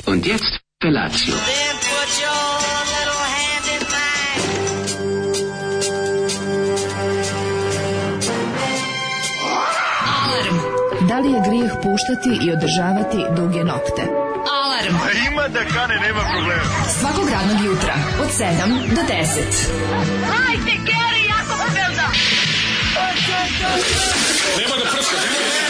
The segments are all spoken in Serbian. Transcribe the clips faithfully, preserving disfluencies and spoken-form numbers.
Und jetzt Felatio. Da li je grijeh puštati i održavati duge nokte? Alarm! A ima da kane, nema problema. Svakog radnog jutra, od sedam do deset. Hajde, Geri, jako se velda! Nema da prska, nema da prska.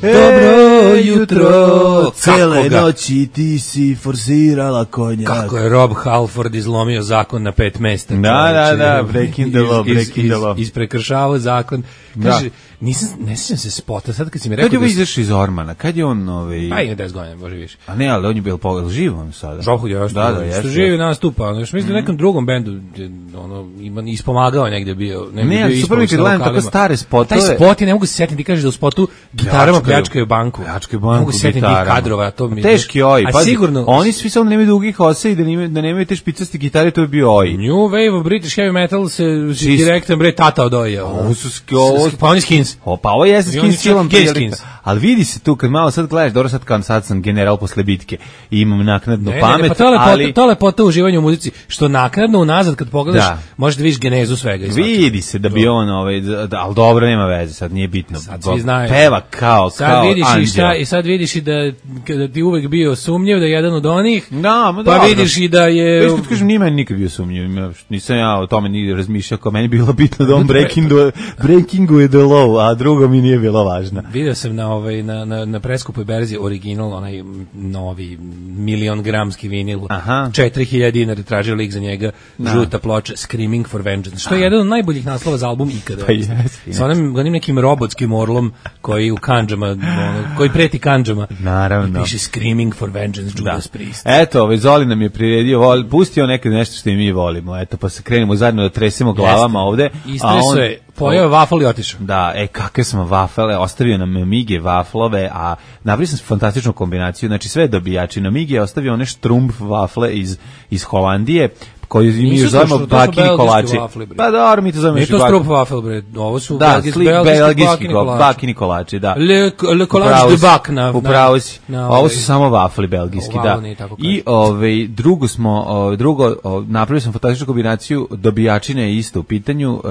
Dobro jutro, cele noći ti si forsirala konjak. Kako je Rob Halford izlomio zakon na pet mesta. Da, da, da, breaking the law, breaking the law. Isprekršavao zakon. Kaže, nisam, ne sjećam se spota, sad kad si mi rekao... Kad je da ovo izašao iz Ormana? Kad je on... Ovaj... Pa ima deset godina, može više. A ne, ali on je bio pogledal živo on sada. Žohud je još da, da, što živi nastupa. Ono, još mislim da nekom drugom bendu ono, ima ispomagao negdje bio. Ne, ali super mi kad gledam tako stare spotove. Taj spot je, ne mogu se setiti, ti kažeš da u spotu gitarama pljačkaju banku. Pljačkaju banku, ne mogu se setiti tih kadrova. To mi, teški oj, pa sigurno... oni svi samo nemaju dugih ose i da nemaju, da nemaju te špicasti gitare, to je bio oj. New Wave of British Heavy Metal se direktan bre tata od oja. Ovo su... Pa oni skins. O, pa ovo je skins silom prilika. Ali vidi se tu, kad malo sad gledaš, dobro sad kad sad sam general posle bitke i imam naknadnu ne, pamet, ne, pa to lepota, ali... To lepota u uživanju u muzici, što naknadno unazad kad pogledaš, da. Možeš da vidiš genezu svega. Vidi se da bi on, ovaj, da, ali dobro, nema veze, sad nije bitno. Sad svi znaju. Peva kao, sad kao vidiš anđel. I, šta, I sad vidiš i da, da ti uvek bio sumnjiv, da je jedan od onih, da, ma pa dobro. vidiš i da je... Već kad kažem, nije meni nikad bio sumnjiv, nisam ja o tome ni razmišljao, kao meni bilo bitno da on breakingu, breakinguje the law, a drugo mi nije bilo važno. Vidio sam na, ovaj, na, na, na preskupoj berzi original, onaj novi milion gramski vinil, četiri hiljade dinara tražio lik za njega, da. Žuta ploča, Screaming for Vengeance, što je jedan od najboljih naslova za album ikada. Pa jes, jes. Sa onim, onim nekim robotskim orlom koji u kandžama, ono, koji preti kandžama. Naravno. I piše Screaming for Vengeance, Judas da. Priest. Eto, ovaj Zoli nam je priredio, vol, pustio nekad nešto što i mi volimo, eto, pa se krenemo zajedno da tresemo glavama Jeste. Ovde. Istreso je, pojeo vafel i otišao. Da, e, kakve smo vafele, ostavio nam mige vaflove, a napravio sam fantastičnu kombinaciju, znači sve dobijači. Na mige je ostavio one štrumpf vafle iz, iz Holandije, koji mi još zovemo bakini kolači. Pa dobro, mi to zovemo još i bakini. Nije to strup wafel, bre, ovo su da, belgijski, belgijski kolači. Bakini kolači, da. Le, le kolač de bak na... Upravo si. Ovo su samo vafli belgijski, da. I ovaj, drugo smo, drugo, napravio sam fantastičnu kombinaciju, dobijačina je isto u pitanju.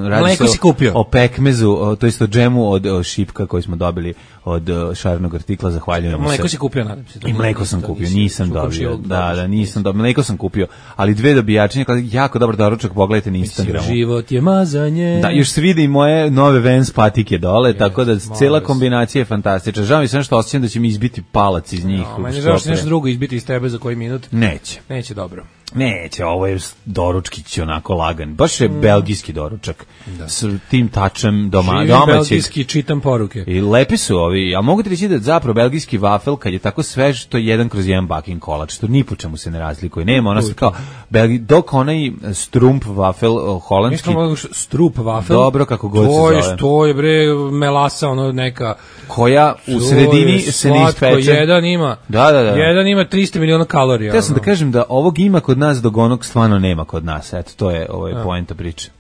Radi se o pekmezu, to isto džemu od šipka koji smo dobili od šarenog artikla, zahvaljujemo se. Mleko si kupio, nadam se. I mleko sam kupio, nisam dobio. Da, da, nisam dobio. Mleko sam kupio, ali dve dobijačine, jako dobar doručak, pogledajte na Instagramu. Život je mazanje. Da, još se vidi i moje nove Vans patike dole, tako da cela kombinacija je fantastična. Žao mi se nešto osjećam da će mi izbiti palac iz njih. No, meni žao se nešto drugo izbiti iz tebe za koji minut. Neće. Neće dobro. Neće, ovo je doručkić onako lagan. Baš je mm. belgijski doručak. Da. S tim tačem doma, Živim domaćeg. Belgijski, čitam poruke. I lepi su ovi, a mogu ti reći da zapravo belgijski vafel, kad je tako svež, to je jedan kroz jedan bakin kolač, što ni po čemu se ne razlikuje. Nema, ona se kao, belgi, dok onaj strump vafel holandski. Mislim, strup vafel. Dobro, kako god to se je, zove. To je, bre, melasa, ono neka... Koja u sredini se ne ispeče. Jedan ima, da, da, da. jedan ima tristo miliona kalorija. Ja sam ono. Da kažem da ovog ima kod nas, dok onog stvarno nema kod nas. Eto, to je ovaj poenta priče.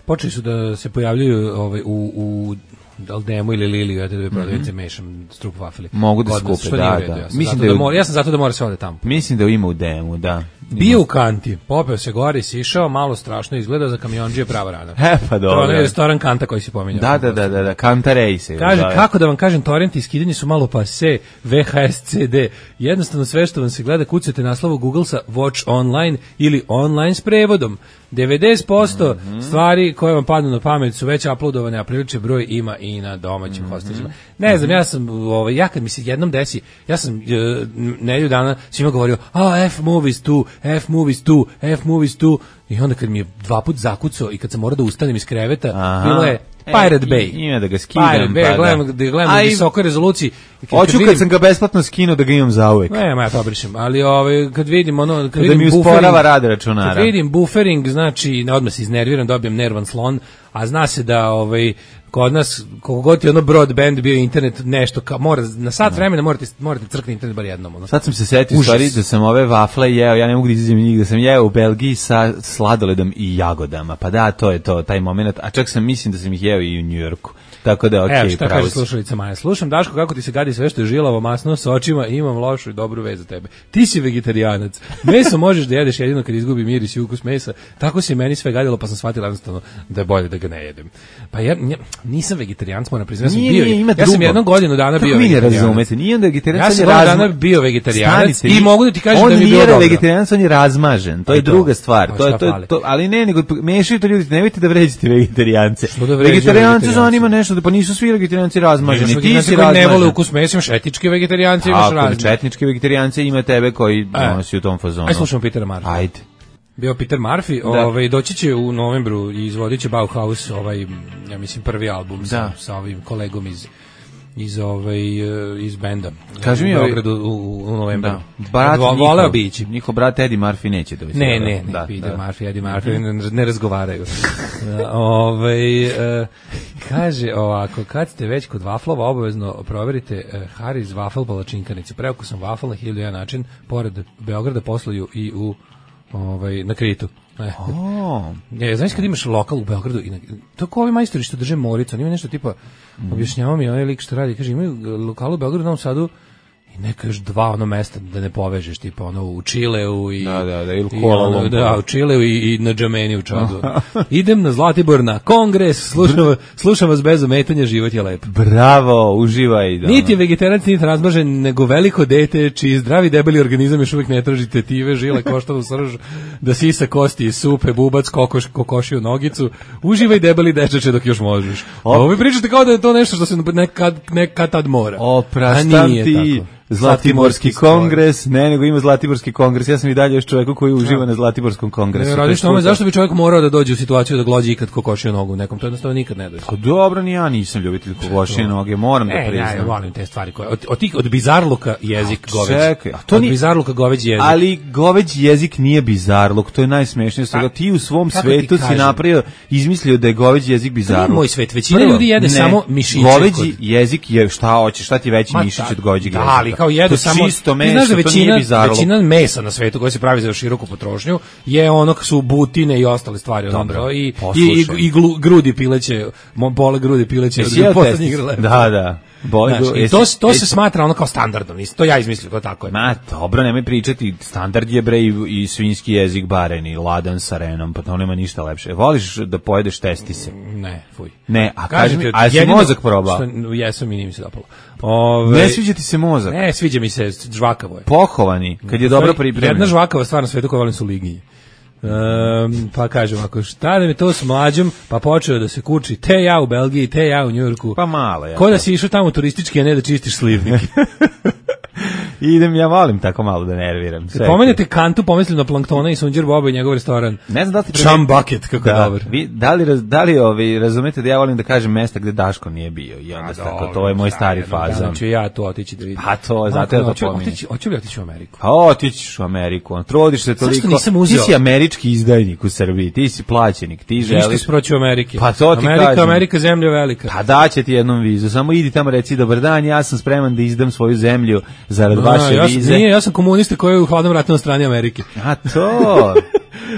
Počeli su da se pojavljuju ovaj, u, u Daldemu ili Liliju, ja te da prodavite mm -hmm. mešam strup vafeli. Mogu da skupe, da, da. Ja sam, Mislim da, da, mora, ja sam zato da mora se ode tamo. Mislim da ima u demu, da. Bio u kanti, popeo se gori, sišao, malo strašno izgleda, za kamionđije prava rana. E, pa dobro. To je restoran Kanta koji si pominjao. Da, da, da, da, da, Kanta Rejse. Kaže, da, kako da vam kažem, torrenti i skidanje su malo pase, V H S C D. Jednostavno sve što vam se gleda, kucate naslovu Google-sa Watch Online ili online s prevodom. devedeset posto mm -hmm. stvari koje vam padnu na pamet su već uploadovane, a priličan broj ima i na domaćim mm -hmm. hostelima. Ne znam, ja sam, ovaj, ja kad mi se jednom desi, ja sam uh, nedelju dana svima govorio, a F movies tu, F movies tu, F movies tu, i onda kad mi je dva put zakucao i kad sam morao da ustanem iz kreveta, aha. Bilo je Pirate Bay. Ima da ga skidam. Pirate Bay, pa gledam, da gledam u visokoj rezoluciji. Hoću kad, kad sam ga besplatno skinuo da ga imam zauvek. Ne, ma ja to obrišem, ali ovaj, kad vidim ono... Kad da vidim mi usporava rad računara. Kad vidim buffering, znači, odmah se iznerviram, dobijem nervan slon, a zna se da ovaj, kod nas, koliko god je ono broadband bio internet, nešto, kao, mora, na sat no. vremena morate, morate crkni internet bar jednom. Ono. Sad sam se setio stvari da sam ove vafle jeo, ja ne mogu da izađem njih, da sam jeo u Belgiji sa sladoledom i jagodama, pa da, to je to, taj moment, a čak sam mislim da sam ih jeo i u Njujorku. tako da okej, okay, šta kaže slušalica Maja? Slušam Daško kako ti se gadi sve što je žilavo, masno, s očima i imam lošu i dobru vez za tebe. Ti si vegetarijanac. Meso možeš da jedeš jedino kad izgubi miris i ukus mesa. Tako se meni sve gadilo, pa sam shvatila jednostavno da je bolje da ga ne jedem. Pa ja, ja nisam vegetarijanac, moram priznati, ja sam nije, bio. Nije, ja sam jednu godinu dana bio vegetarijanac. Razumete, nije onda vegetarijanac, ja sam jednu dana bio vegetarijanac i mogu da ti kažem da mi je bilo dobro. On nije vegetarijanac, on je razmažen. To je druga stvar. To je to, to, ali ne, nego mešaju to ljudi, nemojte da vređate vegetarijance. Vegetarijance zanima nešto, pa nisu svi vegetarijanci razmaženi. Ti si razmažen. Ne vole ukus mesa, imaš etičke vegetarijanci, imaš razne. Četničke vegetarijanci ima tebe koji donosi u tom fazonu. Aj slušamo Petera Murphy. Ajde. Bio Peter Murphy, ovaj doći će u novembru i izvodit će Bauhaus, ovaj ja mislim prvi album sa, sa ovim kolegom iz iz ovaj iz benda. Kaži mi, u Beogradu u, u novembru. Da. Brat voleo bići. Njihov brat Eddie Murphy neće da. Ne, ne, ne, da, Peter da. Murphy, Eddie Murphy ne, ne razgovaraju. ovaj uh, kaže ovako, kad ste već kod vaflova, obavezno proverite uh, Harry's Waffle palačinkanicu. Preuko sam wafl na hiljadu jedan način, pored Beograda posluju i u ovaj na Kritu. E. Oh. Je, znaš kad imaš lokal u Beogradu i na, to kao ovi majstori što drže Moricu, ima nešto tipa mm. objašnjavao mi onaj lik što radi, kaže imaju lokal u Beogradu, u Novom Sadu i neka još dva ono mesta da ne povežeš, tipa ono u Čileu i da, da, da, ili i ono, da, u Čileu i, i na Džameni u Čadu. Idem na Zlatibor na kongres, slušam, slušam vas bez ometanja, život je lep. Bravo, uživaj. Da. Niti je vegetarijanci, niti razmažen, nego veliko dete, čiji zdravi debeli organizam još uvijek ne traži tetive, žile, koštanu srž, da sisa kosti iz supe, bubac, kokoš, kokošiju nogicu. Uživaj debeli dečače dok još možeš. Ovo vi pričate kao da je to nešto što se nekad, nekad tad mora. Opraštam ti. Zlatiborski kongres, ne, nego ima Zlatiborski kongres. Ja sam i dalje još čovjeku koji uživa na Zlatiborskom kongresu. Ne, radiš tome, zašto bi čovjek morao da dođe u situaciju da glođi ikad kokošio nogu nekom? To jednostavno nikad ne dođe. Pa dobro, ni ja nisam ljubitelj kokošije noge, moram da priznam. Ne, ja volim te stvari koje od od, od bizarluka jezik goveđi. Čekaj, a to od ni bizarluka goveđi jezik. Ali goveđi jezik nije bizarluk, to je najsmešnije što ti u svom svetu si napravio, izmislio da je goveđi jezik bizarluk. To je moj svet, većina ljudi jede samo mišiće. Goveđi jezik je šta hoćeš, šta ti veći mišić od goveđeg jezika. Ali kao jedu samo isto meso, znaš da većina, većina mesa na svetu koja se pravi za široku potrošnju je ono su butine i ostale stvari. Dobro, i, i, i, i glu, grudi pileće, pole grudi pileće od poslednjih grleva. Da, da. Znaš, i to, to se smatra ono kao standardom, to ja izmislio, to tako je. Ma, dobro, nemoj pričati, standard je bre i, i svinjski jezik bareni, ladan sa renom, pa to nema ništa lepše. Voliš da pojedeš testise? Ne, fuj. Ne, a kaži mi, a si mozak probao? Jesam i nije mi se dopalo. Ove, ne sviđa ti se mozak? Ne, sviđa mi se, žvakavo je. Pohovani, kad je dobro pripremljen. Jedna žvakava stvar na svetu koju volim su liginje. Um, pa kažem, ako šta da mi to s mlađom, pa počeo da se kuči te ja u Belgiji, te ja u Njujorku. Pa malo ja. Ko da si išao tamo turistički, a ne da čistiš slivnike. Idem, ja volim tako malo da nerviram. Pomenete Kantu, pomislim na Planktona i Sunđer Boba i njegov restoran. Ne znam da li ste Chum Bucket, kako da, dobar. Vi, da li, da li ovi, razumete da ja volim da kažem mesta gde Daško nije bio i onda tako, to je moj stari fazon. Znači ja tu otići da vidim. Pa to, zato ja to pominjem. Hoću li otići u Ameriku? Pa otićiš u Ameriku, on trodiš se toliko. Ti si američki izdajnik u Srbiji, ti si plaćenik, ti želiš. Ništa sproći u Amerike. Pa to ti Amerika, kažem. Amerika, zemlja velika. Pa daće ti jednom vizu, samo idi tamo reci dobar dan, ja sam spreman da izdam svoju zemlju zarad vaše ja, vize. Nije, ja sam komunista koji je u hladnom ratu na strani Amerike. A to...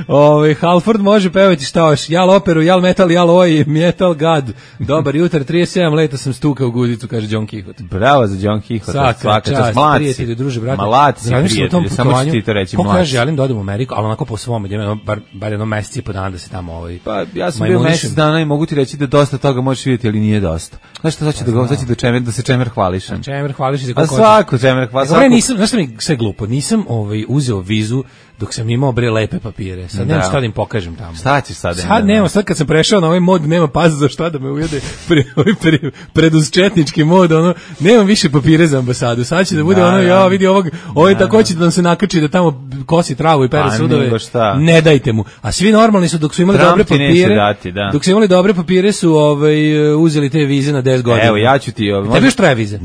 Ove, Halford može pevati šta hoš, jal operu, jal metal, jal oj, metal god. Dobar jutar, trideset sedam leta sam stukao u guzicu, kaže John Quixote. Bravo za John Quixote, svaka, svaka čast, mlad prijatelju, druže, brate. Mlad si prijatelju, samo ću ti to reći, mlad. Kako ja želim da odem u Ameriku, ali onako po svom, idem bar, bar jedno meseci i po dana da se tamo ovaj... Pa ja sam bio mesec dana i mogu ti reći da dosta toga možeš vidjeti, ali nije dosta. Znaš šta, sad ću da, sad ću da, čemer, da se čemer hvališ. Čemer hvališ i za koliko... A svako čemer hvališ. Svako... Nisam, znaš šta mi sve glupo, nisam ovaj, uzeo vizu dok sam imao bre lepe papire. Sad nemam šta da im pokažem tamo. Šta ćeš sad? Sad nemam, sad kad sam prešao na ovaj mod, nema pas za šta da me ujede pre, pre, preduzčetnički mod, ono, nemam više papire za ambasadu. Sad će da bude da, ono, ja vidi ovog, ovaj da, tako će da nam se nakači da tamo kosi travu i pere pa, sudove. Ne dajte mu. A svi normalni su dok su imali Trump dobre papire. Dati, da. Dok su imali dobre papire su ovaj uzeli te vize na deset godina. Evo, ja ću ti ovaj. Tebi još traje vize?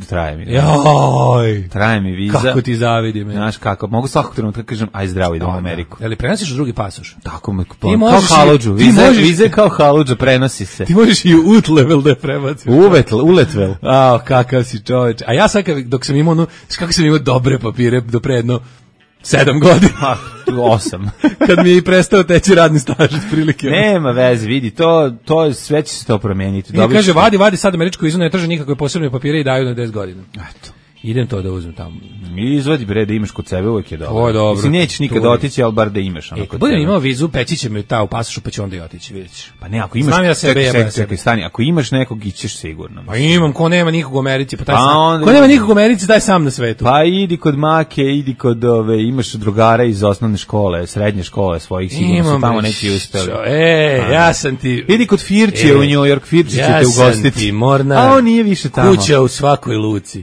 Traje mi. Joj. Traje mi viza. Kako ti zavidim. Znaš kako, mogu svakog trenutka kažem aj zdravo idem u Ameriku. Je li prenosiš drugi pasoš? Tako me kao haludžu. Vize, vize kao haludža prenosi se. Ti možeš i u level da prebaciš. Uvetl, uletvel. A, kakav si čoveč. A ja sad dok sam imao, no, kako sam imao dobre papire do predno Sedam godina. Osam. Kad mi je i prestao teći radni staž prilike. Nema veze, vidi, to, to sve će se to promijeniti. I kaže, vadi, vadi sad američko izvod, ne traže nikakve posebne papire i daju na deset godina. Eto. Idem to da uzmem tamo. Izvadi bre da imaš kod sebe, uvijek je dobro. To je dobro. Mislim, nećeš nikada otići, ali bar da imaš. E, kad budem imao vizu, peći će me ta u pasošu, pa ću onda i otići, vidiš. Pa ne, ako imaš, ja sebe, čekaj, ja čekaj, stani, ako imaš nekog, ićeš sigurno. Pa imam, ko nema nikog u Americi, pa taj pa sam. Onda, ko nema nikog u Americi, taj sam na svetu. Pa idi kod make, idi kod ove, imaš drugara iz osnovne škole, srednje škole svojih, sigurno imam, su tamo neki uspeli. E, pa, ja sam ti... Idi kod Firče e, u New York, Firče ja će te ugostiti. Ja sam ti mornar. A on nije više tamo. Kuća u svakoj luci.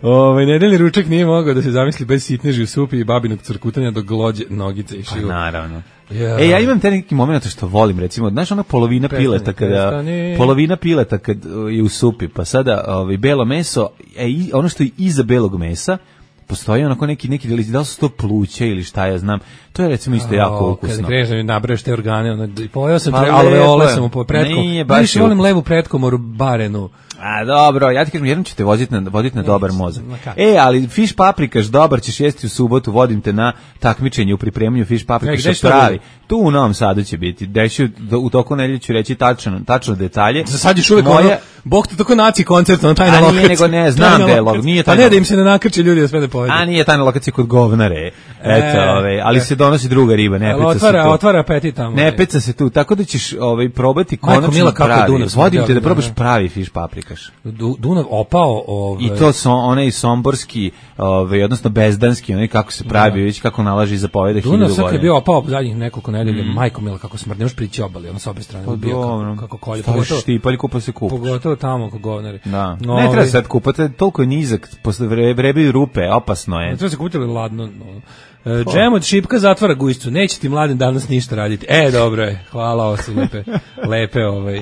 Ovaj nedeljni ručak nije mogao da se zamisli bez sitneži u supi i babinog crkutanja do glođe nogice i šiju. Pa naravno. Ja. E, ja imam te neki moment što volim, recimo, znaš ona polovina prestani, pileta kada prestani. polovina pileta kad je u supi, pa sada ovaj belo meso, e, ono što je iza belog mesa postoji onako neki neki delić, da li su to pluće ili šta ja znam, to je recimo isto jako ukusno. Kad kreneš da mi nabraješ te organe, ono, pojeo sam, pa tre, alveole sam po pretkom, najviše volim levu pretkomoru barenu. A dobro, ja ti kažem, jednom ću te voziti na, voditi na ne, dobar mozak. E, ali fiš paprikaš, dobar ćeš jesti u subotu, vodim te na takmičenje u pripremanju fiš paprikaša e, pravi. Tu u Novom Sadu će biti, deću, u toku nedelje ću reći tačno, tačno detalje. Za sad ćeš uvijek Moja... ono, Bog te tako naci koncert, ono tajna lokacija. A nije, nego ne, znam da je log, nije tajna. Pa ne da im se ne nakrče ljudi da sve ne povedu. A nije tajna lokacija kod govnare, eto, e, ove, ali e. se donosi druga riba, ne peca otvara, se tu. Otvara apetit tamo. Ne peca se tu, tako da ćeš ovaj, probati konačno pravi. Vodim te da probaš pravi fiš paprikaš. Dunav opao, ovaj. I to su onaj somborski, ovaj, odnosno bezdanski, onaj kako se pravi, već kako nalaži zapoveda hiljadu godina. Dunav sad je bio opao zadnjih nekoliko nedelja, mm. majko mila kako smrdi, nemaš prići obali, ono s obje strane, pa bio kako, kako kolje. Pogotovo štipalj, kupa se kupaš. Pogotovo tamo kod govnari. Da. No, ne treba sad kupati, toliko je nizak, posle vrebaju rupe, opasno je. Ne treba se kupiti ladno, no. Uh, džem od šipka zatvara gujscu. Neće ti mladen danas ništa raditi. E, dobro je. Hvala, ovo su lepe, lepe, ovaj,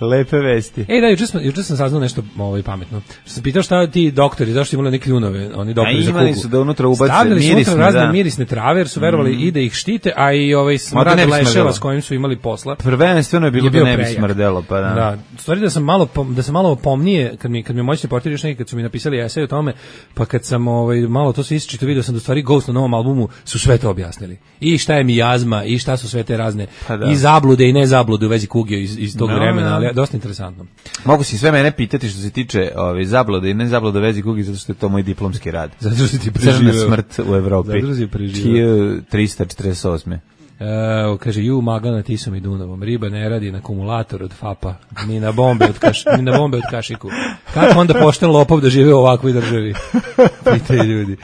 lepe vesti. E, da, juče sam, juče sam saznao nešto ovaj, pametno. Što sam pitao šta ti doktori, zašto imali neke kljunove, oni doktori za kugu. A imali su da unutra ubace stavljali mirisne, su unutra razne da. mirisne trave, jer su verovali mm. i da ih štite, a i ovaj smrad leševa s kojim su imali posla. Prvenstveno je bilo je da ne bi smrdelo, pa da. Da, stvari da sam malo, da sam malo pomnije, kad mi, kad mi moćni reporteri još neki, kad su mi napisali esej o tome, pa kad sam ovaj, malo to se isčito, vidio sam da stvari Ghost na novom albumu su sve to objasnili. I šta je mijazma, i šta su sve te razne pa da. i zablude i ne zablude u vezi kuge iz, iz tog no, vremena, ali dosta interesantno. Mogu si sve mene pitati što se tiče ove, zablude i ne zablude u vezi kuge, zato što je to moj diplomski rad. Zato što si ti preživio. Crna smrt u Evropi. Zato što si preživio. hiljadu trista četrdeset osme Uh, kaže, ju Magana Tisom i Dunavom, riba ne radi na akumulator od Fapa, ni na bombe od, kaš, ni na bombe od Kašiku. Kako onda pošten lopov da žive u ovakvoj državi? Pitaju ljudi.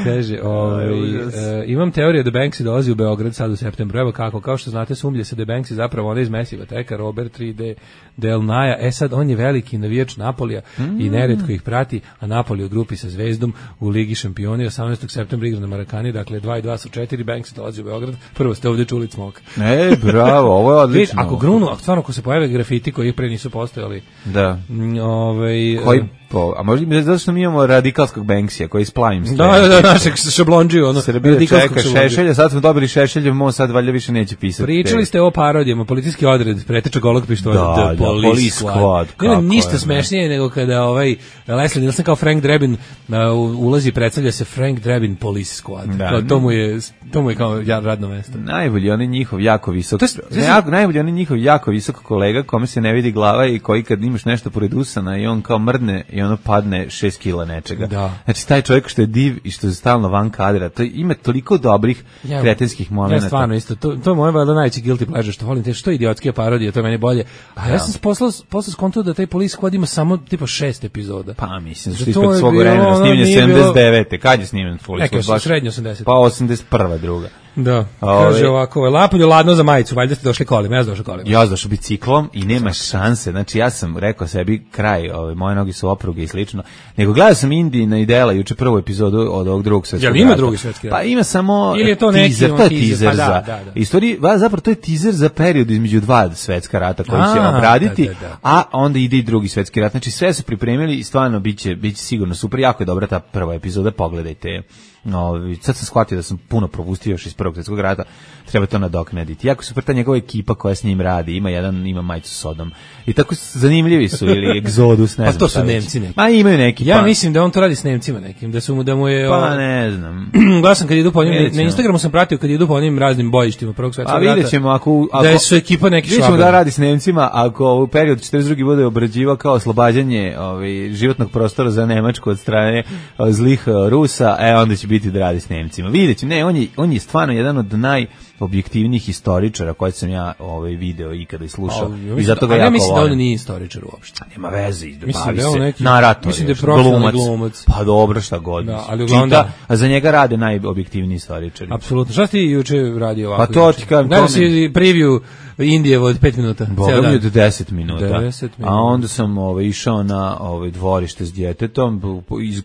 Kaže, ovaj, uh, imam teoriju da Banksy dolazi u Beograd sad u septembru. Evo kako, kao što znate, sumlje se da Banksy zapravo ona iz Mesiva teka, Robert tri D Del Naja. E sad, on je veliki navijač Napolija mm. i neretko ih prati, a Napoli u grupi sa Zvezdom u Ligi šampioni osamnaestog septembra igra na Marakani, dakle dva i dva su četiri, Banksy dolazi u Beograd. Prvo ste ovdje čuli cmoka. E, bravo, ovo je odlično. Ako grunu, ako stvarno ako se pojave grafiti koji ih pre nisu postojali. Da. Ovaj koji po, a možda zato što mi imamo radikalskog Banksija koji splavim sve. Da, da, da, našeg šablondžiju, ono. Srbija čeka Šešelja, sad smo dobili Šešelja, mo sad valjda više neće pisati. Pričali ste o parodijama, policijski odred, preteča golog pištolja, da, the police squad. Nema ništa smešnije nego kada ovaj Leslie Nielsen kao Frank Drebin uh, ulazi i predstavlja se Frank Drebin Police Squad. Da, kao, to mu je to mu je kao radno mesto. Najbolji on je njihov jako visok. To je, ne, jako, najbolji on je njihov jako visok kolega kome se ne vidi glava i koji kad imaš nešto pored usana i on kao mrdne i ono padne šest kila nečega. Da. Znači taj čovjek što je div i što je stalno van kadra, to ima toliko dobrih ja, kretenskih momenata. Ja stvarno isto, to, to je moje valjda najveći guilty pleasure, što volim te što idiotske parodije, to je meni bolje. A ja, ja sam poslao posle skonto da taj Police Squad ima samo tipa šest epizoda. Pa mislim, što ispred svog vremena snimljen sedamdeset devete Kad je snimljen Police Squad? Srednje osamdeset Pa osamdeset prva druga. Da, Ove, kaže ovako, lapolju ladno za majicu, valjda ste došli kolima, ja sam došao kolima. Ja sam došao biciklom i nema šanse, znači ja sam rekao sebi kraj, ove, moje noge su opruge i slično, nego gledao sam Indiji na Idela juče prvu epizodu od ovog drugog svetskog rata. Jel ima drugi svetski rat? Pa ima samo ili je to teaser, neki, to je teaser, teaser pa da, za, da, da. Istoriji, zapravo to je teaser za period između dva svetska rata koji će obraditi, da, da, da. A onda ide i drugi svetski rat, znači sve su pripremili i stvarno biće, biće sigurno super, jako je dobra ta prva epizoda, pogledajte. No, sad sam shvatio da sam puno propustio još iz Prvog svjetskog rata, treba to nadoknaditi. Jako super ta njegova ekipa koja s njim radi, ima jedan, ima majicu Sodom. I tako zanimljivi su, ili Exodus, ne pa znam. Pa to su Nemci neki. Ma imaju neki. Ja pa. mislim da on to radi s Nemcima nekim, da su mu, da mu je... Pa ne znam. Glasam kad idu po njim, na Instagramu sam pratio kad idu po onim raznim bojištima Prvog svjetskog rata. A vidjet ćemo ako... ako da su ekipa neki švabe. Vidjet ćemo da radi s Nemcima, ako u periodu četrdeset druge bude obrađivao kao oslobađanje ovaj, životnog prostora za Nemačku od strane zlih Rusa, e onda će biti da radi s Nemcima. Vidjet ćemo, ne, on je, on je stvarno jedan od najobjektivnijih historičara koje sam ja ovaj, video ikada i slušao. A, i zato ga ja jako mislim volim. da on nije historičar uopšte. Nema veze, mislim bavi da se narator, mislim da je profesionalni glumac. Pa dobro, šta god. Da, ali uglavnom čita, da. A za njega rade najobjektivniji historičari. Apsolutno. Šta si ti juče radio ovako? Pa to ti kažem. Gledao si preview Indijevo od pet minuta. Boga mi od deset minuta. deset minuta. A onda sam ovaj, išao na ovaj, dvorište s djetetom, iz,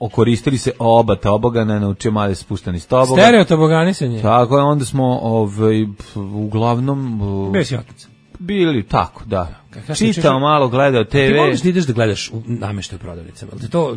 okoristili se oba tobogana, naučio male spuštani s toboga. Stereo toboganisanje. Tako je, onda smo ovaj, uglavnom... Bez otac. Bili tako, da. Čitao čeče... malo, gledao te ve. Ti voliš da ideš da gledaš nameštaj u prodavnicama? Ali ti to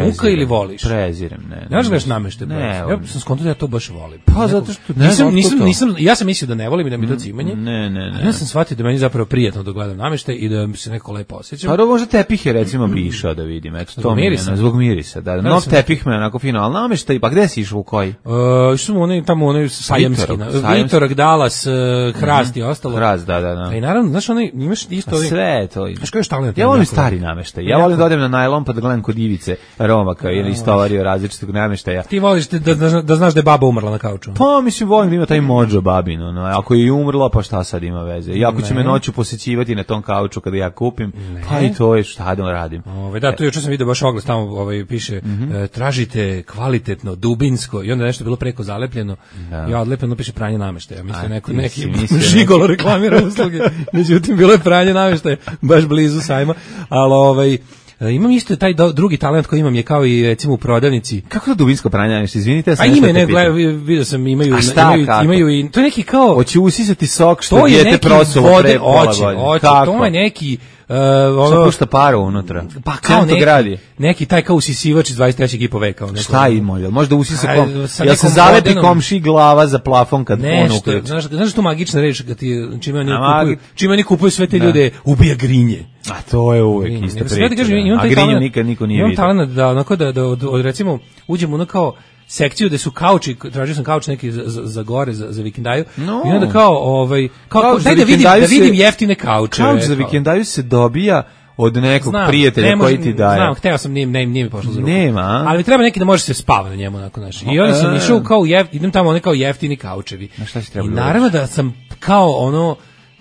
muka ili voliš? Prezirem, ne. Ne znaš gledaš nameštaj? Ne. Ja sam skontao da ja to baš volim. Pa zato što... Ne nisam, nisam, nisam, ja sam mislio da ne volim i da mi to cimanje. Ne, ne, ne. Ja sam shvatio da meni zapravo prijatno da gledam nameštaj i da se neko lepo osjećam. Pa možda tepihe recimo bi išao da vidim. Eto, to mirisa. Mi je, zbog mirisa. Da, nov sam... tepih me onako fino, ali nameštaj, pa gde si išao u koji? Uh, išao onaj tamo onaj sajamski. Vitorak, Dalas, Hrast i ostalo. Hrast, da, da, da. I naravno, znaš, onaj, imaš isto... Sve to. Znaš koji je talent? Ja volim stari nameštaj. Ja volim da odem na najlon pa da gledam kod Ivice Romaka ili istovario različitog nameštaja. Ti voliš da, da, da znaš da je baba umrla na kauču? Pa mislim volim da ima taj mođo babino. No. Ako je umrla, pa šta sad ima veze? I ako će me noću posećivati na tom kauču kada ja kupim, ne. Pa i to je šta da radim. Ove, da, tu juče sam vidio baš oglas tamo ovaj, piše mm-hmm. e, tražite kvalitetno, dubinsko i onda nešto bilo preko zalepljeno. Da. Ja odlepljeno piše pranje nameštaja. Mislim, neko, neki žigolo reklamira usluge. Međutim, bilo je pranje nameštaja baš blizu sajma. Ali ovaj imam isto taj do, drugi talent koji imam je kao i recimo u prodavnici. Kako to dubinsko pranje nameštaja? Izvinite, ja sam A ime ne gledam, vidio sam imaju šta, imaju, imaju i to je neki kao hoće usisati sok što dijete prosulo pre pola godine. To je neki Uh, ono pušta paru unutra. Pa kao neki, gradi. neki taj kao usisivač iz dvadeset trećeg i po veka. Neko, šta ima? Možda usisa kom... Ja se zalepi modernom... komši glava za plafon kad on uključi. Znaš, znaš tu magična reč kad ti čime oni kupuju, čime oni kupuju sve te da. ljude, ubija grinje. A to je uvek grinje. Ista priča. Kažem, da. A grinju nikad niko nije vidio. Imam talent da, onako da, da od, od, recimo uđemo ono kao sekciju gde su kauči, tražio sam kauč neki za, za, za gore, za, za vikendaju, no. I onda kao, ovaj, kao, kao daj da vidim, da vidim jeftine kauče. Kauč za vikendaju se dobija od nekog znam, prijatelja koji ti daje. Znam, hteo sam, nije, nije, nije mi pošlo za ruku. Nema. Ali treba neki da može se spava na njemu, onako, znaš. I onda sam išao kao, jef, idem tamo one kao jeftini kaučevi. Na šta si treba I naravno da sam kao ono,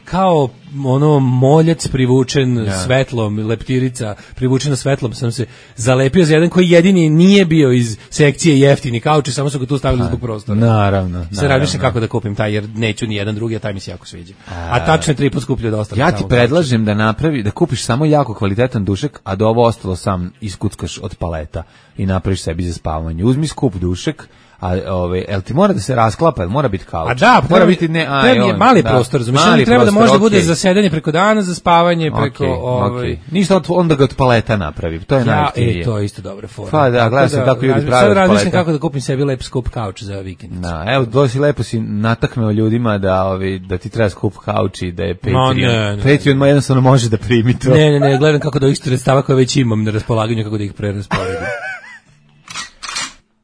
kao ono moljac privučen ja. svetlom, leptirica privučena svetlom, sam se zalepio za jedan koji jedini nije bio iz sekcije jeftini kauči, samo su ga tu stavili zbog prostora. Naravno. Se razmišljam kako da kupim taj, jer neću ni jedan drugi, a taj mi se jako sviđa. A, a tačno je tri put skuplje od ostalih. Ja ti predlažem da napravi, da kupiš samo jako kvalitetan dušek, a da ovo ostalo sam iskuckaš od paleta i napraviš sebi za spavanje. Uzmi skup dušek, a ove el ti mora da se rasklapa, mora biti kauč. A da, mora biti ne, a treba je mali da, prostor, razumiješ, treba da može da bude za sedenje preko dana, za spavanje preko okay, ovaj. Okay. Ništa onda ga od paleta napravi. To je ja, najjeftinije. E, to je isto dobra forma. Pa da, gledaj se da, kako ljudi prave. Sad razmišljam kako da kupim sebi lep skup kauč za vikend. Da, evo, dosi lepo si nataknuo ljudima da ovi da ti treba skup kauč i da je Patreon. No, ne, ne, Patreon ma jednostavno može da primi to. Ne, ne, ne, gledam kako da isto sredstava koje već imam na raspolaganju kako da ih prerasporedim.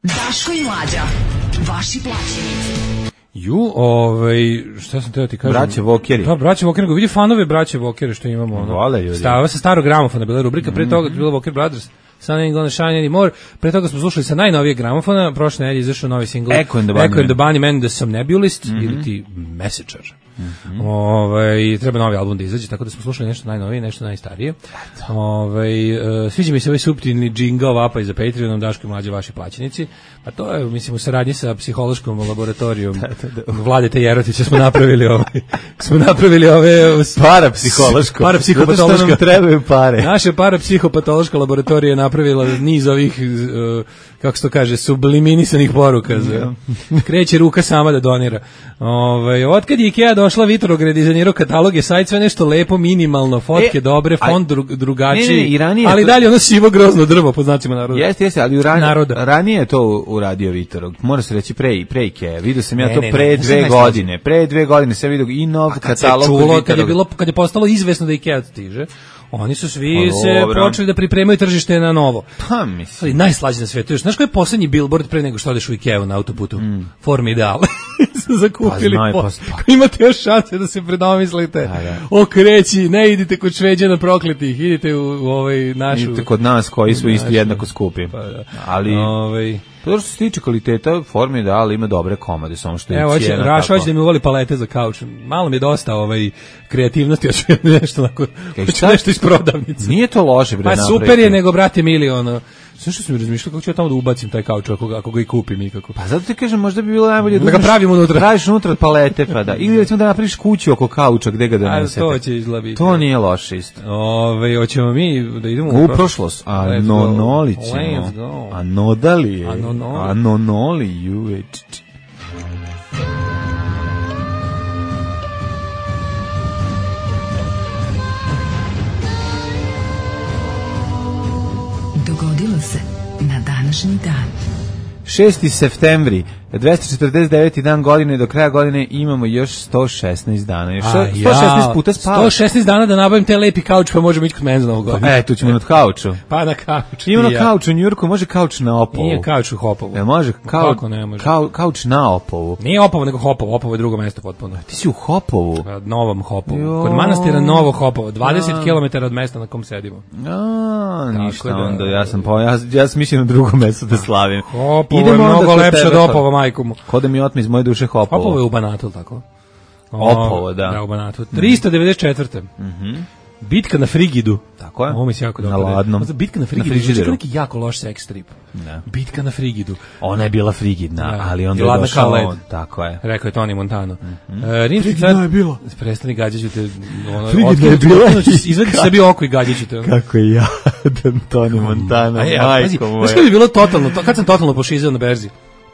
Daško i Mlađa. Vaši plaćenici. Ju, ovaj, šta sam teo ti kažem? Braće Vokeri. Da, braće Vokeri, vidi fanove braće Vokeri što imamo. Ono. Vole ljudi. Stava sa starog gramofona, bila rubrika, pre toga je bila Voker Brothers, Sun Ain't Gonna Shine Anymore, pre toga smo slušali sa najnovijeg gramofona, prošle nedelje izašao novi singl Echo and the Bunny, Echo and the Bunny Man, The Somnambulist, mm-hmm. ili ti Messenger. Mm-hmm. Ove, treba novi album da izađe, tako da smo slušali nešto najnovije, nešto najstarije. Ove, uh, sviđa mi se ovaj suptilni džingl vapa iza Patreonom, Daško i Mlađe vaši plaćenici. Pa to je, mislim, u saradnji sa psihološkom laboratorijom Vladete Jerotića smo napravili ovaj, smo napravili ove parapsihološko. Parapsihopatološka. Zato što nam trebaju pare. Naša parapsihopatološka laboratorija je napravila niz ovih, uh, kako se to kaže, subliminisanih poruka. Za, kreće ruka sama da donira. Ove, otkad je Ikea došla, Vitrograd dizajnirao kataloge, sajt, sve nešto lepo, minimalno, fotke e, dobre, fond dru, drugačiji, ne, ne, ne, ali to... dalje ono sivo grozno drvo, po znacima naroda. Jeste, jeste, ali ran, ranije je to uradio Vitrog, mora se reći pre, pre Ikea, vidio sam ja ne, to pre ne, ne, dve godine, pre dve godine sam vidio i nov katalog. Čulo, kad je, bilo, kad je postalo izvesno da Ikea stiže, oni su svi pa, se dobro. počeli da pripremaju tržište na novo. Pa, mislim. Najslađe na svetu. Znaš koji je poslednji billboard pre nego što odeš u Ikeu na autoputu? Mm. Formidal. su zakupili pa, po... pa. Imate još šanse da se predomislite. Da, da. Okreći, ne idite kod Šveđana prokletih, idite u, u ovaj našu... Idite kod nas koji su isto jednako skupi. Pa, da. Ali... Ovaj... To što se tiče kvaliteta, Formidal ima dobre komade, samo što je Evo, cijena. Evo, Raša hoće da mi uvoli palete za kauč. Malo mi je dosta ovaj, kreativnosti, hoću nešto, onako, hoću nešto iz prodavnice. Nije to loše, bre, pa super je, nego, brate, mili, ono... Sve što sam mi razmišljao, kako ću ja tamo da ubacim taj kauč, ako, ako ga i kupim ikako. Pa zato ti kažem, možda bi bilo najbolje da ga pravim unutra. Praviš unutra palete, pa da. Ili recimo da napraviš kuću oko kauča, gde ga donesete. A to će izlabiti. To nije loše isto. Ove, hoćemo mi da idemo u prošlost. A nonoli ćemo. A nodali je. A nonoli juveč. Dogodilo se na današnji dan. šesti septembri, dvesta četrdeset deveti dan godine, do kraja godine imamo još sto šesnaest dana. Još sto šesnaest puta spavaš. sto šesnaest dana da nabavim te lepi kauč, pa možemo ići kod mene za Novu godinu. E, tu ćemo imati kauču. Pa na kauču. Imamo na kauču u Njujorku, može kauč na Opovu. Nije kauč u Hopovu. E, može, kau, ne može. Kau, kauč na Opovu. Nije Opovo, nego Hopovo. Opovo je drugo mesto potpuno. Ti si u Hopovu? Na Novom Hopovu. Jo. Kod manastira Novo Hopovo, dvadeset kilometara od mesta na kom sedimo. A, ništa, onda ja sam po, ja, ja sam mislio na drugo mesto da slavim. Hopovo je mnogo lepše od Opova, majku mu. Ko da mi otme iz moje duše Hopovo. Hopovo je u Banatu, tako? Opovo, da. Da, u Banatu. tristo devedeset četvrte Mhm. Bitka na Frigidu. Tako je. Ovo mi se jako dobro. Na ladnom. Bitka na Frigidu. Na Frigideru. Neki jako loš sex strip. Da. Bitka na Frigidu. Ona je bila frigidna, da. Ali onda je došao on. Tako je. Rekao je Tony Montano. Mm-hmm. Uh, Rimski car je bila. Prestani, gađaću te. Ono, frigidna je bila. Izvedi sebi oko i gađaću te. Kako je jadan Tony Montano. Aj, majko moja. Znaš kada je bilo totalno, to, kad sam totalno pošizao na berzi?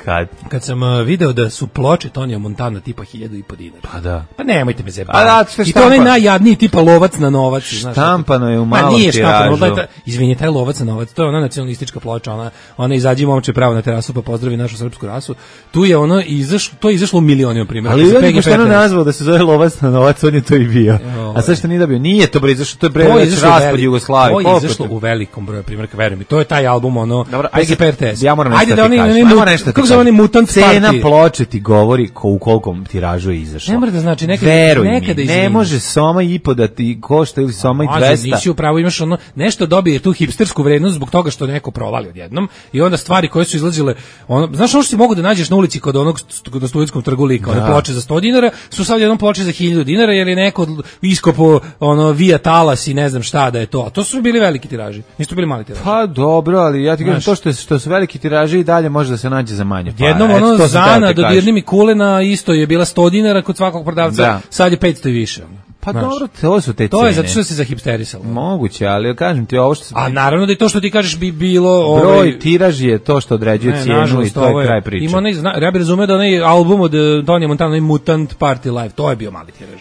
Kad? Kad sam uh, video da su ploče Tonija Montana tipa hiljadu i po dinara. Pa da. Pa nemojte me zebati. Da, I to onaj najjadniji tipa lovac na novac. Štampano je u malom tiražu. Pa nije štampano, ta, izvini, taj lovac na novac, to je ona nacionalistička ploča, ona, ona izađi momče pravo na terasu pa pozdravi našu srpsku rasu. Tu je ono izašlo, to je izašlo u milionima primjera. Ali on je pošteno nazvao da se zove lovac na novac, on je to i bio. A sad što nije dobio? Nije to bre, izašlo, to je bre već raspad Jugoslavije. To je izašlo u velikom broju primjerka, veruj mi. To je taj album, ono, P G P R T S. Ja moram nešto da ti kažem. Kako se oni mutant cena ploče ti govori ko u kolkom tiražu je izašlo. Ne mora da znači nekada, Veruj nekada mi, ne može soma i po da ti košta ili soma i dvesta. Nisi upravo, imaš ono, nešto dobije tu hipstersku vrednost zbog toga što neko provali odjednom i onda stvari koje su izlazile, ono, znaš ono što si mogu da nađeš na ulici kod onog na Studentskom trgu lika, one ploče za sto dinara, su sad jednom ploče za hiljadu dinara jer je neko iskopo ono via talas i ne znam šta da je to. A to su bili veliki tiraži, nisu bili mali tiraži. Pa dobro, ali ja ti kažem to što, što su veliki tiraži i dalje može da se nađe za manje. Pa, jednom ono Zana dodirni mi kulena isto je bila sto dinara kod svakog prodavca, da. Sad je petsto i više. Pa znaš, dobro, to su te cene. To je zato što se zahipsterisalo. Moguće, ali kažem ti ovo što... A naravno da i to što ti kažeš bi bilo... Broj ovaj, tiraž je to što određuje ne, cijenu nažalost, i to je kraj priče. Ima onaj, ja bih razumeo da onaj album od Tonija Montana, onaj Mutant Party Live, to je bio mali tiraž.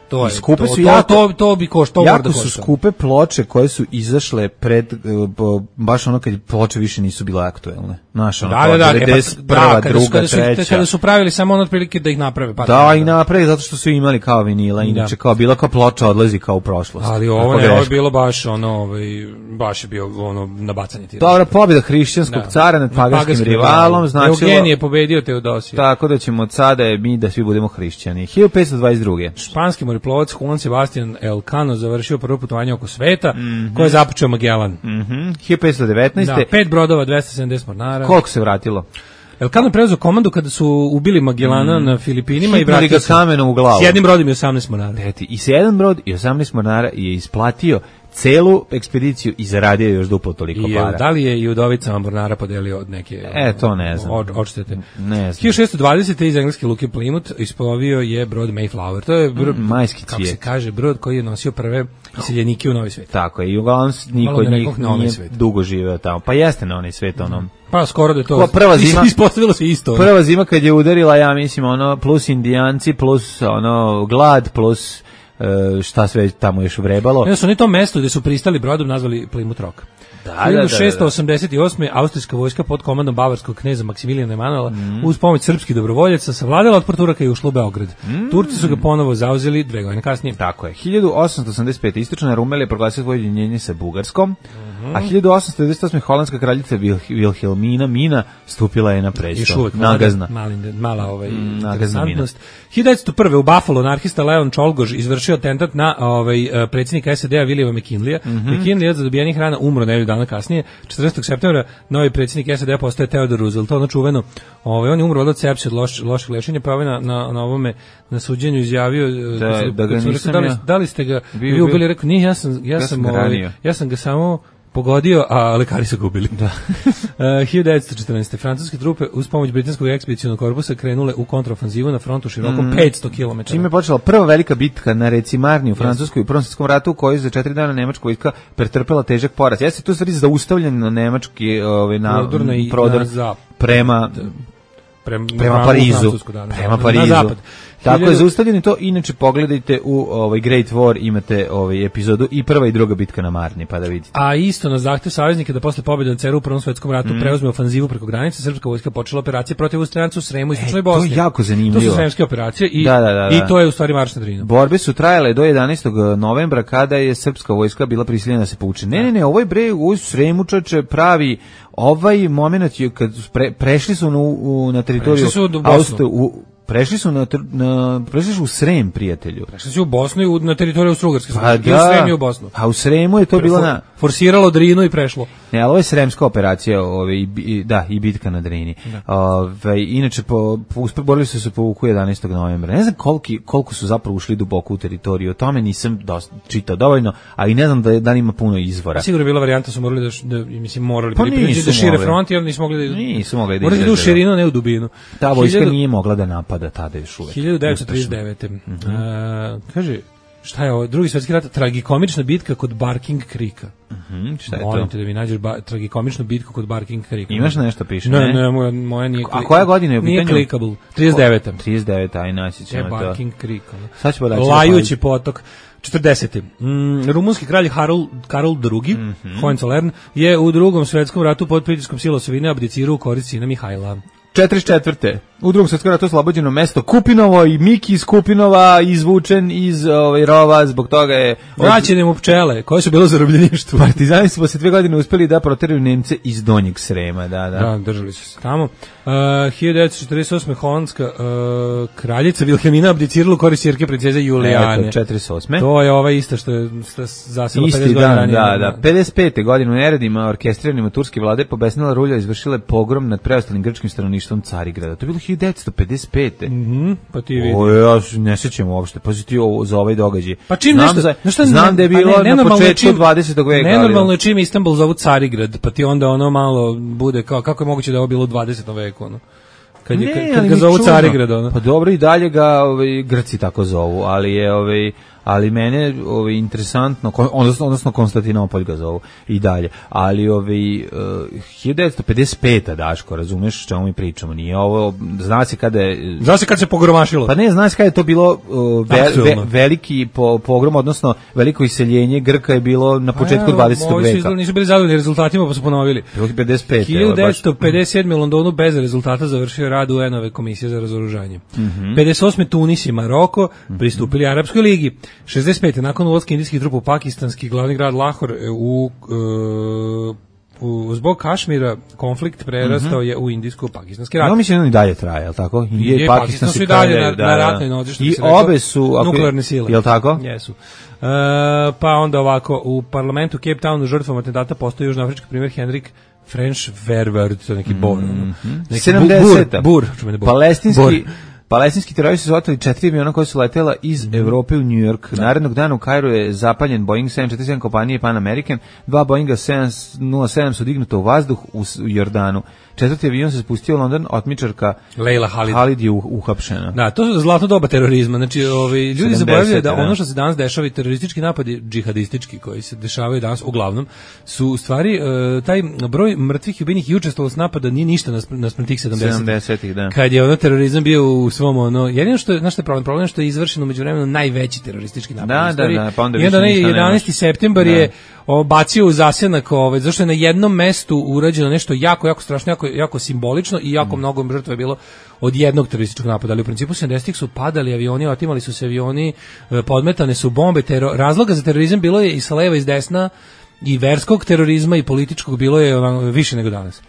To je, skupe to, su jako, to, to, to bi koštalo, jako su skupe ploče koje su izašle pred, baš ono kad ploče više nisu bile aktuelne. Znaš, ono, da, da, da, devedeset prva, da, druga, kada su, treća. Kada su pravili samo ono otprilike da ih naprave. Pa da, i naprave zato što su imali kao vinila, inače kao bila kao ploča odlazi kao u prošlost. Ali ovo ne, ovo je bilo baš ono, ovaj, baš je bio ono nabacanje tiraža. Dobra pobjeda hrišćanskog da. cara nad paganskim rivalom, znači Eugenije je pobedio Teodosija. Tako da ćemo od sada mi da svi budemo hrišćani. hiljadu petsto dvadeset druge. Španski moreplovac Juan Sebastian Elcano završio prvo putovanje oko sveta, mm-hmm. koje je započeo Magellan. Mm-hmm. hiljadu petsto devetnaeste. Da, pet brodova, dvesta sedamdeset mornara. Koliko se vratilo? Elcano je preuzeo komandu kada su ubili Magellana mm. na Filipinima i vratio se kamenom u glavu. S jednim brodom i osamnaest mornara. Peti, i sedam brod i osamnaest mornara je isplatio celu ekspediciju i zaradio još duplo toliko I, para. Da li je i Udovicama Mornara podelio od neke... E, to ne znam. Od, odštete. Ne znam. hiljadu šessto dvadesete iz engleske luke Plymouth isplovio je brod Mayflower. To je brod, mm, majski kako cvijet. se kaže, brod koji je nosio prve iseljenike u Novi svijet. Tako je, i uglavnom niko od njih nije svet. dugo živeo tamo. Pa jeste na onaj svet, ono... Pa skoro da je to... Ko prva zima... Ispostavilo se isto. Prva zima kad je udarila, ja mislim, ono, plus indijanci, plus, ono, glad, plus... šta sve tamo još vrebalo. Ja su oni to mesto gde su pristali brodom nazvali Plymouth Rock. Da, hiljadu šeststo osamdeset osme. austrijska vojska pod komandom bavarskog kneza Maksimilijana Emanuela mm. uz pomoć srpskih dobrovoljaca savladala otpor Turaka i ušla u Beograd. Mm. Turci su ga ponovo zauzeli dve godine kasnije. Tako je. hiljadu osamsto osamdeset pete. istočna Rumelija proglasila svoje ujedinjenje sa Bugarskom, mm. a hiljadu osamsto devedeset osme. holandska kraljica Wilhelmina Mina stupila je na presto. Nagazna. Mali, mala ovaj, mm, interesantnost. hiljadu devetsto prve. u Buffalo anarhista Leon Čolgoš izvršio atentat na ovaj, predsjednika S A D-a Williama McKinleya. Mm -hmm. McKinley je za dobijenih rana umro nedelju dana kasnije. četrnaestog septembra novi predsjednik S A D-a postaje Theodore Roosevelt. To ono čuveno. Ovaj, on je umro od sepse od loš, lošeg lešenja, pa ovaj na, na, na ovome na suđenju izjavio da, da, da ga nisam da li, da li ste ga vi ubili, rekao, nije, ja sam, ja, ja sam, ovaj, ja sam ga samo pogodio, a lekari su ga ubili. Da. uh, hiljadu devetsto četrnaeste. francuske trupe uz pomoć britanskog ekspedicionog korpusa krenule u kontraofanzivu na frontu širokom mm. petsto kilometara. Čime je počela prva velika bitka na reci Marni u Francuskoj u Prvom svjetskom ratu, u kojoj za četiri dana nemačka vojska pretrpela težak poraz. Jeste tu stvari zaustavljen na nemački ovaj, na, prodor na prema, prema, prema Parizu. Da, prema Parizu. Na zapad. Tako je zaustavljeno to, inače pogledajte u ovaj Great War, imate ovaj epizodu i prva i druga bitka na Marni, pa da vidite. A isto na zahtev saveznika da posle pobjede nad Ceru u Prvom svjetskom ratu mm. preuzme ofanzivu preko granice, srpska vojska počela operacije protiv Austrijanca u Sremu i Istočnoj Bosni. To je jako zanimljivo. To su sremske operacije i, da, da, da, da. i to je u stvari marš na Drinu. Borbe su trajale do jedanaestog novembra kada je srpska vojska bila prisiljena da se povuče. Ne, ne, ne, ovaj bre u Sremu čoveče pravi ovaj momenat je kad pre, prešli su na, u, na teritoriju Austrije u Prešli su na, na prešli su u Srem, prijatelju. Prešli su u Bosnu i na teritoriju Austro-Ugarske. Pa da, u Srem i u Bosnu. A u Sremu je to bilo na forsiralo Drinu i prešlo. Ne, ali ovo je sremska operacija, ove i da, i bitka na Drini. Ove inače po, po borili su se povuku jedanaestog novembra. Ne znam koliki koliko su zapravo ušli duboko u teritoriju. O tome nisam dosta čitao dovoljno, a i ne znam da da li ima puno izvora. Sigurno je bila varijanta su morali da, da mislim morali pa pripričati da šire front i oni nisu mogli da nisu mogli da morali da u širinu, ne u dubinu. Ta vojska hiljadu nije mogla da napada tada još uvek. hiljadu devetsto trideset devete. Mm -hmm. uh, kaže, šta je ovo? Drugi svjetski rat, tragikomična bitka kod Barking Creeka. Mm -hmm. Šta je to? Molim te da mi nađeš ba, tragikomičnu bitku kod Barking Creeka. Imaš nešto piše? Ne, ne, ne moja, moja nije klik... A koja godina je u pitanju? Nije clickable. trideset deveta. trideset deveta, aj naći ćemo to. Barking Creek. Sad ćemo daći. Lajući potok. četrdesete. Mm, rumunski kralj Karol, Karol drugi, mm -hmm. Hohenzollern, je u drugom svjetskom ratu pod pritiskom sila osovine abdicirao u korist sina Mihajla. četrdeset četvrte. U drugom svjetskom ratu oslobođeno mesto Kupinovo i Miki iz Kupinova izvučen iz ovaj rova, zbog toga je vraćene mu pčele koje su bilo zarobljeništvo. Partizani su posle dve godine uspeli da proteraju Nemce iz Donjeg Srema, da, da. Da, držali su se tamo. Uh, hiljadu devetsto četrdeset osme. holandska uh, kraljica Vilhelmina abdicirala u korist ćerke princeze Julijane. Eto, četrdeset osme. To je ova ista što je zasela pedeset godina ranije. Da, da, pedeset pete. godine u neredima orkestriranima turske vlade pobesnila rulja izvršile pogrom nad preostalim grčkim stanovništvom Carigrada. To je bilo hiljadu devetsto pedeset pete. Mhm, mm pa ti vidi. O, ja ne sećam uopšte. Pazi ti ovo za ovaj događaj. Pa čim znam, nešto, za, nešto znam da je bilo ne, na početku dvadesetog veka. Nenormalno je čim Istanbul zovu Carigrad, pa ti onda ono malo bude kao kako je moguće da je ovo bilo u dvadesetom veku, ono. Kad, je, ne, kad ga zovu Carigrad, ono. Pa dobro, i dalje ga ovaj, Grci tako zovu, ali je ovaj, ali mene ovaj, interesantno, odnosno, odnosno Konstantinopolj ga zovu i dalje, ali ovaj, uh, hiljadu devetsto pedeset pete. Daško, razumeš čemu mi pričamo, nije ovo, zna se kada je... Zna se kada se pogromašilo. Pa ne, zna se kada je to bilo uh, ve, ve, veliki po, pogrom, odnosno veliko iseljenje Grka je bilo na početku ja, dvadesetog veka. Ovi nisu bili zadovoljni rezultatima pa su ponovili. pedeset pete. hiljadu devetsto pedeset sedme. u Londonu bez rezultata završio rad U N-ove komisije za razoružanje. Mm -hmm. pedeset osme. Tunis i Maroko pristupili Arapskoj ligi. šezdeset pete. nakon ulaska indijskih trupa u pakistanski glavni grad Lahor u, u, u zbog Kašmira konflikt prerastao mm -hmm. je u indijsko-pakistanski rat. Ja mislim da i dalje traje, je tako? Indije i Pakistan su i dalje na, da, na ratnoj nozi, što i obe su ako, nuklearne sile. Je li tako? Jesu. Uh, pa onda ovako, u parlamentu Cape Townu žrtvom atentata postoji južnoafrički primjer Henrik French Verwoerd, to je neki bor. Mm -hmm. Neki sedamdeseta. Bur, bur, bur. Palestinski, Palestinski teroristi su oteli četiri aviona koja su letela iz mm. Evrope u New York. Da. Narednog dana u Kairu je zapaljen Boeing sedam četrdeset sedam kompanije Pan American. Dva Boeinga sedam nula sedam su dignuta u vazduh u Jordanu. Četvrti avion se spustio u London, otmičarka Leila Halid. Halid je uhapšena. Da, to je zlatno doba terorizma. Znači, ovi ljudi zaboravljaju da ono što se danas dešava i teroristički napadi, džihadistički koji se dešavaju danas uglavnom su u stvari uh, taj broj mrtvih i ubijenih i učestvovalost napada nije ništa naspram tih sedamdesetih. Da. Kad je ono terorizam bio u svom ono, jedino što je, znaš što je problem, problem što je izvršeno međuvremenu najveći teroristički napad da, u istoriji. Da, da, pa onda I onda jedanaesti septembar je o, bacio u zasjenak, ovaj, zašto je na jednom mestu urađeno nešto jako, jako strašno, jako, jako simbolično i jako mm. mnogo žrtva je bilo od jednog terorističkog napada, ali u principu sedamdesetih su padali avioni, otimali su se avioni, podmetane su bombe, tero, razloga za terorizam bilo je i sa leva i s desna, i verskog terorizma i političkog bilo je ono, više nego danas.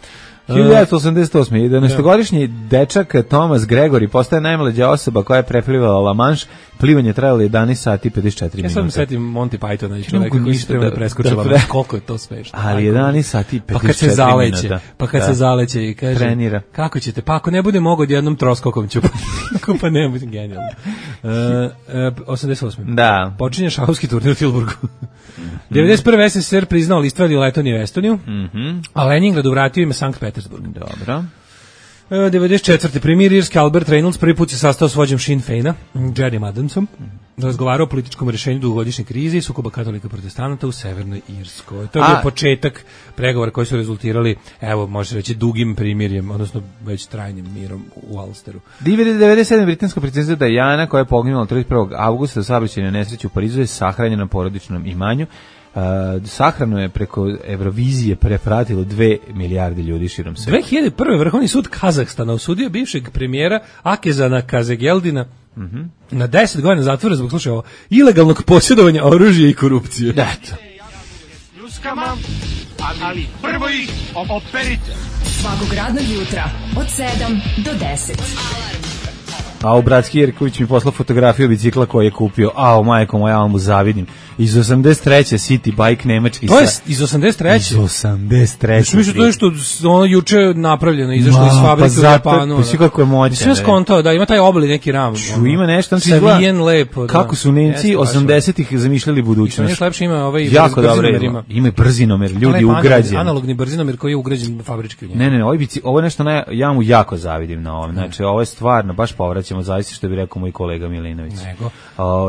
hiljadu devetsto osamdeset osme. jedanaestogodišnji dečak Thomas Gregory postaje najmlađa osoba koja je preplivala La Manche. Plivanje trajalo jedanaest sati i pedeset četiri minuta. Ja sad mi setim Monty Pythona i čoveka koji se treba da preskočila. Da, koliko je to smešno. Ali jedanaest sati i pedeset četiri pa kad se minuta. Pa kad da. se zaleće i kaže, trenira. Kako ćete? Pa ako ne bude mogo odjednom troskokom ću. Pa ne, budem genijalno. Uh, uh, osamdeset osme. Da. Počinje šahovski turnir u Tilburgu. devedeset prve. S S S R priznao Litvaniju, Letoniju i Estoniju, mm-hmm. a Leningradu vratio ime Sankt Petersburg. Dobro. devedeset četvrte. Premijer irski Albert Reynolds prvi put se sastao s vođom Sinn Feina, Jerrym Adamsom, razgovarao o političkom rješenju dugogodišnje krize i sukoba katolika protestanata u Severnoj Irskoj. To je bio početak pregovora koji su rezultirali, evo, može se reći, dugim primirjem, odnosno već trajnim mirom u Ulsteru. devedeset sedme. britanska princeza Diana, koja je poginula trideset prvog avgusta u saobraćajnoj nesreći u Parizu, je sahranjena na porodičnom imanju. Uh, sahranu je preko Eurovizije prepratilo dve milijarde ljudi širom sveta. dve hiljade prve. Vrhovni sud Kazahstana osudio bivšeg premijera Akezana Kazegeldina mm-hmm. na deset godina zatvora zbog, slušaj ovo, ilegalnog posjedovanja oružja i korupcije. Eto. Ljuskama, ali prvo ih operite. Svakog radnog jutra od sedam do deset. A u Bratski Jerković mi poslao fotografiju bicikla koji je kupio. A, o majko moja, ja mu zavidim. Iz osamdeset treće. City Bike nemački. To je iz osamdeset treće. Iz osamdeset treće. Mislim, to je što ono juče napravljeno, izašlo iz fabrike pa u Japanu. Pa si kako je moćan. Sve skontao, da, ima taj obli neki ram. Ču, ima nešto. Savijen lepo. Kako su Nemci osamdesetih zamišljali budućnost. Još lepše ima ovaj jako dobro ima. Ima brzinomer, ljudi ugrađeni. Analogni brzinomer koji je ugrađen fabrički u njemu. Ne, ne, ne, ovaj bici, ovo je nešto na, ja mu jako zavidim na ovom. Znači, ovo je stvarno, baš povraćamo, zaista što bi rekao moj kolega Milinović. Nego.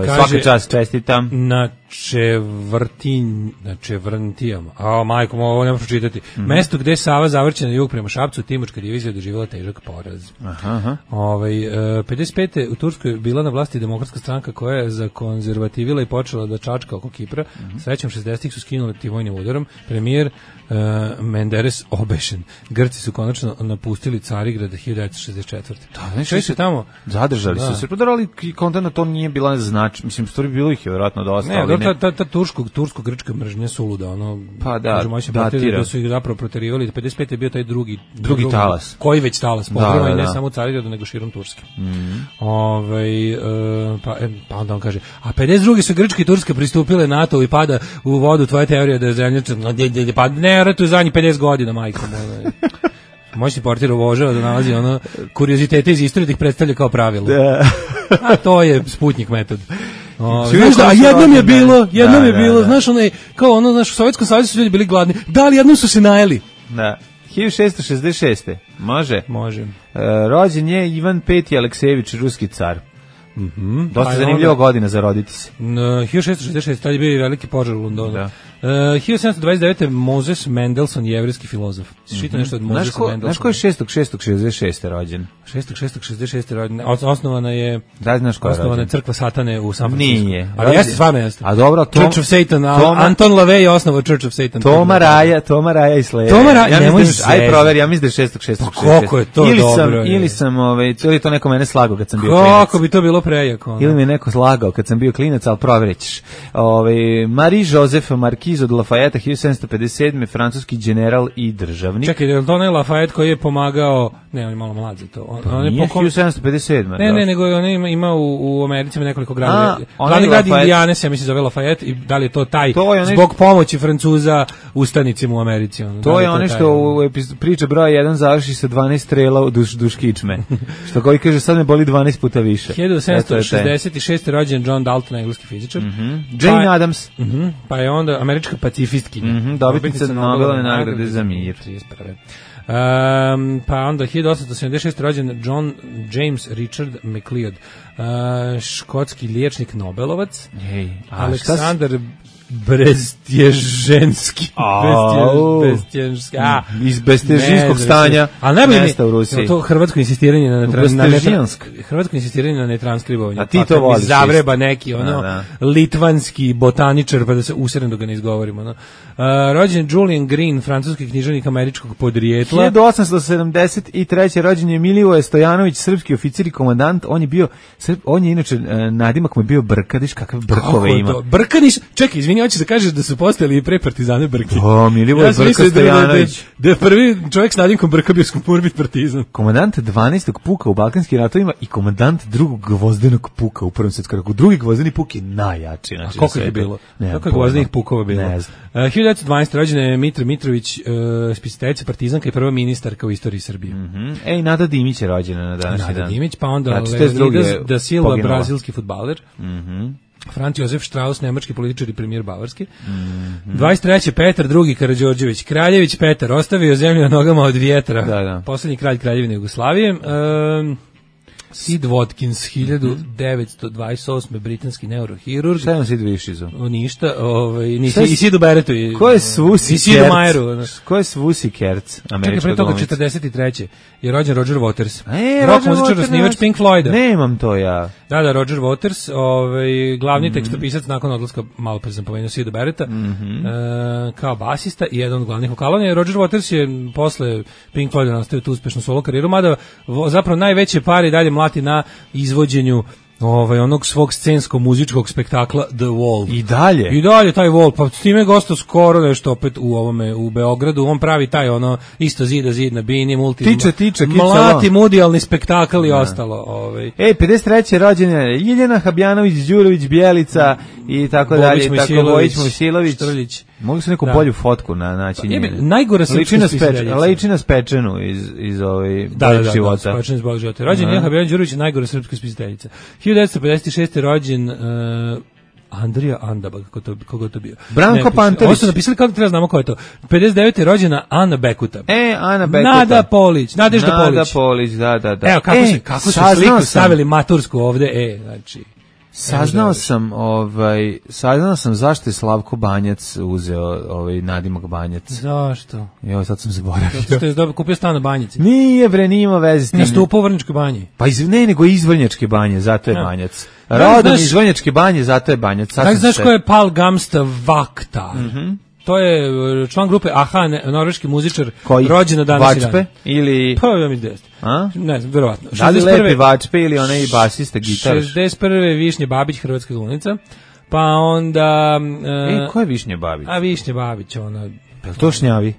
Svaka čast, čestitam. Na Čevrtin, na Čevrntijama. A majko, ovo ne možeš čitati. Mm-hmm. Mesto gde Sava zavrće na jug prema Šapcu, Timočka divizija doživjela težak poraz. Aha, aha. Ovaj pedeset pete. u Turskoj bila na vlasti demokratska stranka koja je zakonzervativila i počela da čačka oko Kipra. Mm-hmm. Srećom šezdesetih su skinuli tim vojnim udarom. Premijer uh, Menderes obešen. Grci su konačno napustili Carigrad hiljadu devetsto šezdeset četvrte. Da, znači se tamo zadržali da. su se, ali konta na to nije bila znači, mislim stvari bilo ih je verovatno dosta. Ne, ali ta ta ta tursko tursko grčka mržnja suluda, ono pa da, da su ih zapravo proterivali. pedeset pete je bio taj drugi drugi, drugi talas. Koji već talas pogroma i ne samo u Carigradu nego širom Turske. Mm. Ovaj uh, pa pa onda on kaže, a pedeset druge su Grčka i Turska pristupile NATO i pada u vodu tvoja teorija da je zemlja pa ne ratu zadnjih pedeset godina, majko moja. Moćni portir obožava da nalazi ono kuriozitete iz istorije da ih predstavlja kao pravilo. Da. A to je Sputnik metod. O, znaš da, a jednom je bilo, jednom da, je bilo, da, da. Znaš, onaj, kao ono, znaš, u Sovjetskom savezu su ljudi bili gladni, da li jednom su se najeli? Da. hiljadu šessto šezdeset šeste. Može? Može. E, rođen je Ivan peti Aleksejević, ruski car. Mhm. Dosta pa zanimljiva onda godina za roditi se. No, hiljadu šessto šezdeset šeste. tad je bio veliki požar u Londonu. Da. Uh, hiljadu sedamsto dvadeset devete. Moses Mendelssohn, jevrijski filozof. Šita mm-hmm. nešto od Mosesa Mendelssohna. Znaš ko je šestog šestog šezdeset šeste rođen? šestog šestog šezdeset šeste rođen. Osnovana je da, znaš ko je osnovana rođen? Crkva Satane u San Francisco. Nije. Ali jeste, stvarno jeste. A dobro, Tom, Church of Satan. Toma, Anton LaVey je osnovao Church of Satan. Toma Raja, Toma Raja i Slayer. Toma Raja, ja mislim, aj proveri, ja mislim da je šestog šestog šezdeset šeste. Kako je to ili dobro? Sam, ili sam, ovaj, ili to neko mene slagao kad sam bio klinac. Kako bi to bilo prejako? Ili mi je neko slagao kad sam bio klinac, al proverićeš. Ovaj Marie Joseph Marquis Markiz od Lafayette, hiljadu sedamsto pedeset sedme francuski general i državnik. Čekaj, je li to onaj Lafayette koji je pomagao, ne, on je malo mlad za to. On, pa on je nije pokom... hiljadu sedamsto pedeset sedme Ne, ne, nego on ima, ima u, u Americi nekoliko gradova. Glavni grad Indijane se, ja mislim, zove Lafayette i da li je to taj, to je zbog što... pomoći Francuza ustanicima u Americi. Ono, to da je ono što u priča broj jedan završi sa dvanaest strela u duš, duš kičme. Što koji kaže, sad me boli dvanaest puta više. hiljadu sedamsto šezdeset šeste rođen John Dalton, engleski fizičar. Mm -hmm. Jane pa, Adams. Mm -hmm, pa je onda američka pacifistkinja. Mm -hmm, dobitnica Nobelove nagrade za mir. Um, pa onda hiljadu osamsto sedamdeset šeste rođen John James Richard MacLeod, uh, škotski liječnik Nobelovac. Ej, Aleksandar Brestježenski. Brestježenski. A, iz Brestježinskog stanja. Ali najbolje mesta u Rusiji. To hrvatsko insistiranje na Brestježinsk. Hrvatsko insistiranje na netranskribovanju. A ti to voliš? Zavreba neki ono da, da. litvanski botaničar pa da se userem dok ga ne izgovorimo. No. Uh, rođen Julian Green, francuski književnik američkog podrijetla. hiljadu osamsto sedamdeset treće rođen je Milivoje Stojanović, srpski oficir i komandant. On je bio, on je inače nadimak mu je bio Brkadiš, kakav Brkove ima. Brkadiš, čekaj, izvini, hoćeš da kažeš da su postojali i pre partizane Brke. O, Milivoje ja Brka Stojanović. Da je prvi čovjek s nadimkom Brka bio skupurbit partizan. Komandant dvanaestog puka u Balkanskim ratovima i komandant drugog gvozdenog puka u Prvom svjetskom ratu. Drugi gvozdeni puk je najjači. Znači, a koliko je bilo? Koliko je gvozdenih pukova bilo? Ne znam. Uh, hiljadu devetsto dvanaeste rođena je Mitra Mitrović, uh, spisateljica partizanka i prva ministarka u istoriji Srbije. Mm -hmm. Ej, Nada Dimić je rođena na današnji Nada dan. Nada Dimić, pa onda Leonidas da Silva, poginula. Brazilski fudbaler. Mhm. Mm Franz Josef Strauss, nemački političar i premijer Bavarski. Mm -hmm. dvadeset treće Petar drugi Karađorđević, Kraljević Petar, ostavio zemlju na nogama od vjetra. Da, da. Poslednji kralj Kraljevine Jugoslavije. Um, Sid Watkins, hiljadu devetsto dvadeset osme britanski neurohirurg. Šta je on Sid Višizu? Ništa, ovaj, nisi, i Sidu Beretu. Ko je Svusi Kerc? I Sidu Majeru. Ko je Svusi Kerc? Čekaj, pre toga četrdeset treće je rođen Roger Waters. E, rock muzičar, osnivač Pink Floyda. Nemam to ja. Da, da, Roger Waters, ovaj, glavni mm -hmm. tekstopisac nakon odlaska, malo pre sam pomenuo Sidu Bereta, mm -hmm. e, kao basista i jedan od glavnih vokala. Je Roger Waters je posle Pink Floyda nastavio tu uspešnu solo karijeru, mada zapravo najveće pari dalje mlati na izvođenju ovaj onog svog scensko-muzičkog spektakla The Wall. I dalje? I dalje taj Wall, pa s time je gostao skoro nešto opet u ovome, u Beogradu, on pravi taj ono, isto zida zid na bini, multi... Tiče, tiče, mlati mudijalni spektakl i ostalo. Ovaj. Ej, pedeset treće rođena je Ljiljana Habjanović, Đurović, Bjelica i tako Bobić, dalje, Mojsilović, tako Bojić, Mojsilović. Štrljić. Mogu se neku da. bolju fotku na naći njenu. Najgore sam liči na spečenu iz, iz ovaj da, da, da, života. Da, spečenu iz Boljeg života. Rođen Ljiljana Habjanović, Đurović, najgore srpska spisateljica. hiljadu devetsto pedeset šeste rođen uh, Andrija Andaba, kako to, kako to bio. Branko Pantević. Ovo su napisali kako treba znamo ko je to. pedeset devete rođena Ana Bekuta. E, Ana Bekuta. Nada Polić, Nadežda Polić. Nada Polić, da, da, da. Evo, kako e, se, kako su sliku stavili matursku ovde, e, znači... Saznao sam, ovaj, saznao sam zašto je Slavko Banjac uzeo ovaj nadimak Banjac. Zašto? Jo, sad sam zaboravio. Zato što je kupio stan na Banjici. Nije bre, nima veze s tim. Nastupao u Vrnjačkoj banji. Pa iz, ne, nego iz Vrnjačke banje, zato je ja. Banjac. Rodom iz Vrnjačke banje, zato je Banjac. Tako znaš ko je Pal Gamsta Vakta? Mhm. Mm to je član grupe Aha, norveški muzičar, rođen na današnji dan. Vačpe ili... Pa, ja mi desno. A? Ne znam, verovatno. Da li lepi Vačpe ili onaj basista, gitar? šezdeset prve Višnje Babić, hrvatska glumica. Pa onda... E, e ko je Višnje Babić? A Višnje Babić, ona... Je li to Šnjavi? E,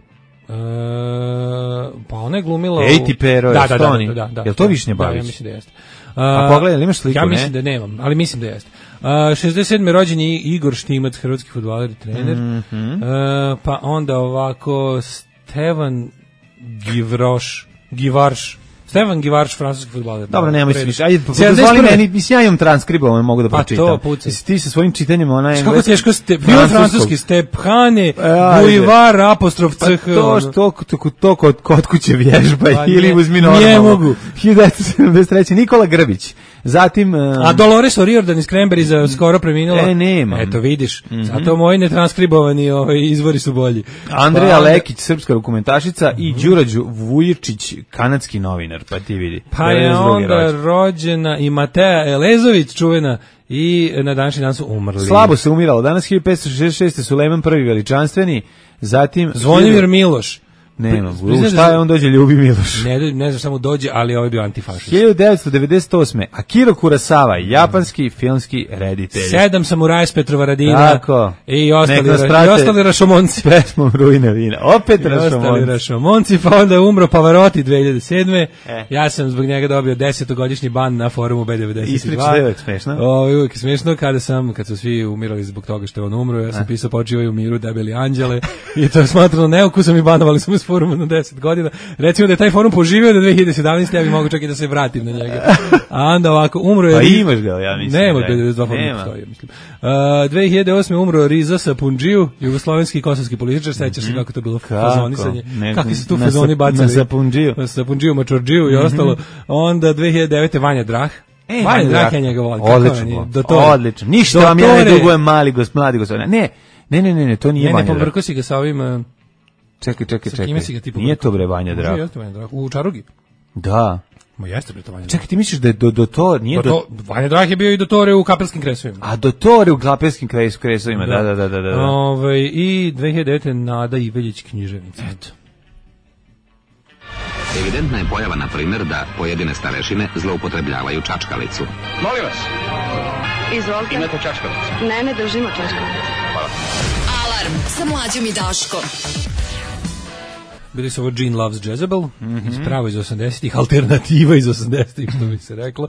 pa ona je glumila... Ej ti pero, da, je da, da, da, da, da, je li to Višnje Babić? Da, ja mislim da jeste. A pogledaj, imaš sliku, ja mislim ne? da nemam, ali mislim da jeste. Uh, šezdeset sedme rođen je Igor Štimac, hrvatski fudbaler i trener. Mm -hmm. uh, pa onda ovako Stevan Givroš, Givarš, Stevan Givarš, francuski fudbaler. Dobro, nemoj se više. Ajde, dozvoli meni, mislim, ja imam transkribovan, mogu da pročitam. Pa to, pucaj. Jesi ti sa svojim čitanjem, ona je... Kako teško ste, bio francuski, Stephane, Buivar, apostrof, ch. Pa to što, to, to kod, kod kuće vježba ili uzmi normalno. Ne mogu. hiljadu devetsto sedamdeset treće Nikola Grbić. Zatim... Um, a Dolores O'Riordan iz Cranberries skoro preminula. E, nema. Eto, vidiš. Mm -hmm. Zato moji netranskribovani ovaj, izvori su bolji. Andreja pa, Lekić, srpska rukometašica, mm -hmm. i Đurađu Vujičić, kanadski novinar, pa ti vidi. Pa je onda rođen. rođena i Mateja Elezović, čuvena, i na današnji dan su umrli. Slabo se umiralo. Danas hiljadu petsto šezdeset šeste Sulejman prvi veličanstveni, zatim... Zvonimir Miloš. Nema, u šta je on dođe Ljubi Miloš? Ne, ne znam samo dođe, ali ovaj je bio antifašist. hiljadu devetsto devedeset osme. Akira Kurosawa, japanski filmski reditelj. Sedam samuraja s Petrovaradina. Tako. I ostali, ra, i ostali Rašomonci. Pesmom Rujna vina. Opet Rašomonci. Ostali Rašomonci, pa onda je umro Pavarotti dve hiljade sedme. E. Ja sam zbog njega dobio desetogodišnji ban na forumu B devedeset dva. Ispriča je uvijek smešno. O, uvijek je smešno kada sam, kad su svi umirali zbog toga što je on umro, ja sam e. pisao počivaju u miru debeli anđele i to je smatrano neukusom i banovali su me s foruma na deset godina. Recimo da je taj forum poživio do dve hiljade sedamnaeste. ja bih mogu čak i da se vratim na njega. A onda ovako, umro je... Pa imaš ga, ja mislim. Nema, B devedeset dva forum postoji, mislim. Uh, dve hiljade osme. umro Riza Sapundžiju, jugoslovenski i kosovski političar, sećaš se kako to bilo fazonisanje. Kakvi su tu fazoni bacali? Na Sapundžiju. Na Sapundžiju, Mačordžiju i ostalo. Onda dve hiljade devete. Vanja Drah. E, Vanja Drah je njega volim. Odlično, odlično. Ništa vam ja ne dugujem, mali gos, mladi gospodine. Ne, ne, ne, ne, ne, to nije Vanja Drah. Ne, ne, pobrko si ga sa ovim... Čekaj, čekaj, čekaj. Nije to bre Vanja Drah. U Čarugi? Da. Ma jeste bre to Vanja Drah. Čekaj, ti misliš da je do, do to, nije do... do... Vanja Drah je bio i dotore u Kapelskim kresovima. A dotore u Kapelskim kresovima, da, da, da, da. da. Ove, I dve hiljade devete. Nada Iveljić, književnica. Eto. Evidentna je pojava, na primjer, da pojedine starešine zloupotrebljavaju čačkalicu. Molim vas. Izvolite. Imate čačkalicu? Ne, ne držimo čačkalicu. Hvala. Alarm sa Mlađom i Daškom. Bili su ovo Gene Loves Jezebel, mm-hmm. ispravo iz osamdesetih, alternativa iz osamdesetih, što bi se reklo.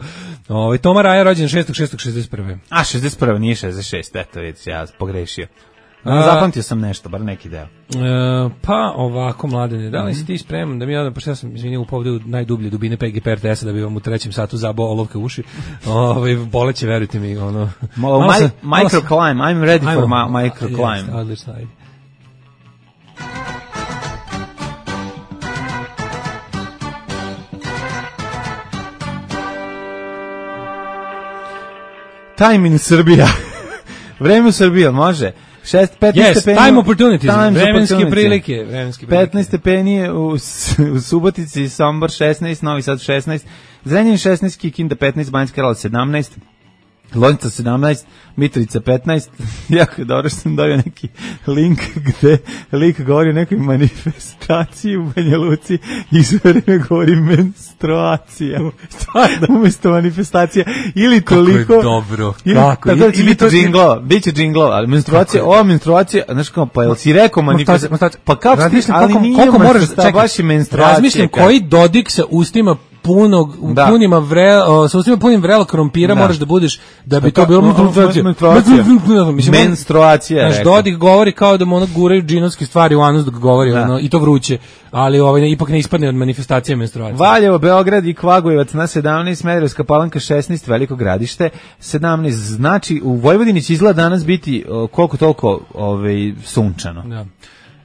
Ovo, Toma Raja rođen šestog šestog šezdeset prve. A, šezdeset prve nije šezdeset šest, eto, vidite, ja pogrešio. A, zapamtio sam nešto, bar neki deo. E, pa ovako, Mladene, da li si ti spreman da mi odam, pošto ja sam izvinio upovde u najdublje dubine P G P R T S-a da bi vam u trećem satu zabao olovke uši. Ove, boleće, verujte mi. Ono. Malo, malo sam, microclimb, I'm ready for my microclimb. Yes, odlično, ajde. Time in Srbija. Vreme u Srbiji, može? šest, petnaest yes, stepeni. Time opportunities, time vremenske opportunity. prilike. Vremenske prilike. petnaest stepeni u, u Subotici, Sombor šesnaest, Novi Sad šesnaest, Zrenjanin šesnaest, Kikinda petnaest, Banjska Karlovac sedamnaest, Loznica sedamnaest, Mitrovica petnaest. Jako je dobro što sam dobio neki link gde lik govori o nekoj manifestaciji u Banja Luci i sve vreme govori menstruacija. Stvarno, umesto manifestacija. Ili toliko... Kako je dobro. Ili, kako? Tako da će biti džinglova, bit će džinglova, ali menstruacija, ova menstruacija, znaš kao, pa jel si rekao manifestacija? Pa kako ti, ali koliko, nije koliko moraš, čekaj, baš je menstruacija. Razmišljam koji Dodik sa ustima punog, da. punima vrela, sa ustima punim vrela krompira da. moraš da budeš, da bi to bilo menstruacija. Menstruacija. Znaš, Dodik govori kao da mu ono guraju džinovske stvari u anus dok govori, da. ono, i to vruće, ali ovaj, ipak ne ispadne od manifestacije menstruacije. Valjevo, Beograd i Kvagojevac na sedamnaest, Smederevska Palanka šesnaest, Veliko Gradište sedamnaest, znači u Vojvodini će izgleda danas biti koliko toliko ovaj, sunčano. Da.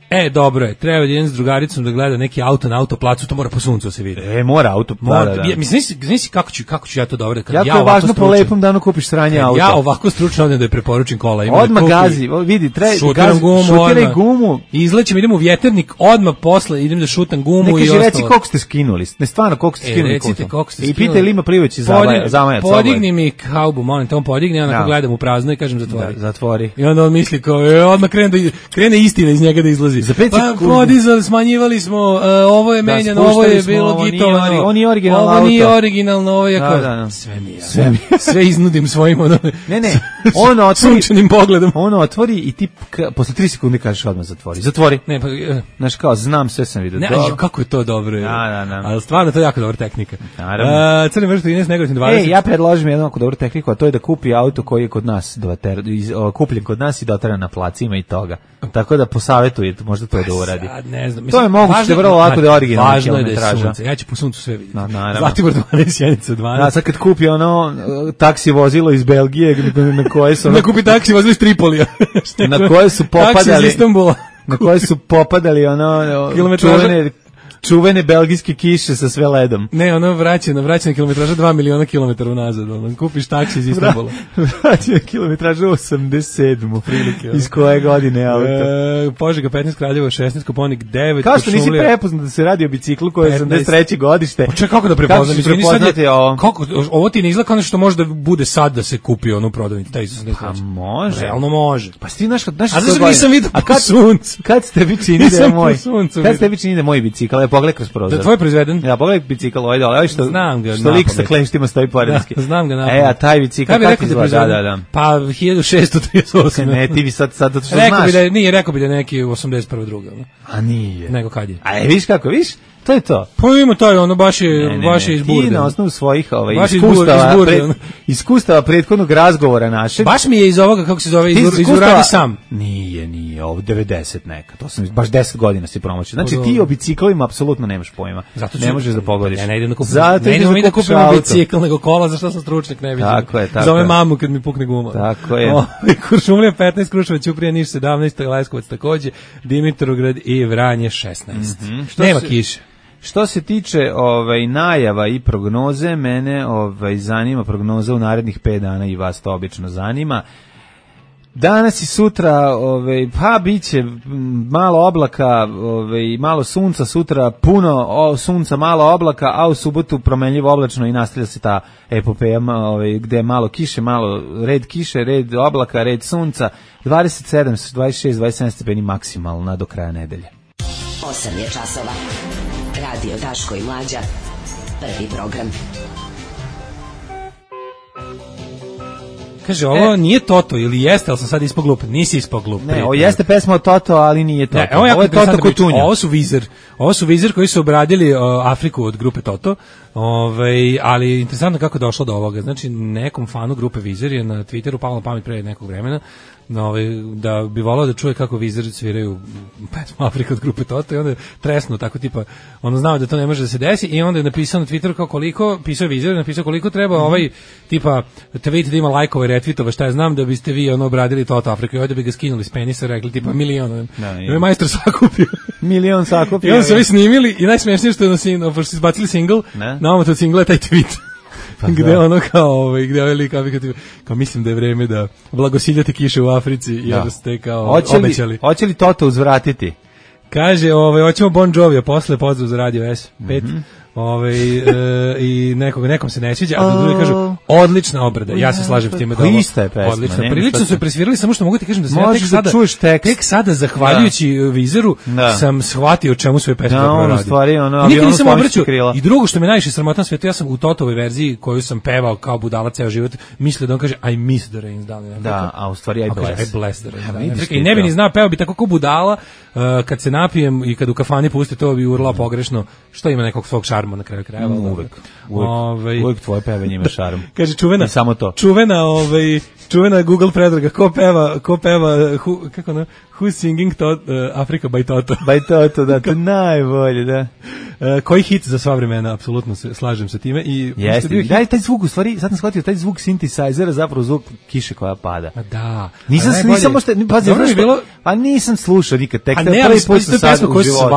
E, dobro je, treba da idem s drugaricom da gleda neki auto na autoplacu, to mora po suncu se vidi. E, mora auto, mora, da, da. Ja, mislim, znaš kako ću, kako ću ja to dobro, kad jako ja je važno po lepom danu kupiš sranje auto. Ja ovako stručno odem da je preporučim kola. Ima odmah kupi, gazi, vidi, treba gazi, gumu, šutiraj gumu. I izlećem, idem u vjeternik, odmah posle idem da šutam gumu. Ne, i ostalo. Ne kaži, reci koliko ste skinuli, ne stvarno koliko ste e, skinuli. Recite koliko ste skinuli. I pitaj Lima Plivović zamaja, zamaja. Podigni mi haubu, molim te, on podigne, ja onako gledam u prazno i kažem zatvori. Zatvori. I onda on misli kao, odmah krene istina iz njega da izlazi. Za pet podizali, smanjivali smo, uh, ovo je menjano, da, ovo je bilo smo, gitovano, ovo nije originalno ovo auto. Nije originalno, ovo je kao, da, da, da. sve mi je, sve, mi je. Sve iznudim svojim ono, ne, ne, on otvori, sunčanim pogledom. On otvori i ti ka, posle tri sekunde kažeš odmah zatvori, zatvori. Ne, pa, uh, znaš kao, znam, sve sam vidio. Ne, do... kako je to dobro. Da, da, da. Ali stvarno to je jako dobra tehnika. Naravno. Uh, Crni vrš trinaest, Negotin dvadeset. E, ja predložim jednu jako dobru tehniku, a to je da kupi auto koji je kod nas, doter, iz, o, kupljen kod nas i dotera na placima i toga. Tako da posavetujete, možda to je da uradi. Sad, ne znam. To je moguće da vrlo lako da je originalna važno je da je sunce. Ja ću po suncu sve vidjeti. No, naravno. Zlatibor dvanaest, Sjenica dvanaest. Da, sad kad kupi ono taksi vozilo iz Belgije, na koje su... Ono, da kupi taksi vozilo iz Tripolija. Na koje su popadali... Taksi iz Istanbula. Na koje su popadali ono... Kilometraža. čuvene belgijske kiše sa sve ledom. Ne, ono vraćena, vraćena kilometraža dva miliona kilometara unazad. Ono, kupiš taksi iz Istanbula. Vraćena kilometraža osamdeset sedam prilike. Iz koje godine auto? E, Požega petnaest, Kraljevo šesnaest, Koponik devet. Kao što nisi prepoznat da se radi o biciklu koji je osamdeset treće godište. Čekaj, kako da prepoznam? Kako prepoznati ovo? Kako, ovo ti ne izgleda kao nešto što može da bude sad da se kupi ono u prodavnici. Pa može. Realno može. Pa ti znaš, znaš a zašto nisam vidio po suncu? Kad ste vi čini da je moj? Kad ste vi čini da je moj bicikl? Ja pogledaj kroz prozor. Da tvoj proizveden? Ja pogledaj bicikl ovaj dole, ovaj što znam ga. Što lik sa kleštima stoji poredanski. Da, znam ga napamet. E, a taj bicikl kako izgleda? Da, da. Pa hiljadu šessto trideset osam. Ne, ti vi sad sad to što znaš. Rekao bi da nije, rekao bi da neki osamdeset prva druga. A nije. Nego kad je? A viš kako, viš? To je to. Pa ima taj, ono, baš je, ne, ne, baš je izburde. Ti na osnovu svojih ovaj, iskustava, izburde, pred, iskustava prethodnog razgovora našeg. Baš mi je iz ovoga, kako se zove, iz, iz uradi sam. Nije, nije, ovo devedeset neka, to sam, baš deset godina si promoćio. Znači ti o biciklima apsolutno nemaš pojma. Zato ne možeš da pogodiš. Ja ne idem da kupim, zato ne idem da kupim bicikl, nego kola, zašto sam stručnjak, ne vidim. Tako je, tako Zove mamu kad mi pukne guma. Tako je. Kuršumlija petnaest, Kruševac, Ćuprija, Niš sedamnaest, Leskovac takođe, Dimitrovgrad i Vranje šesnaest. Nema kiše. Što se tiče ovaj najava i prognoze, mene ovaj zanima prognoza u narednih pet dana i vas to obično zanima. Danas i sutra ovaj pa biće malo oblaka, ovaj malo sunca, sutra puno o, sunca, malo oblaka, a u subotu promenljivo oblačno i nastavlja se ta epopeja ovaj gde je malo kiše, malo red kiše, red oblaka, red sunca, dvadeset sedam, dvadeset šest, dvadeset sedam stepeni maksimalna do kraja nedelje. osam je časova. Radio Daško i Mlađa. Prvi program. Kaže, ovo e. nije Toto ili jeste, ali sam sad ispao glup. Nisi ispao glup. Ne, ovo jeste pesma od Toto, ali nije Toto. Ne, ovo, ovo je Toto Kutunja. Ovo su Vizer. Ovo su Vizer koji su obradili uh, Afriku od grupe Toto. Ove, ali interesantno kako je došlo do ovoga. Znači, nekom fanu grupe Vizer je na Twitteru palo na pamet pre nekog vremena Ove, da bi volao da čuje kako Vizer sviraju pesmu Afrika od grupe Toto i onda je tresno tako tipa, ono znao da to ne može da se desi i onda je napisao na Twitteru kao koliko, pisao Vizer, napisao koliko treba mm-hmm. ovaj tipa tweet da ima lajkova i retvitova, šta ja znam da biste vi ono obradili Toto Afriku i ovdje bi ga skinuli s penisa, rekli tipa milion, da je majstor sakupio milion sakupio i onda su ovi snimili i najsmešnije što je ono, pošto su izbacili single, na ovom to single je taj tweet pa gde ono kao ovaj gde ovaj lik kao, kao mislim da je vreme da blagosiljate kiše u Africi jer ste kao hoće li, obećali. Hoće li Toto uzvratiti? Kaže, ovaj hoćemo Bon Jovi, a posle pozdrav za Radio S pet. Mm-hmm. Ovaj e, i nekog nekom se ne sviđa, a drugi kažu odlična obrada. Ja se slažem s time da ovo ista je pesma. Odlično. Prilično su je presvirali, samo što mogu ti kažem da se ja tek sada tek sada zahvaljujući da. Vizeru da. sam shvatio čemu sve pesme da, dobro radi. Stvari ono, nikad nisam obraćao. I drugo što me najviše sramota na svetu, ja sam u Totovoj verziji koju sam pevao kao budala ceo život, mislio da on kaže I miss the rains down. Da, a u stvari I bless. I bless the rains. I ne bi ni znao, pevao bi tako kao budala, kad se napijem i kad u kafani puste to bi urlao pogrešno, što ima nekog svog šarma na kraju krajeva. Uvek, uvek, ove, uvek tvoje pevanje ima šarm. Kaže čuvena, samo to. Čuvena, ovaj, čuvena Google predraga, ko peva, ko peva, who, kako ono, who's singing to, uh, Africa by Toto. By Toto, da, to najbolje, da. Uh, koji hit za sva vremena, apsolutno se slažem sa time. I jeste, daj taj zvuk, u stvari, sad sam shvatio, taj zvuk synthesizera, zapravo zvuk kiše koja pada. A da. Nisam, nisam možda, pazi, dobro je bilo, a nisam slušao nikad, tek te prvi put sam sad u životu.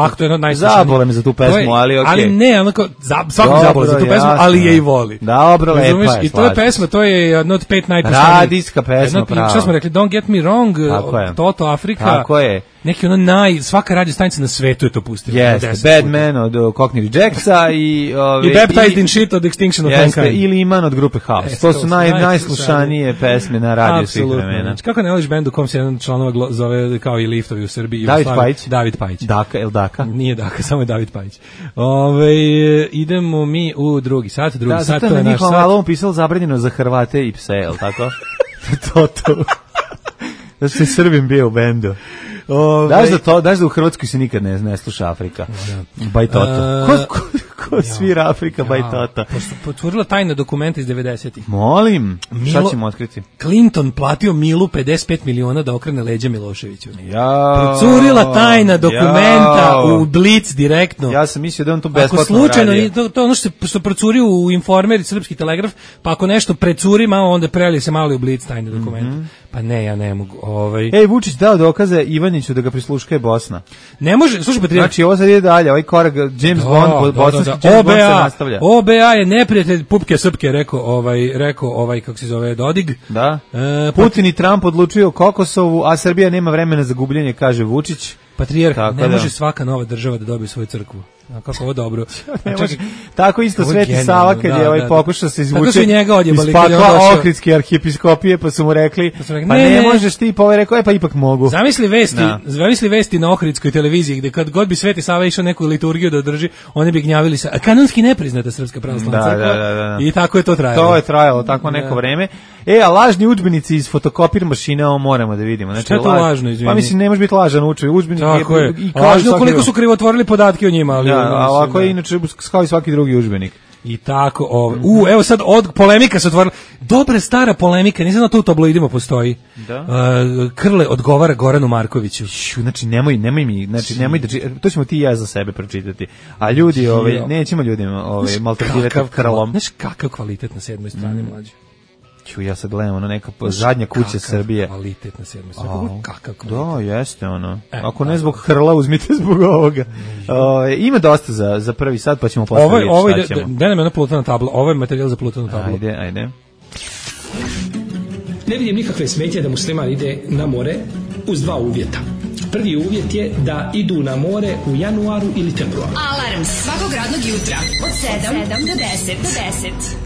Zabole me za tu pesmu, ali okej. Ali ne, onako, svakog zabole za tu pesmu, ali je i voli. Dobro, lepa je. I to je pesma, to je jedna od pet najpostavljivih. Radijska pesma, pravo. Šta smo rekli, Don't Get Me Wrong, Toto Afrika. Tako je. Neki ono naj, svaka radio stanica na svetu je to pustila. Yes, Bad Man od Cockney Rejectsa i... Ovi, I Baptized in Shit od Extinction of Mankind. Ili Iman od grupe House. Yes, to su naj, najslušanije pesme na radiju svih vremena. Kako ne voliš bend u kom se jedan članova zove kao i Liftovi u Srbiji? David Pajić. David Pajić. Daka, el Daka? Nije Daka, samo je David Pajić. Ove, idemo mi u drugi sat, drugi da, sat, to je naš sat. Da, zato je na njihovom pisalo zabranjeno za Hrvate i pse, je li tako? to, to. Da se Srbim bio u bendu. Ove, daš da to, daš da u Hrvatskoj se nikad ne, ne sluša Afrika. Da. Baj Toto. Uh, ko, ko, Ko svira Afrika Bajtota. Potvorila tajna dokumenta iz devedesetih. Molim, Milo, šta ćemo otkriti? Clinton platio Milu pedeset pet miliona da okrene leđa Miloševiću. Ja. Procurila tajna dokumenta jao. U Blic direktno. Ja sam mislio da on to besplatno ako slučajno, radio. To, to ono što, što procurio u Informer i Srpski telegraf, pa ako nešto precuri malo, onda prelije se malo u Blic tajne dokumenta. Mm-hmm. Pa ne, ja ne mogu. Ovaj. Ej, Vučić dao dokaze Ivaniću da ga prisluškuje Bosna. Ne može, slušaj Patrijarh. Znači, ovo sad ide dalje, ovaj korak James da, Bond, da, bosanski da, da. James Bond se nastavlja. O B A je neprijatelj pupke srpke, rekao ovaj, rekao ovaj, kako se zove, Dodig. Da. E, Putin i Trump odlučuju o Kosovu, a Srbija nema vremena za gubljenje, kaže Vučić. Patrijarh, ne da. Može svaka nova država da dobije svoju crkvu. A kako ovo dobro. Ne može. Tako isto Sveti Sava kad da, je ovaj da, pokušao se izvući iz pakla Ohridske arhijepiskopije, pa su mu rekli, pa, rekli, pa ne, ne, ne možeš ti, pa ovaj rekao, e pa ipak mogu. Zamisli vesti, da. Zamisli vesti na Ohridskoj televiziji, gde kad god bi Sveti Sava išao neku liturgiju da održi, oni bi gnjavili se, a kanonski nepriznata Srpska pravoslavna da, crkva. Da, da, da. I tako je to trajalo. To je trajalo tako neko da. Vreme. E, a lažni udžbenici iz fotokopir mašine, ovo moramo da vidimo. Znači, šta je to laž, lažno, izvini? Pa mislim, ne može biti lažan udžbenik. Tako je. I lažno koliko su krivotvorili podatke o njima. Ali, da, a ovako je inače kao i svaki drugi udžbenik. I tako, ov, u, evo sad od polemika se otvorila. Dobra stara polemika, nisam da to u tabloidima postoji. Da. Uh, Krle odgovara Goranu Markoviću. Šu, znači nemoj, nemoj mi, znači nemoj da to ćemo ti i ja za sebe pročitati. A ljudi, ovaj nećemo ljudima ovaj maltretirati Krlom. Znaš kakav kvalitet na sedmoj strani mm. mlađe. Ću ja sad gledam ono neka zadnja kuća kakav Srbije. Kvalitet na sedmoj strani. Kakav kvalitet. Da, jeste ono. E, Ako ne zbog Hrla, uzmite zbog ovoga. O, ima dosta za, za prvi sat, pa ćemo posle vidjeti ovo, šta ćemo. Da nam je ona plutana tabla, ovo je materijal za plutanu tablu. Ajde, ajde. Ne vidim nikakve smetje da musliman ide na more uz dva uvjeta. Prvi uvjet je da idu na more u januaru ili februaru. Alarm svakog radnog jutra od sedam do deset.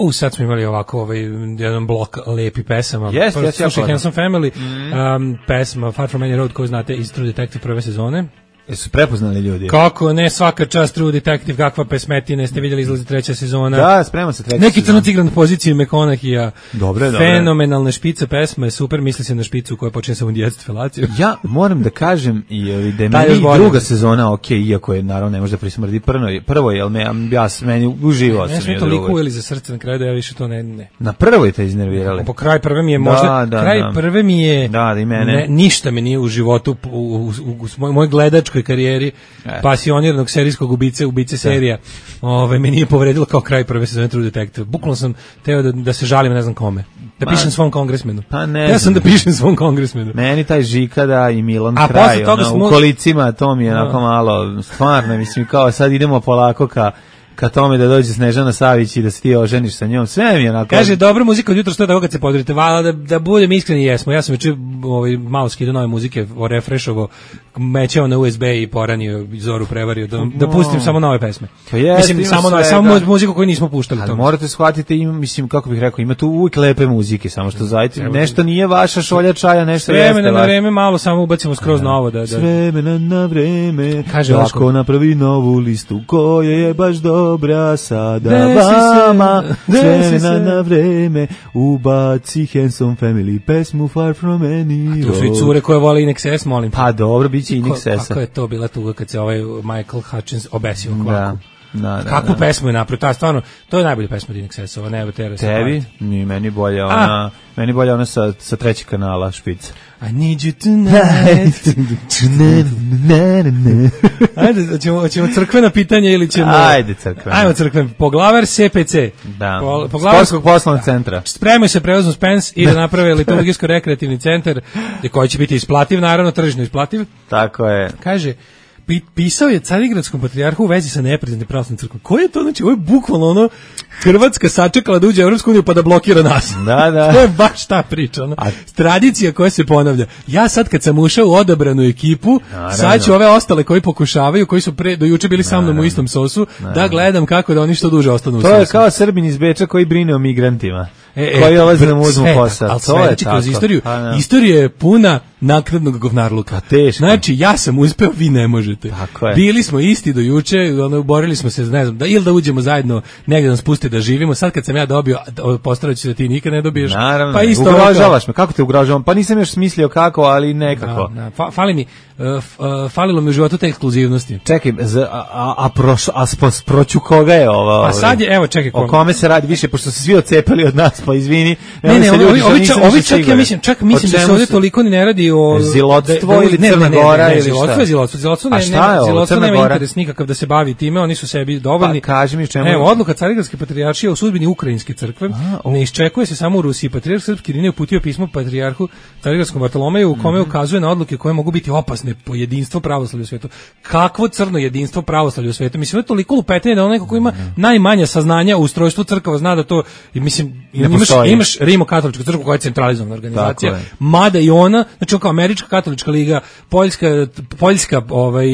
U, sad smo imali ovako ovaj, jedan blok lepi pesama. Yes, yes, slušaj Handsome Family, mm. um, pesma Far From Any Road koju znate iz True Detective prve sezone. Jesu prepoznali ljudi? Kako ne, svaka čast True Detective, kakva pesmetina, ste vidjeli izlazi treća sezona. Da, sprema se treća Neki crnac igra na poziciji McConaughey-a. Dobre, dobre. Fenomenalne špice pesme, super, misli se na špicu koja počinje sa djecu felaciju. Ja moram da kažem i da je meni druga sezona ok, iako je naravno ne može da prismrdi prvo, prvo je, ali me, ja meni uživao sam. Ne smo toliko ujeli za srce na kraju da ja više to ne... ne. Na prvoj te iznervirali? Po kraj prve mi je možda, da, da, kraj da. prve mi je... Da, da i mene. Ne, ništa mi nije u životu, u, u, u, u mojoj gledačkoj karijeri, e. pasioniranog serijskog ubice, ubice serija, ove, me nije povredilo kao kraj prve sezone True Detective. Bukvalno sam teo da, da se žalim ne znam kome. Da pišem Ma, svom kongresmenu. Pa ne. Ja sam da pišem svom kongresmenu. Meni taj Žikada i Milan A kraj, ono, smo... u kolicima, to mi je onako malo, stvarno, mislim, kao sad idemo polako ka ka tome da dođe Snežana Savić i da se ti oženiš sa njom, sve mi je onako... Kaže, dobra muzika od jutra, što je tako kad se podrite, vala, da, da budem iskreni, jesmo. Ja sam već ovaj, malo skidao nove muzike, refreshovo, mećao na U S B i poranio, Zoru prevario, da, da pustim no. samo nove pesme. Pa jest, mislim, samo, nove, samo muziku koju nismo puštali. Ali morate shvatiti, ima, mislim, kako bih rekao, ima tu uvijek lepe muzike, samo što zajte, nešto nije vaša šolja čaja, nešto jeste. Vremena na vreme, malo samo ubacimo skroz novo. Da, da. Vremena na vreme, kaže Daško napravi novu listu, koja je baš dobra sa da vama vremena na vreme ubaci Handsome Family pesmu Far From Any Road. To su i cure koje vole Inex S, molim. Pa dobro, bit će Inex S. Kako je to bila tuga kad se ovaj Michael Hutchins obesio kvaku. Da. Da, da, kakvu da. pesmu je napravio, ta stvarno, to je najbolja pesma od Inex S-ova, Never Tear Us Apart. Tebi? Ni meni bolja ona, A. meni bolja ona sa, sa trećeg kanala, Špica. I need you tonight. Ajde, ćemo, ćemo crkvena pitanja ili ćemo... Ajde, crkvena. Ajmo crkven. Poglavar S P C. Da, po, Sportskog poslovnog centra. Spremaju se prevozom Spence i da naprave liturgijsko-rekreativni centar koji će biti isplativ, naravno, tržišno isplativ. Tako je. Kaže... Pisao je Carigradskom patrijarhu u vezi sa nepriznatim pravoslavnom crkvom. Ko je to? Znači, ovo je bukvalno ono Hrvatska sačekala da uđe u Evropsku uniju pa da blokira nas. Da, da. To je baš ta priča. Ono. A... Tradicija koja se ponavlja. Ja sad kad sam ušao u odabranu ekipu, naravno, sad ću ove ostale koji pokušavaju, koji su pre, do juče bili sa mnom u istom sosu, naravno, da gledam kako da oni što duže ostanu u sosu. To je kao Srbin iz Beča koji brine o migrantima. e, koji ulaze da mu uzmu posao. Ali sledeći kroz istoriju, istorija je puna naknadnog govnarluka. Teško. Znači, ja sam uspeo, vi ne možete. Tako je. Bili smo isti do juče, ono, borili smo se, ne znam, da, ili da uđemo zajedno, negdje nas puste da živimo. Sad kad sam ja dobio, postarat ću da ti nikad ne dobiješ. Naravno, pa isto ugrožavaš me, kako te ugrožavam? Pa nisam još smislio kako, ali nekako. Da, da. Fa, fali mi, uh, falilo mi u životu te ekskluzivnosti. Čekaj, za, a, a, a, proš, a spos, proću koga je ovo? A sad je, evo, čekaj. O kome se radi više, pošto se svi ocepali od nas, pa izvini. Ne, ne, ovi, ovi, ovi, ovi čak, ja mislim, čak mislim da se ovdje toliko ni ne radi o... Zilotstvo ili Crna Gora ili šta? Zilotstvo, zilotstvo, ne, zilotstvo nema interes nikakav da se bavi time, oni su sebi dovoljni. Pa, kaži mi čemu... Evo, odluka Carigradske patrijaršije o sudbini Ukrajinske crkve ne iščekuje se samo u Rusiji. Patrijarh Srpski Irinej uputio pismo patrijarhu Carigradskom Bartolomeju u kome ukazuje na odluke koje mogu biti opasne po jedinstvo pravoslavlja u svetu. Kakvo crno jedinstvo pravoslavlja u svetu? Mislim, je toliko lupetanje da onaj ko ima najmanje saznanja u ustrojstvu crkava zna da to, mislim, imaš, imaš Rimokatoličku crkvu koja je centralizovana organizacija, mada i ona, znači kao Američka katolička liga, Poljska, Poljska ovaj,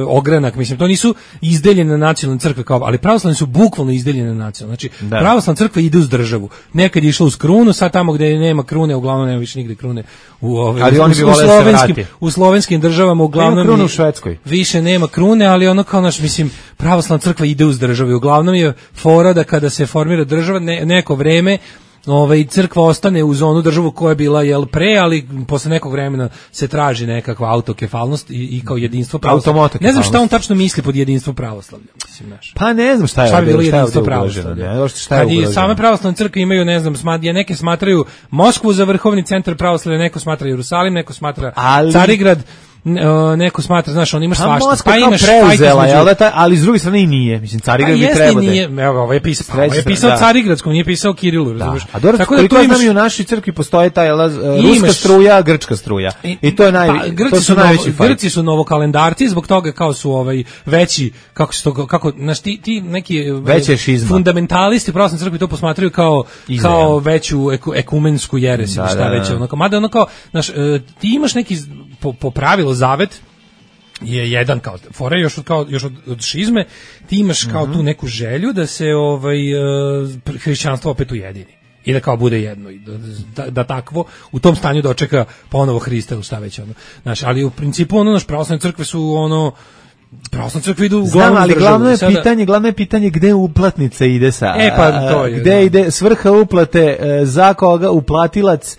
ogranak, mislim, to nisu izdeljene nacionalne crkve, kao, ali pravoslavne su bukvalno izdeljene nacionalne. Znači, da. Pravoslavna crkva ide uz državu. Nekad je išla uz krunu, sad tamo gde nema krune, uglavnom nema više nigde krune. U, ovaj, ali u, oni bi u, slovenskim, u slovenskim državama uglavnom nema krunu u Švedskoj. Više nema krune, ali ono kao naš, mislim, pravoslavna crkva ide uz državu. Uglavnom je fora da kada se formira država, ne, neko vreme ovaj crkva ostane uz onu državu koja je bila jel pre, ali posle nekog vremena se traži nekakva autokefalnost i, i kao jedinstvo pravoslavlja. Ne znam šta on tačno misli pod jedinstvo pravoslavlja, mislim, znaš. Pa ne znam šta je, šta je bilo jedinstvo pravoslavlja. Ne, šta je ugroženo. Same pravoslavne crkve imaju, ne znam, smadje, neke smatraju Moskvu za vrhovni centar pravoslavlja, neko smatra Jerusalim, neko smatra ali... Carigrad. Neko smatra, znaš, on ima svašta. Pa imaš preuzela, je li ta, ali s druge strane i nije. Mislim, Carigrad bi trebao da je. Evo, ovo je pisao, ovo je pisao Carigradskom, nije pisao Kirilu, razumiješ? A dobro, koliko znam i u našoj crkvi postoje ta ruska struja, grčka struja. I to je naj, to su najveći fajt. Grci su novokalendarci, zbog toga kao su ovaj veći, kako se to, kako, znaš, ti, ti neki fundamentalisti pravoslavne crkve to posmatraju kao, kao veću ekumensku jeres ili šta već. Mada ono kao, znaš, ti imaš neki, po pravilu zavet je jedan kao fora još od kao još od, od šizme, ti imaš kao mm-hmm. tu neku želju da se ovaj hrišćanstvo opet ujedini i da kao bude jedno i da, da, da takvo u tom stanju dočeka ponovo Hrista ili šta već ono. Znaš, ali u principu ono naš pravoslavne crkve su ono pravoslavne crkve idu uglavnom ali glavno je sada... pitanje, glavno je pitanje gde uplatnica ide sa. E pa to je. Gde da. ide svrha uplate, za koga uplatilac,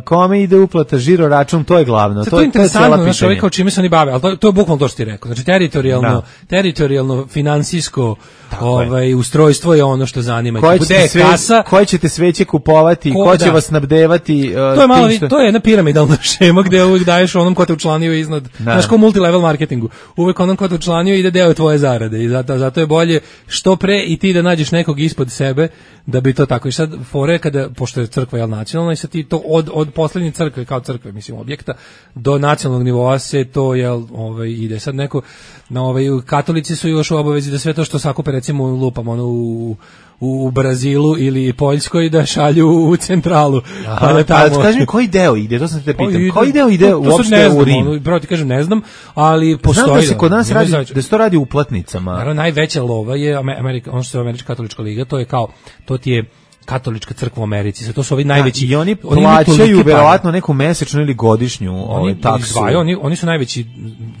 kome ide uplata, žiro račun, to je glavno. To, to je interesantno, znaš, ovaj kao čime se oni bave, ali to, to je bukvalno to što ti rekao. Znači, teritorijalno, da. teritorijalno, finansijsko ovaj, ustrojstvo je ono što zanima. Koje ćete, sve, kasa, koje ćete sveće kupovati, ko, ko će da. vas snabdevati. Uh, to je malo, što... to je jedna piramidalna šema gde uvijek daješ onom ko te učlanio iznad, da. znaš, kao multilevel marketingu. Uvijek onom ko te učlanio ide deo tvoje zarade i zato, zato je bolje što pre i ti da nađeš nekog ispod sebe da bi to tako. I sad fore kada, pošto je crkva jel nacionalna i sad ti to od od poslednje crkve kao crkve, mislim, objekta do nacionalnog nivoa se to jel ovaj ide sad neko na ovaj katolici su još u obavezi da sve to što sakupe recimo lupam ono u u Brazilu ili Poljskoj da šalju u centralu. Aha, pa da tamo. Kaži mi koji deo ide, to sam te pitam. Ide, koji deo ide uopšte u Rim? Ono, pravo ti kažem, ne znam, ali postoji. Znam da se kod nas radi, da se to radi uplatnicama. Naravno, najveća lova je Amerika, ono što je Američka katolička liga, to je kao, to ti je katolička crkva u Americi. To su ovi najveći. I oni plaćaju verovatno neku mesečnu ili godišnju ovaj taksu. Izdvaju, oni oni su najveći,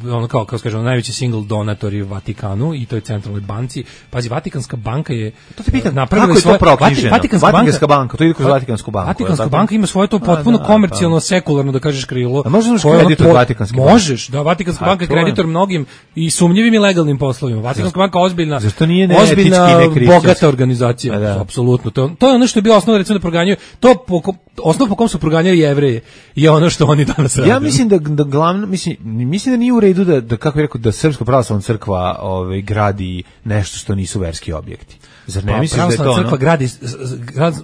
ono kao kako kažemo, najveći single donatori u Vatikanu i to je centralnoj banci. Pazi, Vatikanska banka je to te pitam, kako je to proknjiženo? Vatikanska, Vatikanska banka, banka, to ide kroz Vatikansku banku. Vatikanska banka ima svoje to potpuno da, komercijalno, pa. sekularno da kažeš krilo. A možeš kreditor od Vatikanske banke? Možeš, da, Vatikanska banka je kreditor mnogim i sumnjivim i legalnim poslovima. Vatikanska banka ozbiljna. Zašto nije ne ozbiljna, bogata organizacija, apsolutno. To to je ono što je bilo osnova da proganjaju, to po, osnov po kom su proganjali Jevreje je ono što oni danas rade. Ja mislim da, da glavno, mislim, mislim da nije u redu da, da kako bih rekao, da Srpska pravoslavna crkva ovaj, gradi nešto što nisu verski objekti. Zar ne pa, misliš da je to ono? Crkva gradi,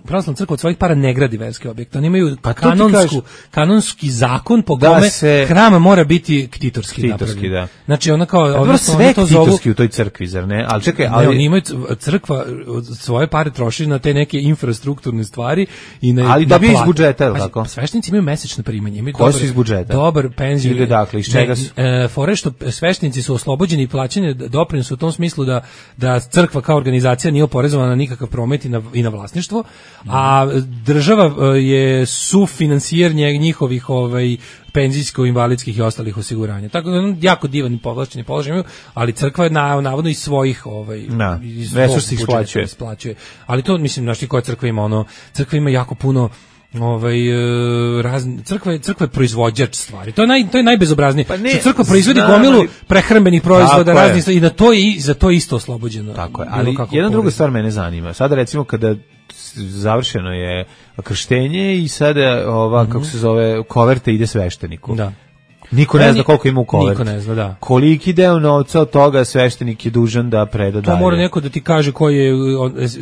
pravoslavna crkva od svojih para ne gradi verske objekte. Oni imaju pa kanonsku, kanonski zakon po da kome se... hram mora biti ktitorski, ktitorski da. Znači ona kao... Dobro, sve to ktitorski zovu... u toj crkvi, zar ne? Ali čekaj, ali... Ne, oni imaju crkva svoje pare troši na te neke infrastrukturne stvari i na ali da bi iz budžeta, je li tako? Sveštenici imaju mesečno primanje, imaju dobar, iz budžeta? Dobar penziju. Ili dakle, iz čega su? E, fore što sveštenici su oslobođeni plaćanja doprinosa u tom smislu da, da crkva kao organizacija nije oporezovana na nikakav promet i na, i na vlasništvo, mm. a država je sufinansijer njihovih ovaj, penzijsko-invalidskih i ostalih osiguranja. Tako da jako divan i povlašćeni položaj imaju, ali crkva je na, navodno iz svojih ovaj, na, iz svog budžeta isplaćuje. Ali to, mislim, znaš ti koja crkva ima, ono, crkva ima jako puno ovaj razne crkva je crkva je proizvođač stvari. To je naj to je najbezobraznije. Pa ne, crkva proizvodi gomilu prehrambenih proizvoda raznih i da to je i za to je isto oslobođeno. Tako je. Ali jedna druga stvar mene zanima. Sada recimo kada završeno je krštenje i sada ova mm-hmm. kako se zove koverte ide svešteniku. Da. Niko ne zna koliko ima u koverti. Niko ne zna, da. Koliki deo novca od toga sveštenik je dužan da preda dalje. To mora neko da ti kaže koji je...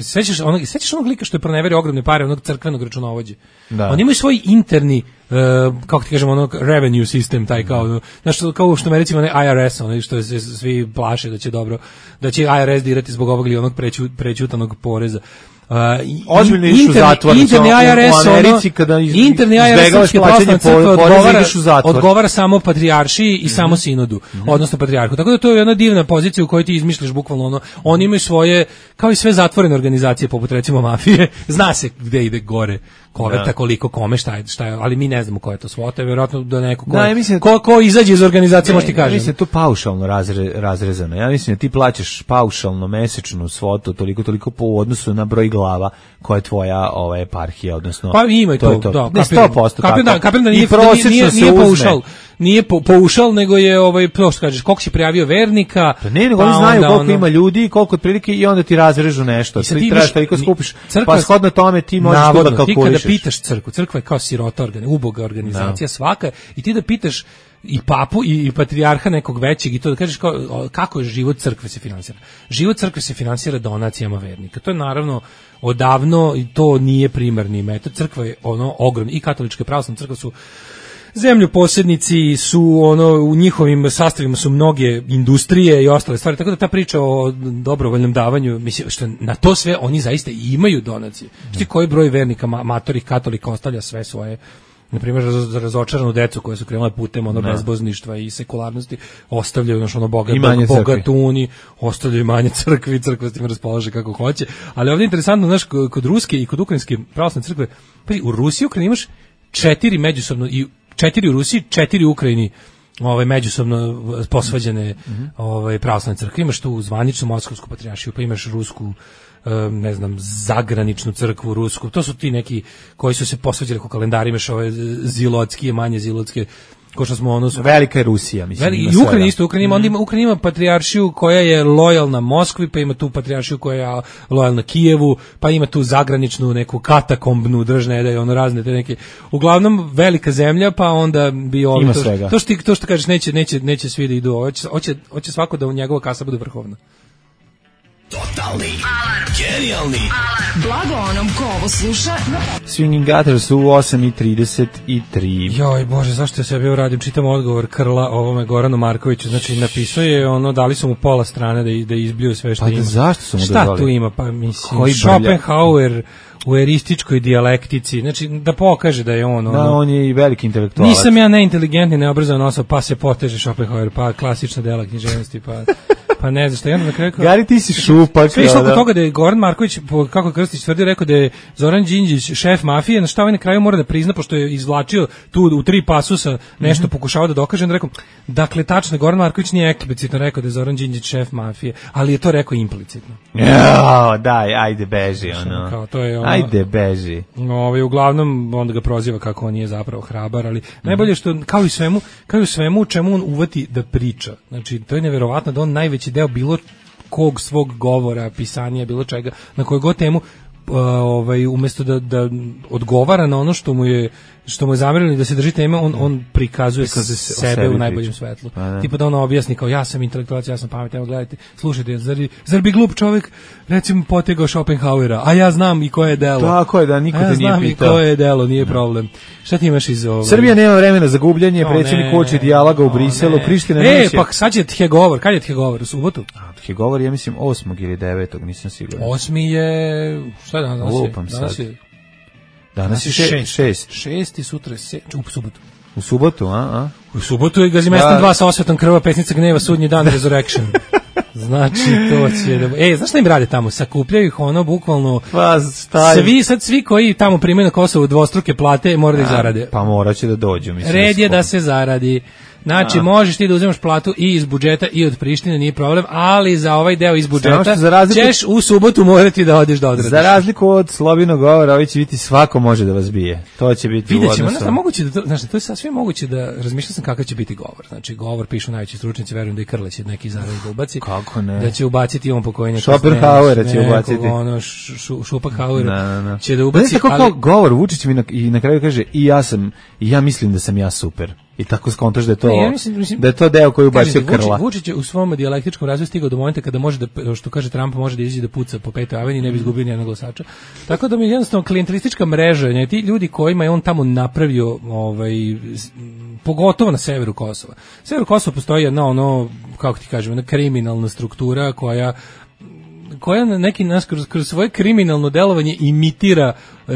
Sećaš onog, sećaš onog lika što je proneverio ogromne pare, onog crkvenog računovođe? Da. Oni imaju svoj interni, uh, kako ti kažemo, onog revenue system, taj kao, znaš, kao što me recimo onaj I R S, onaj što se svi plaše da će dobro, da će I R S dirati zbog ovog ili onog preću, prećutanog poreza. Uh, ozbiljno išli u zatvor interni I R S, u Americi kada iz, interni I R S srpske pravoslavne crkve odgovara, odgovara samo patrijaršiji i mm-hmm. samo sinodu, mm-hmm. odnosno patrijarhu. Tako da to je jedna divna pozicija u kojoj ti izmišljaš bukvalno ono, oni imaju svoje, kao i sve zatvorene organizacije poput recimo mafije, zna se gde ide gore koverta, koliko kome, šta je, šta je, ali mi ne znamo ko je to svota, vjerojatno da neko ko, da, mislim, ko, ko izađe iz organizacije, može ti kažem. Mislim da to paušalno razre, razrezano. Ja mislim da ti plaćaš paušalno mesečnu svotu toliko toliko po odnosu na broj glava koja je tvoja ova eparhija, odnosno pa ima i to, to, to. Da, ne sto posto kapiram, tako. Kapiram da nije, da nije, nije paušal, nije po, paušal, nego je ovaj, to što kažeš, koliko si prijavio vernika. Pa ne, nego pa oni znaju koliko ono, ima ljudi, koliko otprilike i onda ti razrežu nešto. Ti trebaš toliko skupiš, crkva, pa shodno tome ti možeš navodno, to da kalkulišeš. Ti kada pitaš crkvu, crkva je kao sirota organizacija, uboga organizacija no. svaka i ti da pitaš i papu i, i patrijarha nekog većeg i to da kažeš kao, kako je život crkve se finansira. Život crkve se finansira donacijama vernika. To je naravno odavno i to nije primarni metod. Crkva je ono ogromna i katolička i pravoslavna crkva su zemljoposjednici, su ono u njihovim sastavima su mnoge industrije i ostale stvari, tako da ta priča o dobrovoljnom davanju, mislim što na to sve oni zaista i imaju donacije. Šti koji broj vernika matorih katolika ostavlja sve svoje, na primjer za razočaranu decu koje su krenule putem ono bezbozništva i sekularnosti, ostavljaju ono ono bogat, bogatuni, ostavljaju manje crkvi, crkva s tim raspolaže kako hoće. Ali ovdje je interesantno, znaš, kod ruske i kod ukrajinske pravoslavne crkve, pa u Rusiji i Ukrajini imaš četiri međusobno i četiri u Rusiji, četiri u Ukrajini, ovaj međusobno posvađane mm-hmm. ovaj pravoslavne crkve. Imaš tu zvaničnu moskovsku patrijaršiju, pa imaš rusku, ne znam, zagraničnu crkvu rusku. To su ti neki koji su se posvađali ko kalendari, imaš ove zilotske, manje zilotske, ko što smo ono... Velika je Rusija, mislim. Veli, I Ukrajina isto, Ukrajina ima, mm. onda ima, Ukrajina ima patrijaršiju koja je lojalna Moskvi, pa ima tu patrijaršiju koja je lojalna Kijevu, pa ima tu zagraničnu neku katakombnu držne, da je ono razne te neke. Uglavnom velika zemlja, pa onda bi ovo ima to, svega. To što ti to što kažeš neće neće neće svi da idu, hoće hoće hoće svako da u njegova kasa bude vrhovna. Totalni alarm. Genijalni alarm. Blago onom ko ovo sluša. Swinging Gutters su u osam i trideset tri. Joj bože, zašto ja sebi radim? Čitam odgovor Krla ovome Goranu Markoviću. Znači napisao je ono, dali su mu pola strane da da izbliju sve što pa ima. Pa zašto su mu Šta dozvali? Tu ima? Pa mislim Schopenhauer u erističkoj dijalektici, znači da pokaže da je on ono, da, on je i veliki intelektualac. Nisam ja neinteligentni, neobrazovan osoba, pa se poteže Schopenhauer, pa klasična dela književnosti, pa pa ne znam šta, ja na kraju kao... Gari, ti si šupak. Sve išlo oko toga da je Goran Marković, kako Krstić tvrdio, rekao da je Zoran Đinđić šef mafije, na šta ovaj na kraju mora da prizna, pošto je izvlačio tu u tri pasusa nešto mm-hmm. pokušavao da dokaže, onda rekao, dakle, tačno, Goran Marković nije eksplicitno rekao da je Zoran Đinđić šef mafije, ali je to rekao implicitno. Jo, daj, ajde beži, ono. Kao, to je ono, ajde beži. Ovaj, uglavnom, onda ga proziva kako on nije zapravo hrabar, ali mm-hmm. najbolje što, kao i svemu, kao i svemu, čemu on uvati da priča. Znači, to je neverovatno da on najveći deo bilo kog svog govora, pisanja, bilo čega, na koju god temu, uh, ovaj, umjesto da, da odgovara na ono što mu je što mu je zamerili da se drži teme, on, on prikazuje se sebe u najboljem svetlu. Tipa da ono objasni kao ja sam intelektualac, ja sam pametan, evo gledajte, slušajte, zar, zar bi glup čovjek recimo potegao Schopenhauera, a ja znam i koje je delo. Tako je, da niko te ja nije pitao. Ja znam i koje je delo, nije problem. Šta ti imaš iz ovog? Srbija nema vremena za gubljenje, no, predsjednik hoće dijaloga u Briselu, Priština neće. E, pa sad će Tjegovor, kad je Tjegovor, u subotu? A, Tjegovor je, mislim, osmog ili devetog, nisam siguran. Osmi je, šta šta je danas? Danas Lupam je, danas sad. je, Danas je šest. Šest. Šest i sutra je se, u subotu. U subotu, a? a? U subotu je Gazimestan Da. dva sa osvetom krva, pesnica gneva, sudnji dan, Resurrection. Znači, to će da... E, znaš šta im rade tamo? Sakupljaju ih ono, bukvalno... Pa, šta je? Svi, sad svi koji tamo primaju na Kosovu dvostruke plate, moraju da ih zarade. Pa morat će da dođu, mislim. Red je da se zaradi. Znači, a. možeš ti da uzmeš platu i iz budžeta i od Prištine, nije problem, ali za ovaj deo iz budžeta razliku, ćeš u subotu morati da odeš da odradiš. Za razliku od slobodnog govora, ovi će biti svako može da vas bije. To će biti Vidjet u ćemo, odnosu. Znaš, moguće da to, znaš, to je sasvim moguće da razmišljam sam kakav će biti govor. Znači, govor pišu najveći stručnjaci, verujem da i Krleć neki zaradi da ubaci. Kako ne? Da će ubaciti on pokojnjaka. Schopenhauera će ubaciti. Ono, šu, Schopenhauera na, na. će da ubaci. Tako ali... kao govor, Vučić mi na, i na kraju kaže i ja sam, i ja mislim da sam ja super. I tako skontaš da je to, ne, ja mislim, mislim, da je to deo koji ubacio Krla. Vučić je u svom dijalektičkom razvoju stigao do momenta kada može da, što kaže Trump, može da izađe da puca po Petoj aveniji i ne bi izgubio nijednog glasača. Tako da mi je jednostavno klijentelistička mreža, ne, ti ljudi kojima je on tamo napravio, ovaj, pogotovo na severu Kosova. Severu Kosova postoji jedna ono, kako ti kažem, jedna kriminalna struktura koja koja na neki nas kroz, kroz svoje kriminalno delovanje imitira e,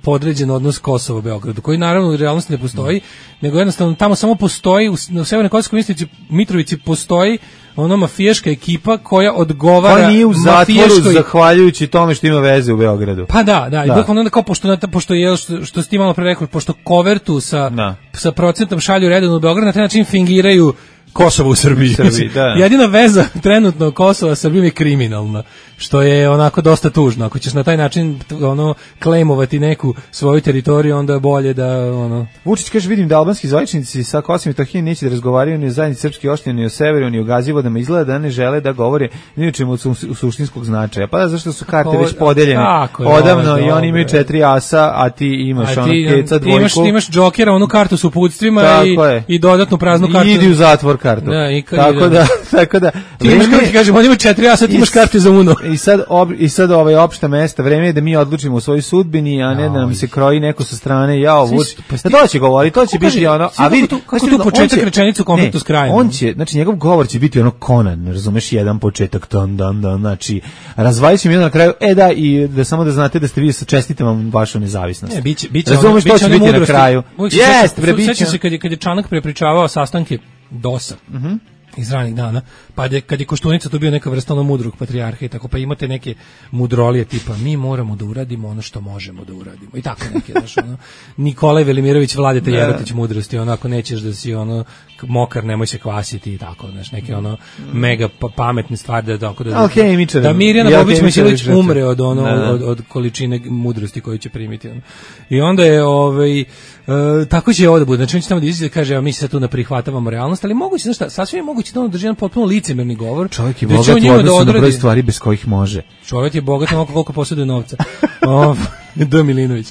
podređen odnos Kosova Beogradu, koji naravno u realnosti ne postoji, nego jednostavno tamo samo postoji u, u Severnoj Kosovskoj Mitrovici postoji ono mafijaška ekipa koja odgovara koja nije u zatvoru mafijaškoj... zahvaljujući tome što ima veze u Beogradu. Pa da, da, da. I bukvalno onda kao pošto, pošto je, što, što si ti malo pre rekao, pošto kovertu sa, da. sa procentom šalju redovno u Beograd, na taj način fingiraju Kosovo u Srbiji. Srbiji da. Jedina veza trenutno Kosova sa Srbijom je kriminalna, što je onako dosta tužno. Ako ćeš na taj način ono klejmovati neku svoju teritoriju, onda je bolje da ono... Vučić kaže, vidim da albanski zvaničnici sa Kosovom i Metohijom neće da razgovaraju ni o zajednici srpske opštine, ni o severu, ni o Gazivodama, izgleda da ne žele da govore ni o čemu u suštinskog značaja. Pa da, zašto su karte već podeljene odavno i oni imaju četiri asa, a ti imaš ono keca dvojku. Imaš, imaš džokera, onu kartu s uputstvima i, i dodatnu praznu kartu. I idi u zatvor kartu. Da, i tako da, tako da. Ti imaš, kako ti kažem, on ima četiri asa, ti imaš karte za uno. I sad, ob, i sad ovaj opšta mesta, vreme je da mi odlučimo u svojoj sudbini, a ne da nam se kroji neko sa strane, jao, Vučić. Pa to će govori, to će biti ono, a vidi, kako tu početak rečenicu konfliktu s krajem. On će, znači njegov govor će biti ono Conan, razumeš, jedan početak, dan, dan, dan, znači, razvalit će mi na kraju, e da, i da samo da znate da ste vi, čestitam vam vašu nezavisnost. Ne, biće, biće razumeš, to će biti na kraju. Jeste, bre, biće. Sećam se kad je, kad je Čanak prepričavao sastanke dosa. Mhm. Iz ranih dana, pa je, kad je Koštunica to bio neka vrsta ono mudrog patrijarha i tako, pa imate neke mudrolije tipa mi moramo da uradimo ono što možemo da uradimo i tako neke, znaš, ono, Nikolaj Velimirović Vladeta Jerotić mudrosti, ono, ako nećeš da si ono mokar, nemoj se kvasiti i tako, znaš, neke ono mega pa, pametne stvari da, da, da, okay, da Mirjana Bobić-Misilić umre od, ono, da, da. Od, od količine mudrosti koju će primiti. Ono. I onda je ovaj, Uh, tako će ovo da bude, znači on će tamo da izađe da kaže, a mi se tu ne prihvatavamo realnost, ali moguće, znaš šta, sasvim je moguće da on drži jedan potpuno licemerni govor. Čovjek je bogat u odnosu na broj stvari bez kojih može. Čovjek je bogat onoliko koliko posjeduje novca. O, D. Milinović.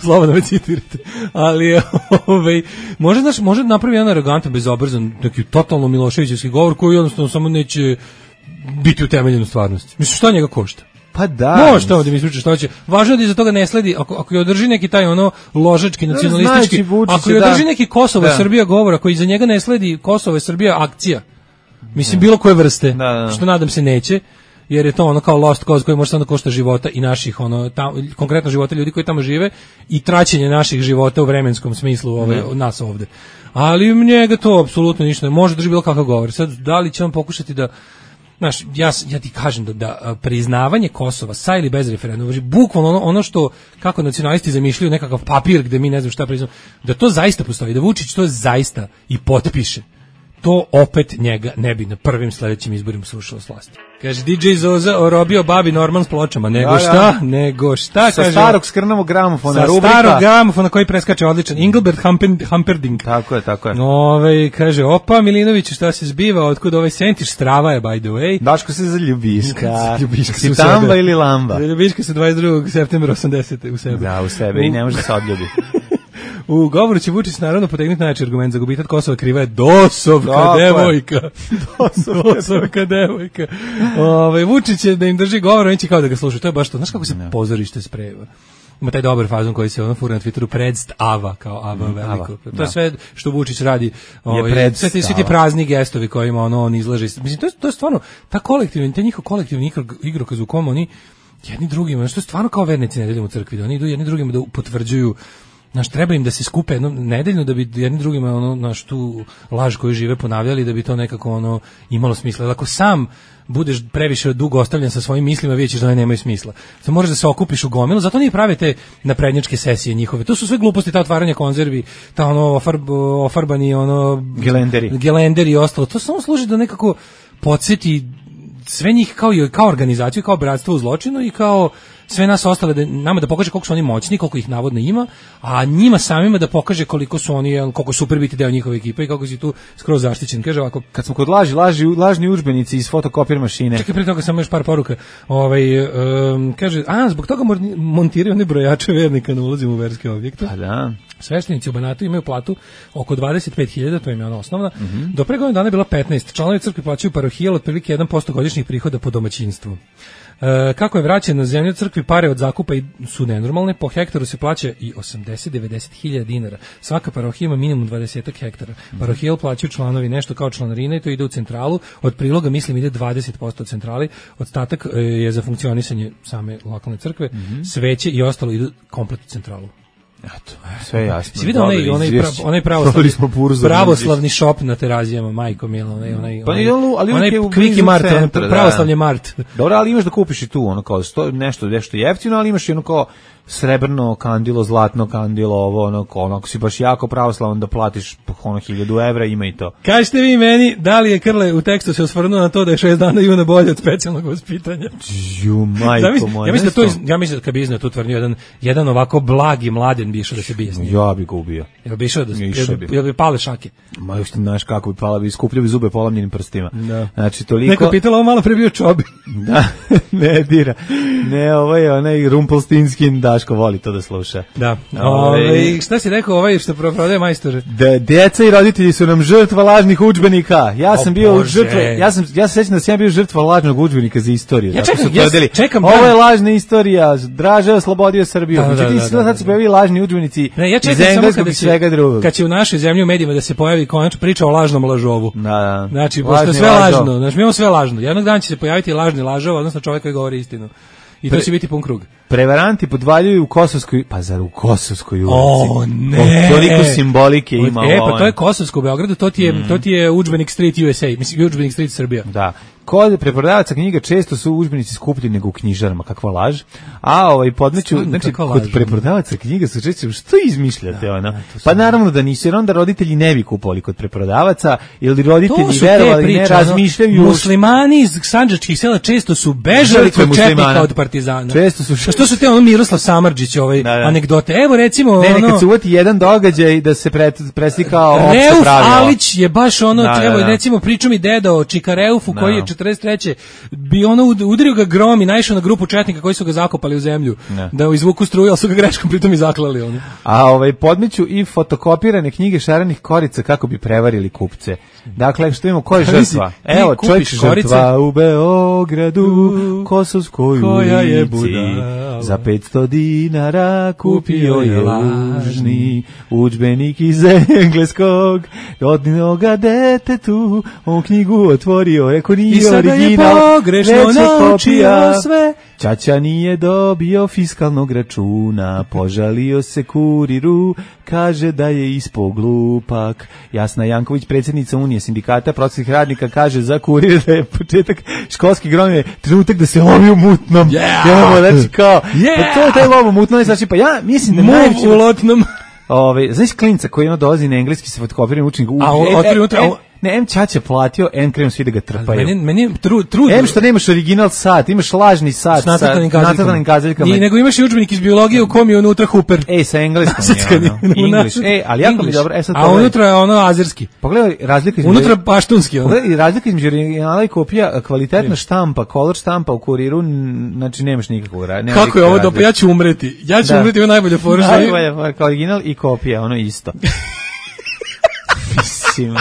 Slobodno me citirate. Ali, ovaj, može, znaš, može napravi jedan arogantan, bezobrazan, neki totalno Miloševićevski govor koji jednostavno samo neće biti utemeljen u stvarnosti. Mislim, šta njega košta? Pa da. Može tamo da mi ispričaš što će. Važno je da iza toga ne sledi, ako, ako je održi neki taj ono ložački, nacionalistički, ako je održi neki Kosovo i Srbija govor, ako iza njega ne sledi Kosovo i Srbija akcija, mislim bilo koje vrste, da, da. Što nadam se neće, jer je to ono kao lost cause koji može samo da košta života i naših, ono, tam, konkretno života ljudi koji tamo žive i traćenje naših života u vremenskom smislu ove, od nas ovde. Ali njega to apsolutno ništa ne može drži bilo kakav govor. Sad, da li će on pokušati da znaš, ja, ja ti kažem da, da priznavanje Kosova sa ili bez referenduma, bukvalno ono, ono što, kako nacionalisti zamišljaju nekakav papir gde mi ne znam šta priznamo, da to zaista postoji, da Vučić to zaista i potpiše, to opet njega ne bi na prvim sledećim izborima srušilo s vlasti. Kaže, D J Zoza orobio babi Norman s pločama, nego ja, šta, ja. nego šta, sa kaže. Sa starog skrnavog gramofona, sa rubrika. Sa starog gramofona koji preskače odličan, Engelbert Humperdinck. Tako je, tako je. Ove, kaže, opa, Milinović, šta se zbiva, otkud ovaj sentiš, strava je, by the way. Daško se za ljubiška. Ljubiška si tamba ili lamba? Ljubiška se dvadeset drugog septembra osamdesete u sebe. Da, u sebe, u... i ne može se odljubi. U govoru će Vučić naravno potegnuti najjači argument za gubitak Kosova, kriva je dosovka Dobre. devojka. Dosovka, dosovka devojka. Ove, Vučić će da im drži govor, oni će kao da ga slušaju. To je baš to. Znaš kako se ne. pozorište spreva? Ima taj dobar fazon koji se ono fura na Twitteru, predst Ava, kao Ava veliko. To je da. sve što Vučić radi. Ovaj, sve ti, svi ti prazni gestovi kojima ono, on izlaže. Mislim, to je, to je stvarno, ta kolektivna, ta njihov kolektivni igrokaz u kom oni jedni drugima, što je stvarno kao vernici nedeljom u crkvi, da oni idu jedni drugima da potvrđuju, znaš, treba im da se skupe jednom nedeljno da bi jedni drugima ono, znaš, tu laž koju žive ponavljali, da bi to nekako ono imalo smisla. Ako sam budeš previše dugo ostavljen sa svojim mislima, vidjet ćeš da one nemaju smisla. Sad moraš da se okupiš u gomilu, zato oni prave te naprednjačke sesije njihove. To su sve gluposti, ta otvaranja konzervi, ta ono ofarb, ofarbani ono gelenderi. gelenderi i ostalo. To samo služi da nekako podsjeti sve njih kao i kao organizaciju, kao bratstvo u zločinu i kao sve nas ostale, da, nama da pokaže koliko su oni moćni, koliko ih navodno ima, a njima samima da pokaže koliko su oni, koliko super biti deo njihove ekipe i kako si tu skroz zaštićen. Kaže ovako, kad smo kod laži, laži lažni udžbenici iz fotokopir mašine. Čekaj, pre toga samo još par poruka. Ovaj um, kaže, a zbog toga montiraju one brojače vernika na ulazima u verske objekte. Pa da. Sveštenici u Banatu imaju platu oko dvadeset pet hiljada, to im je ona osnovna. Mm-hmm. Do pre godinu dana je bila petnaest. Članovi crkve plaćaju parohijal otprilike jedan posto godišnjih prihoda po domaćinstvu. E, kako je vraćeno na zemlju crkvi, pare od zakupa su nenormalne, po hektaru se plaća i osamdeset do devedeset hiljada dinara. Svaka parohija ima minimum dvadeset hektara. Parohijal plaćaju članovi nešto kao članarina i to ide u centralu. Od priloga, mislim, ide dvadeset posto od centrali. Ostatak je za funkcionisanje same lokalne crkve. Mm-hmm. Sveće i ostalo idu komplet u centralu. Eto, sve jasno. Si vidio onaj, onaj, pra, onaj pravoslavni, pravoslavni šop na Terazijama, majko mila, onaj, onaj, pa onaj, ali onaj Kviki Mart, onaj pravoslavni Mart. Dobro, ali imaš da kupiš i tu, ono kao sto, nešto, nešto jeftino, ali imaš i ono kao srebrno kandilo, zlatno kandilo, ovo, ono, ono, ako si baš jako pravoslavan da platiš ono hiljadu evra, ima i to. Kažete vi meni, da li je Krle u tekstu se osvrnuo na to da je šest dana juna bolje od specijalnog vaspitanja? Ju, majko moja. Ja mislim da to, ja mislim da kad bi iznao tu tvrdnju, jedan, jedan ovako blagi mladen bi išao da se bijesni. Ja bi ga ubio. Jel bi išao da se, jel bi, jel bi pale šake? Ma još ti znaš kako bi pala, bi skupljio bi zube polamljenim prstima. Da. Znači, toliko... Neko pitalo, ovo malo pre bio Čobi. Da, ne dira. Ne, ovo je onaj Rumpelstiltskin, Daško voli to da sluša. Da. Ove, šta si rekao ovaj što prodaje majstor? Da, djeca i roditelji su nam žrtva lažnih udžbenika. Ja sam o, bio Bože. žrtva, ja sam, ja se sećam da sam ja bio žrtva lažnog udžbenika za istoriju. Ja čekam, ja čekam. Ovo je lažna istorija, Draže oslobodio Srbiju. Da, Međutim, da, da, da, sad se pojavili lažni udžbenici ne, ja iz engleskog i svega drugog. Kad će u našoj zemlji u medijima da se pojavi konačno priča o lažnom lažovu. Da, da. Znači, pošto sve lažno, znači mi imamo sve lažno. Jednog dana će se pojaviti lažni lažov, odnosno čovjek koji govori istinu. I to će biti pun krug. Prevaranti podvaljuju u Kosovskoj, pa zar u Kosovskoj ulici? O, ne! O, toliko simbolike ima. E, pa to je Kosovsko u Beogradu, to ti je, mm. to ti je udžbenik Street U S A, mislim, udžbenik Street Srbija. Da. Kod preprodavaca knjiga često su udžbenici skuplji nego u knjižarama, kakva laž. A ovaj podmeću, znači kod preprodavaca knjiga su često, što izmišljate, da, ona? Da, pa naravno da nisu, jer onda roditelji ne bi kupovali kod preprodavaca, ili roditelji verovali priče, ne razmišljaju. Muslimani iz sandžačkih sela često su bežali kod četnika od partizana. Često su. A što su te ono Miroslav Samardžić, ovaj da, da. anegdote? Evo recimo ne, ono. Kad se uvati jedan događaj da se pre, preslika opšte pravilo. Reuf Alić je baš ono, da, evo da, da. recimo priča mi deda o Čikareufu da. koji je četrdeset treće bi ono udario ga grom i naišao na grupu četnika koji su ga zakopali u zemlju ne. da izvuku struju, ali su ga greškom pritom i zaklali ono. A ovaj podmeću i fotokopirane knjige šarenih korica kako bi prevarili kupce. Dakle, što imamo, ko je žrtva? Evo, čovjek žrtva u Beogradu, Kosovskoj ulici, za petsto dinara kupio je lažni udžbenik iz engleskog, odnio ga detetu, on knjigu otvorio, rekao nije original, pogrešno naučio sve. Ćaća nije dobio fiskalnog računa, požalio se kuriru, kaže da je ispao glupak. Jasna Janković, predsjednica Unije sindikata prosvetnih radnika, kaže za kurir da je početak školskih gromije trenutak da se lovi u mutnom. Yeah. Ja, znači kao, yeah. pa to je taj lov u mutnom, znači pa ja mislim da najveći... u lotnom. Ove, znaš klinca koji ono dolazi na engleski sa fotokopiranim učenikom. A on otvori unutra... Ne, em Ćaća platio, em krenu svi da ga trpaju. Meni, meni tru, trudno. Em što nemaš original sat, imaš lažni sat sa nacrtanim kazaljkama. Ni, nego imaš i udžbenik iz biologije u kom je unutra Hooper. Ej, sa engleskom je ono. English. Ej, ali jako mi dobro. E, sad a unutra je ono azerski. Pogledaj razlika između... Unutra paštunski. Ono. Pogledaj razlika između originala i kopija, kvalitetna štampa, color štampa u kuriru, znači nemaš nikakvog razlika. Kako je ovo dobro, ja ću umreti. Ja ću da. umreti, ovo najbolje fora. Najbolje, original i kopija, ono isto. Mislim...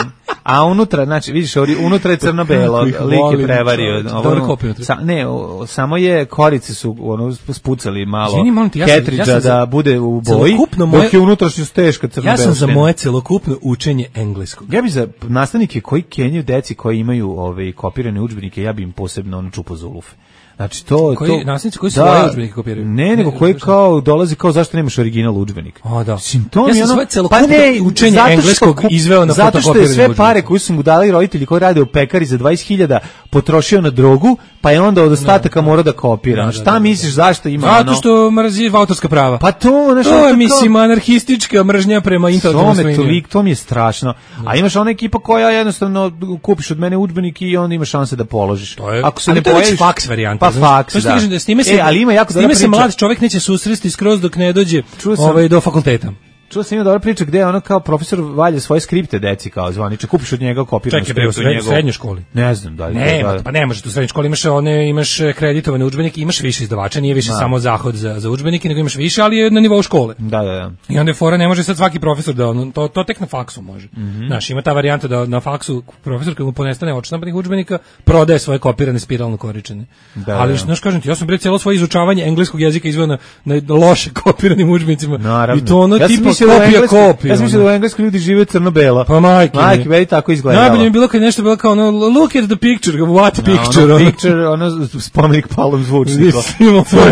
A unutra, znači, vidiš, unutra je crno-belo, lik je prevario. Ovo, sa, ne, o, samo je, korice su ono, spucali malo Ketridža ja da bude u boji, dok je unutrašnjost teška crno-belo. Ja sam za moje celokupno učenje engleskog. Ja bi za nastavnike koji kenjaju deci koji imaju ove, kopirane udžbenike, ja bi im posebno ono čupo za ulufe. Znači to koji to nastavnici koji su da, svoje udžbenike kopiraju. Ne, nego koji kao dolazi kao zašto nemaš original udžbenik. A da. Simptom ja sam ono, svoje celokupno pa učenje engleskog izveo na zato što je sve pare koje su mu dali roditelji koji rade u pekari za dvadeset hiljada potrošio na drogu, pa je onda od ostataka morao da kopira. Da, da, šta da, misliš da, zašto ima zato ono? Zato što mrzi autorska prava. Pa to, znači to je mislim anarhistička mržnja prema intelektualnom svojini. To me to mi je strašno. Da. A imaš ona ekipa koja jednostavno kupiš od mene udžbenik i onda imaš šanse da položiš. Ako se ne pojaviš faks varijanta. Pa faks, da. Da s time se, e, ali ima jako s time se mlad čovjek neće susresti skroz dok ne dođe ovaj, do fakulteta. Čuo sam ima dobra priča gde je ono kao profesor valja svoje skripte deci kao zvaniče, kupiš od njega kopiranu skriptu. Čekaj, bre, u srednjoj školi. Ne znam da li. Ne, da, pa ne možeš, u srednjoj školi imaš one, imaš kreditovane udžbenike, imaš više izdavača, nije više da. samo zahod za za udžbenike, nego imaš više, ali je na nivou škole. Da, da, da. I onda je fora ne može sad svaki profesor da on to to tek na faksu može. Mm -hmm. Znaš, ima ta varijanta da na faksu profesor kad mu ponestane odštampanih udžbenika, prodaje svoje kopirane spiralno koričene. Da, ali znaš, kažem ti, ja sam bre celo svoje izučavanje engleskog jezika izveo na, na loše kopiranim udžbenicima. I to ono ja tipa kopija kopija. Ja sam mislio da u Engleskoj ljudi žive crno-belo. Pa majke. Majke, veli tako izgledalo. Najbolje mi je bilo kad nešto bilo kao ono, look at the picture, what picture? No, ono picture, ono spomenik Palom zvučnikom.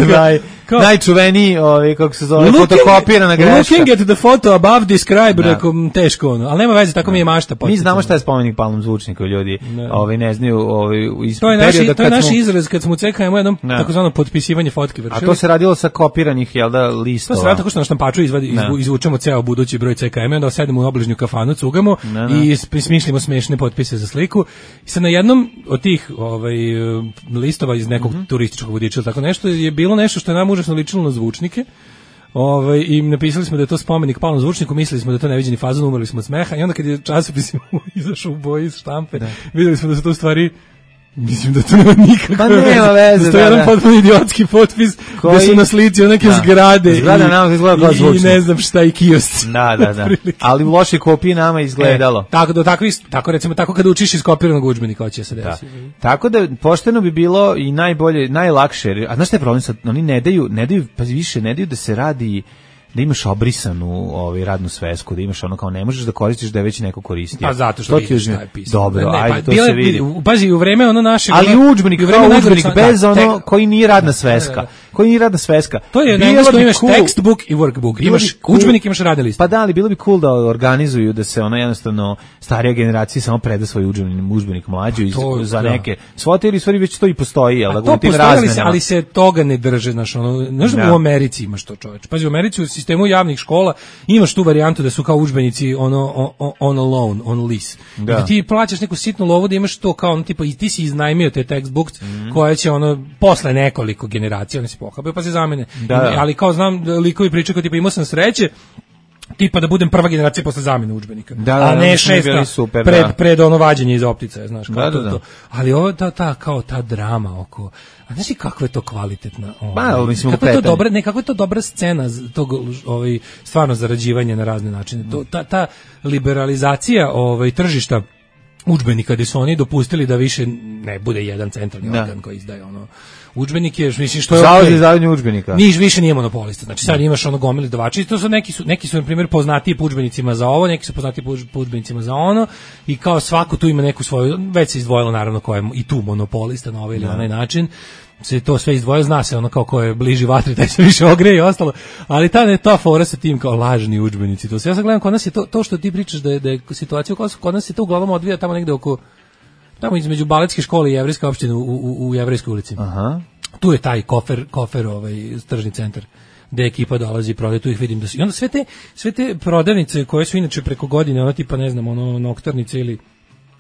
Naj, najčuveniji, ovaj, kako se zove, fotokopirana greška. Looking at the photo above describe, rekom, teško ono. Ali nema veze, tako mi je mašta. Mi znamo šta je spomenik Palom zvučnikom, ljudi ovaj, ne znaju ovaj, iz to je perioda naši, to je naš smo... izraz kad smo u C K M-u jednom takozvano potpisivanje fotke vršili. A to se radilo sa kopiranih, jel da, listova? To se radilo tako što na štampaču izvadi, izvučemo ceo budući broj C K M-a, onda sedemo u obližnju kafanu, cugamo ne, ne. i smišljamo smešne potpise za sliku. I sad na jednom od tih ovaj, listova iz nekog mm -hmm. turističkog vodiča, tako nešto, je bilo nešto što je nam užasno ličilo na zvučnike. Ovaj, i napisali smo da je to spomenik Palom zvučniku, mislili smo da je to neviđeni fazon, umrli smo od smeha i onda kad je časopis izašao u boji iz štampe, da. vidjeli smo da su to u stvari mislim da to nema nikakve pa nema veze. To je jedan potpuno idiotski potpis koji... gde su na slici neke da. zgrade Zgrada nama izgleda kao zvučnik. I ne znam šta i kiosci. Da, da, da. Ali u lošoj kopiji nama izgledalo. E, tako, do, tako, tako recimo, tako kada učiš iz kopiranog udžbenika hoće se desiti. Da. Tako da pošteno bi bilo i najbolje, najlakše. A znaš šta je problem sad? Oni ne daju, ne daju, pa više, ne daju da se radi da imaš obrisanu ovaj radnu svesku, da imaš ono kao ne možeš da koristiš da je već neko koristio. Pa zato što vidiš šta je pisano. Dobro, ne, ajde, pa, to se vidi. Pazi, u vreme ono naše... Ali udžbenik, kao udžbenik bez ono koji nije radna sveska. Da, da, da. Koji nije radna sveska. To je na engleskom imaš cool, textbook i workbook. Imaš cool, udžbenik, imaš radne liste. Pa da, ali bilo bi cool da organizuju da se ono jednostavno starija generacija samo preda svoj udžbenik, udžbenik mlađu to, za da. neke svote ili stvari već to i postoji, jel da to postoji, ali se, ali se toga ne drže, znaš, ono, znaš da u Americi imaš to, čoveče. Pazi, u Americi u sistemu javnih škola imaš tu varijantu da su kao udžbenici ono on, on loan, on lease. Da. Da ti plaćaš neku sitnu lovu da imaš to kao ono tipa i ti si iznajmio te textbooks mm. koje će ono posle nekoliko generacija oni se pohabaju pa se zamene. Da, da. Ali kao znam likovi pričaju kao tipa imao sam sreće tipa da budem prva generacija posle zamene udžbenika. Da, da, a ne šesta super, pred, da. pred ono vađenje iz optice, znaš, kao da, to, da, da. to. Ali ovo ta, ta, kao ta drama oko, a znaš i kakva je to kvalitetna, ba, ovaj, kako je to dobra, ne, kako je to dobra scena tog, ovaj, stvarno zarađivanja na razne načine. To, ta, ta liberalizacija ovaj, tržišta udžbenika gde su oni dopustili da više ne bude jedan centralni da. organ koji izdaje ono udžbenik je, mislim što je Zavod za izdavanje udžbenika. Niš više nije monopolista. Znači sad imaš ono gomile izdavača i to su neki su neki su na primjer poznatiji po udžbenicima za ovo, neki su poznatiji po udžbenicima za ono i kao svako tu ima neku svoju, već se izdvojilo naravno ko je i tu monopolista na ovaj ili onaj način. Se to sve izdvoje, zna se ono kao ko je bliži vatri, taj se više ogreje i ostalo, ali ta ne ta fora sa tim kao lažni udžbenici. To se ja sad gledam kod nas je to to što ti pričaš da je da je situacija kod, kod nas se to uglavnom odvija tamo negde oko tamo između baletske škole i jevrejske opštine u u, u Jevrejskoj ulici. Aha. Tu je taj kofer kofer ovaj tržni centar gde ekipa dolazi i prodaje, tu ih vidim da su. I onda sve te sve te prodavnice koje su inače preko godine, ono tipa ne znam, ono noktarnice ili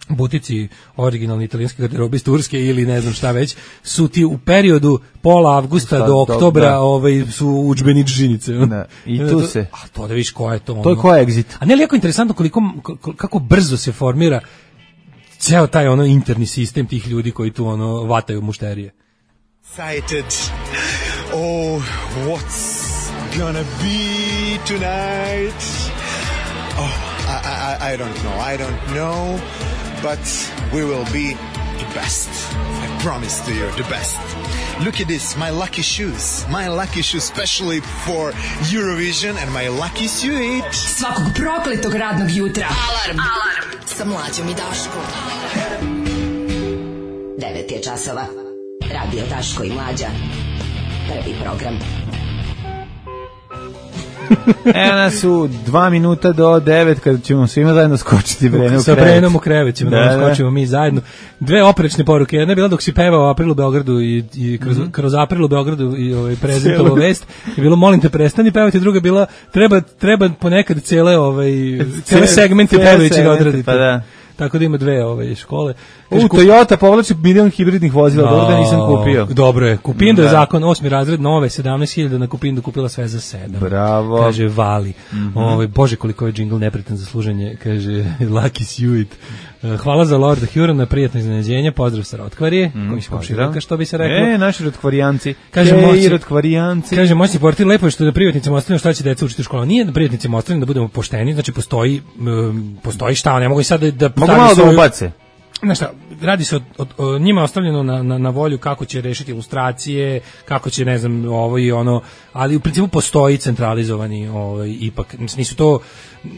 butici originalni italijanski garderobe iz Turske ili ne znam šta već, su ti u periodu pola avgusta šta, do oktobra da. ovaj, su udžbeničinice. Da. I tu to, se... A to da viš ko je to. To je ko je exit. A ne li jako interesantno koliko, kako brzo se formira ceo taj ono interni sistem tih ljudi koji tu ono vataju mušterije. Excited. Oh, what's gonna be tonight? Oh. I, I, I don't know. I don't know, but we will be the best. I promise to you, the best. Look at this, my lucky shoes. My lucky shoes specially for Eurovision and my lucky suit. Svakog prokletog radnog jutra. Alarm. Alarm. Sa Mlađom i Daškom. devet je časova. Radio Daško i Mlađa. Prvi program. Evo nas su dva minuta do devet kada ćemo svima zajedno skočiti Brenu u krevet. Sa Brenom u krevet ćemo da, da skočimo mi zajedno. Dve oprečne poruke. Jedna je bila dok si pevao April u Beogradu i, i kroz, mm-hmm. kroz April u Beogradu i ovaj, prezentovao vest. Je bilo molim te prestani pevati. Druga je bila treba, treba ponekad cele, ovaj, cele segmente pevajući da odraditi. Pa da. Tako da ima dve ove škole. Kaže, u Toyota povlači milion hibridnih vozila, dobro da nisam kupio. Dobro je, Kupindo je zakon, osmi razred, nove, sedamnaest hiljada na Kupindo kupila sve za sedam. Bravo. Kaže, vali. Mm-hmm. Ove, Bože, koliko je džingl nepretan za služenje, kaže, Lucky Suit. Hvala za Lorda Hurona, prijatno iznenađenje, pozdrav sa Rotkvarije, mm, koji se komširoka, što bi se reklo. E, naši Rotkvarijanci. Kaže, moći, Rotkvarijanci. Kaže, moćni portir, lepo je što da privatnicima ostavljamo šta će deca učiti u školu. Nije da privatnicima ostavljamo da budemo pošteni, znači postoji, um, postoji šta, ne mogu i sad da... da mogu malo da ubace. Znaš šta, radi se o, o, o njima ostavljeno na, na, na volju kako će rešiti ilustracije, kako će, ne znam, ovo i ono, ali u principu postoji centralizovani ovaj, ipak, nisu to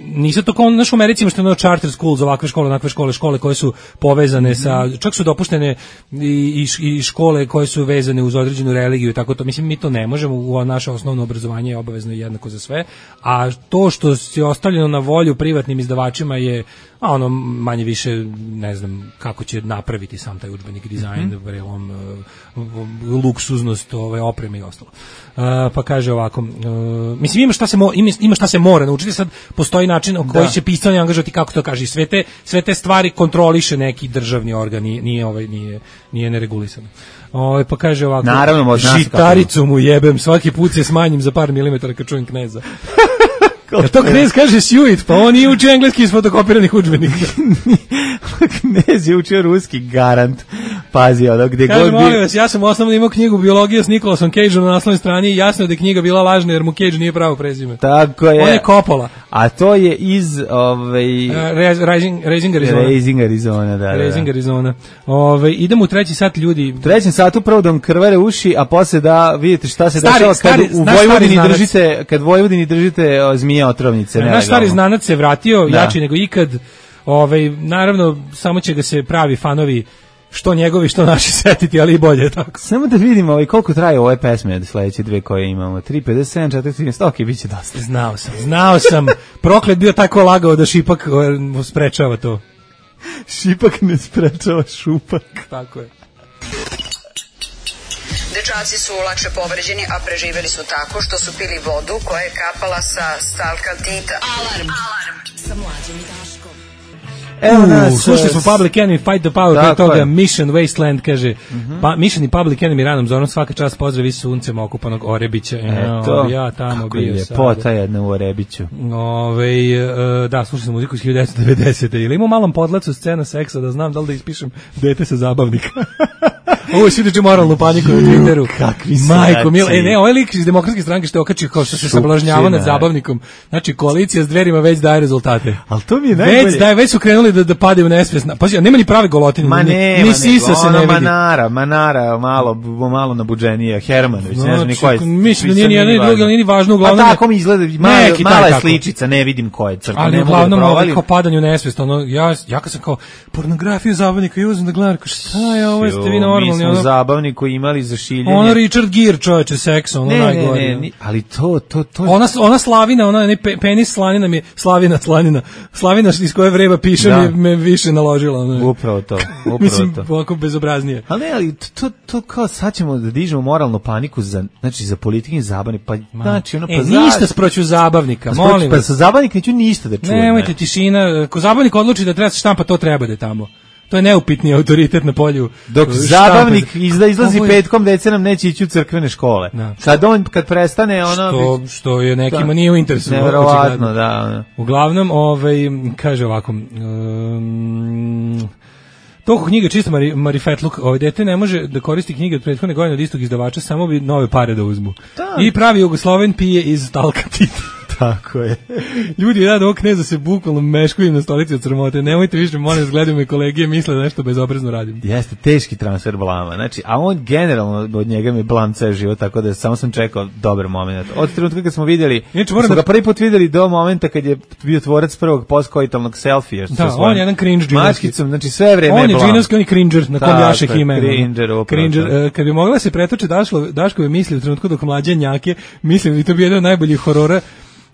nisu to kao naš u Americi, što je ono charter schools, ovakve škole, onakve škole, škole koje su povezane mm-hmm. sa, čak su dopuštene i, i škole koje su vezane uz određenu religiju i tako to, mislim, mi to ne možemo, u naše osnovno obrazovanje je obavezno i jednako za sve, a to što je ostavljeno na volju privatnim izdavačima je, a ono, manje više, ne znam, kako će napraviti sam taj udžbenik, dizajn, mm-hmm. on, uh, luksuznost, ove, opreme i ostalo. Uh, pa kaže ovako, uh, mislim, ima šta, se mo, ima, ima šta se mora naučiti, sad postoji način o koji će pisanje angažovati, kako to kaže, sve te, sve te stvari kontroliše neki državni organ, nije, nije, ovaj, nije, nije neregulisano. Ovaj, pa kaže ovako, naravno, žitaricu mu jebem, svaki put se smanjim za par milimetara kad čujem Kneza. Kad to Knez kaže Suit, pa on nije učio engleski iz fotokopiranih udžbenika. Knez je učio ruski, garant. Pazi, ono, gde kaže, god bi... molim vas, ja sam osnovno imao knjigu biologija s Nicolasom Cageom na naslovnoj strani i jasno je da je knjiga bila lažna jer mu Cage nije pravo prezime. Tako je. On je Coppola. A to je iz ovaj uh, Raising, Raising Arizona. Raising Arizona, da. Raising da. Arizona. Ove, idemo u treći sat, ljudi. U trećem satu prvo da vam krvare uši, a posle da vidite šta se stari, dešava kad stari, u Vojvodini držite, kad Vojvodini držite o, zmije otrovnice. Naš stari znanac se vratio, da. Jači nego ikad. Ovaj, naravno, samo će ga se pravi fanovi što njegovi, što naši setiti, ali i bolje tako. Samo da vidimo ovaj, koliko traje ove pesme od sledeće dve koje imamo. tri pedeset sedam, četiri trinaest, ok, bit će dosta. Znao sam, znao sam. Proklet bio tako lagao da Šipak o, sprečava to. Šipak ne sprečava šupak. Tako je. Dečaci su lakše povređeni, a preživeli su tako što su pili vodu koja je kapala sa stalkaltita. Alarm! Alarm! Sa Mlađom i Daškom. Evo nas, slušali smo Public Enemy, Fight the Power, pre toga Mission Wasteland, kaže, mm-hmm. pa, Mission i Public Enemy ranom zonom, svaka čast pozdravi suncem okupanog Orebića. Eto, ja tamo kako bio je ljepota jedna u Orebiću. Ove, uh, da, slušali smo muziku iz hiljadu devetsto devedesete. Ili ima u malom podlacu scena seksa, da znam da li da ispišem dete sa zabavnika. Ovo je sviđači moralnu paniku na Twitteru. Kakvi Majko, mil, e, ne, ovaj lik iz demokratske stranke što je okačio kao što se sablažnjava nad zabavnikom. Znači, koalicija s Dverima već daje rezultate. Ali to mi je najbolje. Već, daje, već su krenuli da, da padaju u nesvijest. Pazi, nema ni prave golotine. Ma ne, ni sisa se ne vidi. Manara, Manara, malo, malo nabuđenije. Hermanović, ne znam ni ko je. Mislim, nije ni jedan ni drugi, ali nije ni važno. Uglavnom, a tako mi izgleda, mala, mala je sličica, ne vidim ko je crta. Ali uglavnom, ovaj kao padanju nesvijest. Ono, ja, ja kad sam kao pornografiju zabavnika i uzem da gledam, kao šta je ovo, jeste vi normalni? Mi smo zabavnik koji imali za šiljenje. Ono Richard Gere, čoveče, seks, ono ne, najgore. Ne, ne, ne, ali to, to, to... Ona, ona Slavina, ona ne, penis Slanina mi je, Slavina, Slanina, Slavina iz koje vreba piše da. mi me više naložila. Ono. Upravo to, upravo Mislim, to. ovako bezobraznije. Ali ne, ali to, to kao sad ćemo da dižemo moralnu paniku za, znači, za politike i zabavni, pa znači ono... E, pa ništa sproću zabavnika, pa molim vas. Pa sa zabavnika neću ništa da čujem. Nemojte, tišina, ako zabavnik odluči da treba se štampa, to treba da je tamo. To je neupitni autoritet na polju. Dok štampe. Zabavnik izla, izlazi je... petkom, deca nam neće ići u crkvene škole. Da. Kad on, kad prestane, ono... Što, bi... što je nekima da. Nije u interesu. Neverovatno, da. Ono. Uglavnom, ovaj, kaže ovako... Um, toliko knjiga čisto mari, marifetluk, ovaj dete ne može da koristi knjige od prethodne godine od istog izdavača, samo bi nove pare da uzmu. Da. I pravi Jugosloven pije iz Stalkatita. Tako je. Ljudi, ja do ovog kneza se bukvalno meškujem na stolici od sramote. Nemojte više, molim vas, gledaju me kolege i misle da nešto bezobrazno radim. Jeste, teški transfer blama. Znači, a on generalno od njega mi blam ceo život, tako da samo sam čekao dobar moment. Od trenutka kad smo vidjeli, Inače, smo da... ga prvi put vidjeli do momenta kad je bio tvorac prvog postkoitalnog selfija. Da, on je jedan cringe džinovski. Znači, sve vreme on je blam. On je džinovski, on je cringer, na kom jašek ime. Cringer, cringer. Kad bi mogla se pretoče Daško, Daškove misli u trenutku dok mlađe njake, mislim da to bi jedan od najboljih horora,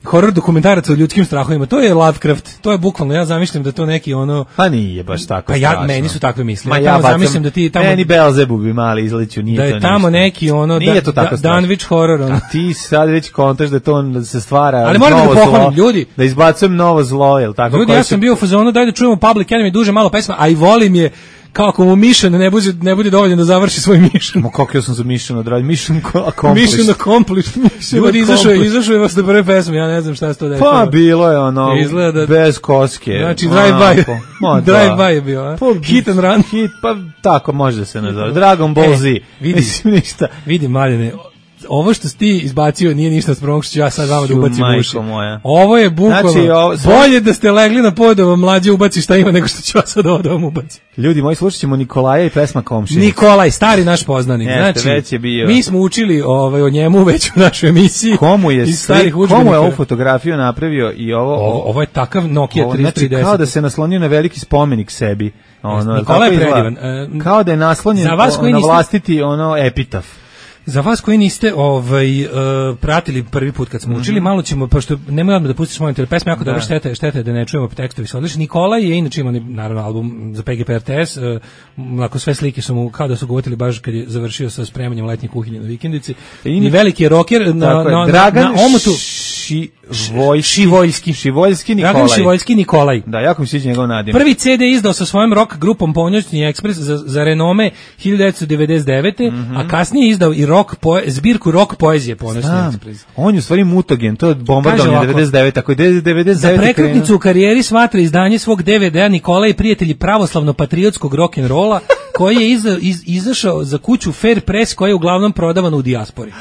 horor dokumentaraca o ljudskim strahovima. To je Lovecraft, to je bukvalno, ja zamišljam da to neki ono... Pa nije baš tako pa strašno. Ja, meni su takve misli. Ma ja, ja bacam, zamišljam da ti tamo... Meni Beelzebub bi mali izleću, nije da to je ništa. tamo neki ono... Nije da, to tako da, Danwich horor. Ono. A ti sad već kontaš da to da se stvara ali moram novo da pohvalim, zlo, ljudi. Da izbacujem novo zlo, jel tako? Ljudi, ja sam bio u fazonu, daj da čujemo Public Enemy duže malo pesma, a i volim je kao ako mu Mission ne bude, ne bude dovoljno da završi svoj Mission. Ma kako ja sam za Mission odradio? Mission accomplished. Mission accomplished. Ljudi, izašao je, izašao je vas da prve pesme, ja ne znam šta se to desilo. Pa bilo je ono, da, bez koske. Znači, Drive By. Drive By je bio, a? Pa, hit and Run. Hit, pa tako može da se nazove. Dragon Ball Z. E, vidi, mislim ništa. Vidi, Maljane, ovo što si ti izbacio nije ništa spremnog što ću ja sad vama da ubacim u uši. Ovo je bukvalno, znači, ovo, sve... bolje da ste legli na pod da vam mlađe ubaci šta ima nego što ću ja sad ovo da vam ubacim. Ljudi moji, slušat ćemo Nikolaja i pesma Komšinica. Nikolaj, stari naš poznanik. Jeste, znači, već je bio. Mi smo učili ovaj, o njemu već u našoj emisiji. Komu je, sli, komu je ovu fotografiju napravio i ovo? Ovo, ovo je takav Nokia ovo, tristo trideset. Znači, kao da se naslonio na veliki spomenik sebi. Ono, Nikolaj je predivan. Uh, kao da je naslonjen na niste... vlastiti ono epitaf. Za vas koji niste ovaj, uh, pratili prvi put kad smo učili, mm-hmm. malo ćemo, pošto nemoj odmah da pustiš molim te, pesma jako dobro, štete, štete da ne čujemo tekstovi su odlični. Nikolaj je inače imao naravno album za P G P R T S, uh, ako sve slike su mu kao da su ga uvatili baš kad je završio sa spremanjem letnje kuhinje na vikendici. I, I veliki je roker na, na, na, Dragan na omotu. Šivoj, Šivoljski. Šivoljski Nikolaj. Dragan Šivoljski Nikolaj. Da, jako mi sviđa njegov nadimak. Prvi C D izdao sa svojom rock grupom Ponoćni ekspres za, za renome hiljadu devetsto devedeset devete. Mm-hmm. A kasnije izdao i rock poe, zbirku rock poezije Ponoćni ekspres. On je u stvari mutogen, to je bombardovanje devedeset devete. Ako je devedeset devete za prekretnicu u karijeri smatra izdanje svog D V D-a Nikolaj i prijatelji pravoslavno-patriotskog rock'n'rolla koji je iza, iz, izašao za kuću Fair Press koja je uglavnom prodavana u dijaspori.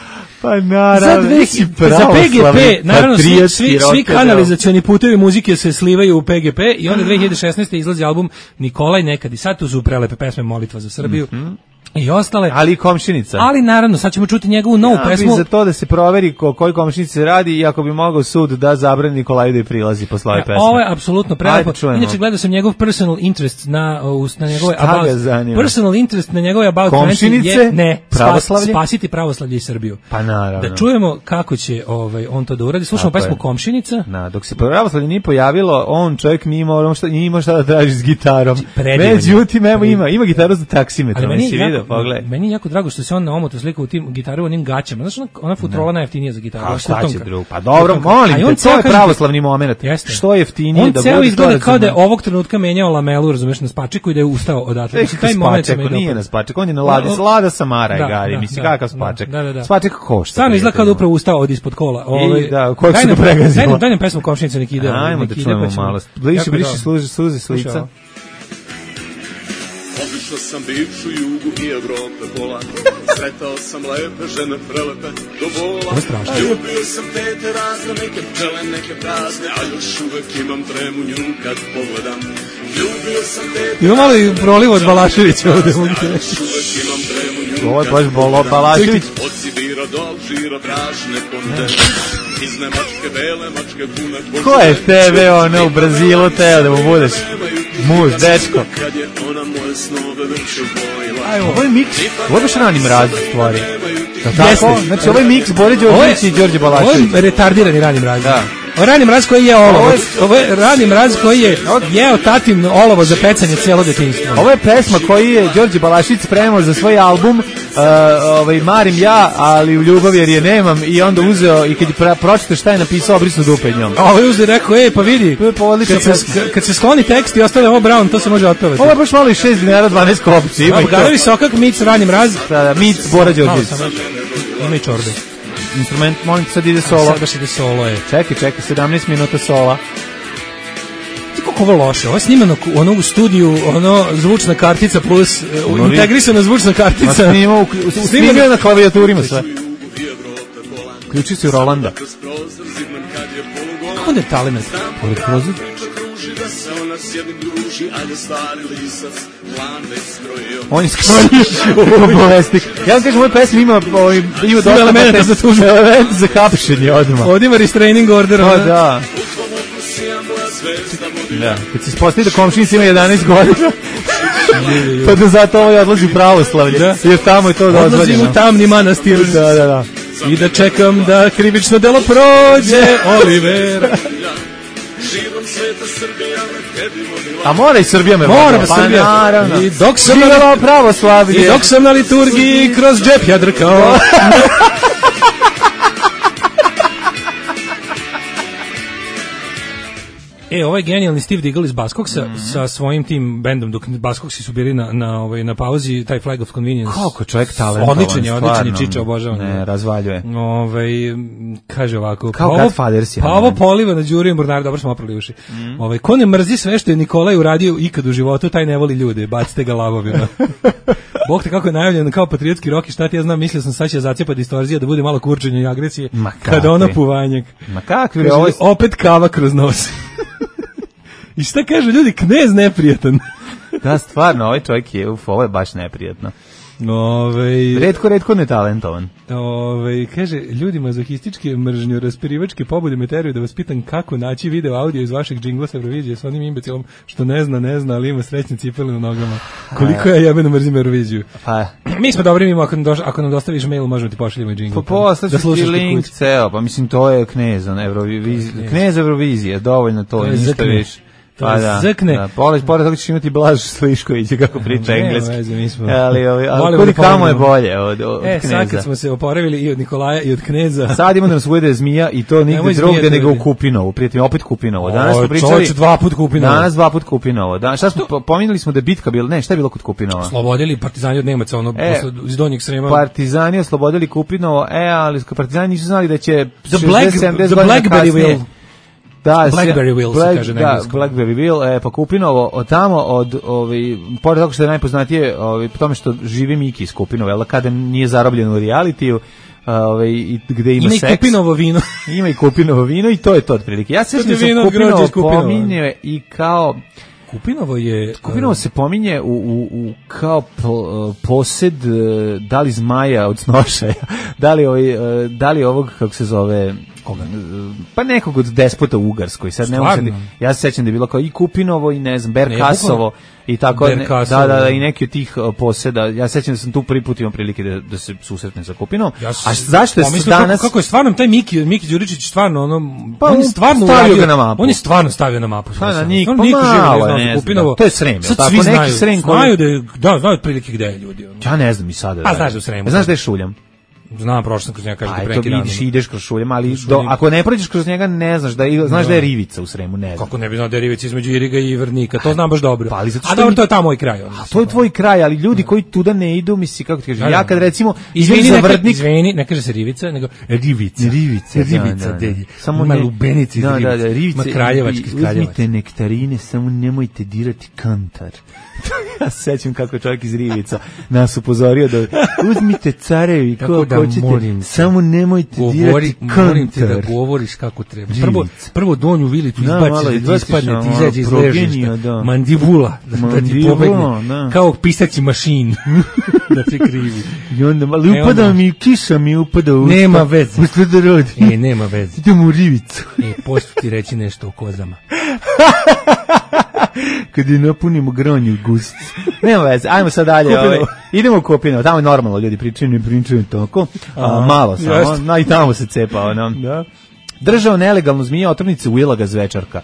Pa naravno, za, za P G P, naravno, svi, svi, svi kanalizacioni putevi muzike se slivaju u P G P i onda dve hiljade šesnaeste. izlazi album Nikolaj nekad i sad, tu su prelepe pesme Molitva za Srbiju. Mm-hmm. I ostale. Ali i Komšinica. Ali naravno, sad ćemo čuti njegovu novu ja, pesmu. Za to da se proveri ko koji Komšinici se radi i ako bi mogao sud da zabrani Nikolaju da je prilazi posle ove pesme. Ovo je apsolutno prelepo. Inače gledao sam njegov personal interest na na njegove about. Personal interest na njegove about Komšinice je ne pravoslavlje, spasiti pravoslavlje i Srbiju. Pa naravno. Da čujemo kako će ovaj on to da uradi. Slušamo pesmu Komšinica. Na, dok se pravoslavlje nije pojavilo, on čovjek nije imao šta nije imao šta da traži s gitarom. Međutim, evo ima, ima gitaru za taksimetar, nisi video, pogledaj. Meni jako drago što se on na omotu slikao u tim gitaru, onim gaćama. Znaš, ona, ona futrola najjeftinija za gitaru. A šta će drugo? Pa dobro, molim te, to je pravoslavni moment. Jeste. Što je jeftinije on da bude. On ceo izgleda kao da je ovog trenutka menjao lamelu, razumeš, na spačeku i da je ustao odatle. Mislim, taj moment se meni nije na spačeku, on je na ladi, Lada Samara je gari, mislim, kakav spaček. Spaček košta. Stvarno izgleda kao da upravo ustao od ispod kola. I da, kojeg su ga pregazilo. Daj nam pesmu Komšinica neki ide. Ajmo da čujemo malo. Bliši, bliši, suze s lica. Obišao sam bivšu jugu i Evrope pola, sretao sam lepe žene prelepe do bola. Ljubio sam tete razne, neke pčele, neke prazne, a još uvek imam tremu nju kad pogledam. Ljubio sam tete... Ima malo i proliv od Balaševića ovde. A još uvek imam tremu nju ovo je baš Bolo Balašević. Od Sibira do Alžira brašne konde. Iz Nemačke bele, mačke pune. Ko je tebe ono u Brazilu teo da mu budeš muž, dečko? Aj, ovo je miks, ovo je baš rani mraz stvari. Tako, znači ovo je miks Bore Đorđević i Đorđe Balašević. Ovo je retardirani rani mraz. Da. Ovo je rani mraz koji je olovo. Ovo je rani mraz koji je jeo tatin olovo za pecanje cijelo detinjstvo. Ovo je pesma koju je Đorđe Balašević spremao za svoj album uh, ovaj, Marim ja, ali u ljubavi jer je nemam i onda uzeo i kad je pročitao šta je napisao obrisnu dupe njom. A ovo je uzeo i rekao, ej pa vidi, kad se, kad se skloni tekst i ostane ovo Brown, to se može otpevati. Ovo je baš malo i šest dinara, dvanaest kopci. Ima i to. Garovi Sokak, mic, rani mraz. Da, da, mic, Bora Đorđević. Ima i čorbe. Instrument, molim te, sad ide solo. Sad baš ide solo, je. Čekaj, čekaj, sedamnaest minuta sola. Ti kako ovo loše, ovo je snimano ono u studiju, ono zvučna kartica plus ono integrisana zvučna kartica. Snimao, snimao na klavijaturima sve. Ključi se u Rolanda. Kako da je talent? Pored prozor? Da se ona s jednim druži, ajde stari lisac, plan već skrojio. On je skrojio bolesnik. Ja vam kažem, u ovoj pesmi ima, ima dosta elementa za tužbu. Element za hapšenje odmah. Ovdje ima restraining order. O, da. Da, kad se ispostavi da komšinica ima jedanaest godina, pa da zato ovo odlazi u pravoslavlje, da. Jer tamo je to dozvoljeno. Odlazim u tamni manastir. Da, da, da. I da čekam da krivično delo prođe, Olivera. A mora i Srbija me mora pa Srbija. Naravno. I dok sam na pravoslavlje. I dok sam na liturgiji kroz džep ja drkao. E, ovaj genijalni Steve Diggle iz Buzzcocksa mm -hmm. sa svojim tim bendom, dok Buzzcocksi su bili na, na, ovaj, na pauzi, taj Flag of Convenience. Kako čovjek talentovan. Odličan je, odličan je, Čiča, obožavam. Ne, razvaljuje. Ovaj, kaže ovako. Kao pa Godfathers je. Pa ovo poliva na Đuri i Mornar, dobro smo oprali uši. Mm. Ovaj, ko ne mrzi sve što je Nikolaj uradio ikad u životu, taj ne voli ljude, bacite ga lavovima. Bog te kako je najavljen kao patriotski rock i šta ti ja znam, mislio sam sad će zacepa distorzija da bude malo kurčenja i agresije. Kada ono puvanjak. Ma kakvi, kaže, ovo... opet kava kroz nos. I šta kažu ljudi, knez neprijatan. Da, stvarno, ovaj čovjek je, uf, ovo je baš neprijatno. Ove, redko, redko netalentovan. Ove, kaže, ljudi mazohističke, mržnjo, raspirivačke pobude me teraju da vas pitam kako naći video audio iz vašeg džingla sa Eurovizije s onim imbecilom što ne zna, ne zna, ali ima srećne cipele na nogama. Koliko ja jebeno mrzim Euroviziju. Pa. Mi smo dobri, mimo, ako, nam doš, ako nam dostaviš mail, možemo ti pošaljemo i džingl. Pa poslaš da ti link ceo, pa mislim to je knez, Eurovizije, knez Eurovizije, dovoljno to, to ništa više. Pa da, zrkne. Da, pored, pored toga ćeš imati Blaž Sliškovića kako priča engleski. Veze, mi smo. Ali, ali, ali kod kamo je bolje od, od e, kneza. E, sad kad smo se oporavili i od Nikolaja i od kneza. Sad ima da nas uvede zmija i to nigde drugde nego u Kupinovu. Prijatelji, opet Kupinovo. Danas smo pričali. Čovječ, dva put Kupinovo. Danas dva put Kupinovo. Da, šta smo, pominjali smo da je bitka bila, ne, šta je bilo kod Kupinova? Oslobodili partizani od Nemaca, ono, e, iz Donjeg Srema. Partizani oslobodili Kupinovo, e, ali partizani nisu znali da će the Black, the Blackberry Will. Da, Blackberry Will Black, se kaže na engleskom. Da, Blackberry Will, e, pa Kupinovo, od tamo, od, ovi, pored toga što je najpoznatije, ovi, po tome što živi Miki iz Kupinova, jel, kada nije zarobljen u realitiju, ovaj i gde ima, ima seks. Ima i Kupinovo vino. Ima i Kupinovo vino i to je to otprilike. Ja se sjećam da se Kupinovo pominje i kao... Kupinovo je... Kupinovo se pominje u, u, u kao po, posed, da li zmaja od snošaja, da li, ovaj, da li ovog, kako se zove... Koga? Pa nekog od despota u Ugarskoj. Sad ne možem, ja se sećam da je bilo kao i Kupinovo i ne znam, Berkasovo i tako, ne, da, da, da, i neki od tih poseda. Ja se sećam da sam tu prvi put imao prilike da, da se susretnem sa Kupinovom. Ja a zašto je danas... Kako, kako je stvarno taj Miki, Miki Đuričić stvarno, ono, pa on je stvarno stavio ga na mapu. On je stvarno stavio na mapu. Pa na Nik, pa malo, ne znam, Kupinovo, to je Srem. Sad svi znaju, znaju da je, da, znaju otprilike gde je ljudi. Ja ne znam i sada. A znaš da u Sremu. Znaš da je Šuljam? Znam, prošao sam kroz njega, kaže da preki rano. Vidiš, ideš kroz Šuljam, ali do, ako ne prođeš kroz njega, ne znaš da je, znaš da, da je Rivica u Sremu, ne znam. Kako ne bi znao da je Rivica između Iriga i Vrnika, to znam baš dobro. Pa, ali zato a dobro, to je tamo moj kraj. A to je tvoj kraj, ali ljudi koji tuda ne idu, misli, kako ti kažeš, ja kad recimo, izvini za Vrtnik... Izvini, ne kaže se Rivica, nego Rivica. Rivica, Rivica, dedi. Samo ima lubenici, da, da, da, Rivica. Ma kraljevački, kraljevački. Uzmite nektarine, samo nemojte dirati kantar. Ja se sećam kako čovjek iz Rivica nas upozorio da uzmite carevi kako da hoćete, samo nemojte govori, dirati kantar. Molim te da govoriš kako treba. Prvo, prvo donju vilicu izbaciš da, da ti ispadne, ti izađe iz ležišta. Da. Mandibula, da, Mandibula, da ti pobegne. Da. Kao pisaći mašin. Da ti krivi. I onda, ali e, upada onda, mi, kiša mi upada u usta. Nema veze. Šta da rodi? E, nema veze. Idemo u Rivicu. E, pošto ti reći nešto o kozama. Kad je napunimo gronju gusti. Nema veze, ajmo sad dalje. Ovaj. Idemo u Kupinovo, tamo je normalno, ljudi pričaju, ne pričaju tako. A, malo samo, no, i tamo se cepa. Ono. Da. Držao nelegalnu zmija otrovnice Uilaga Zvečarka.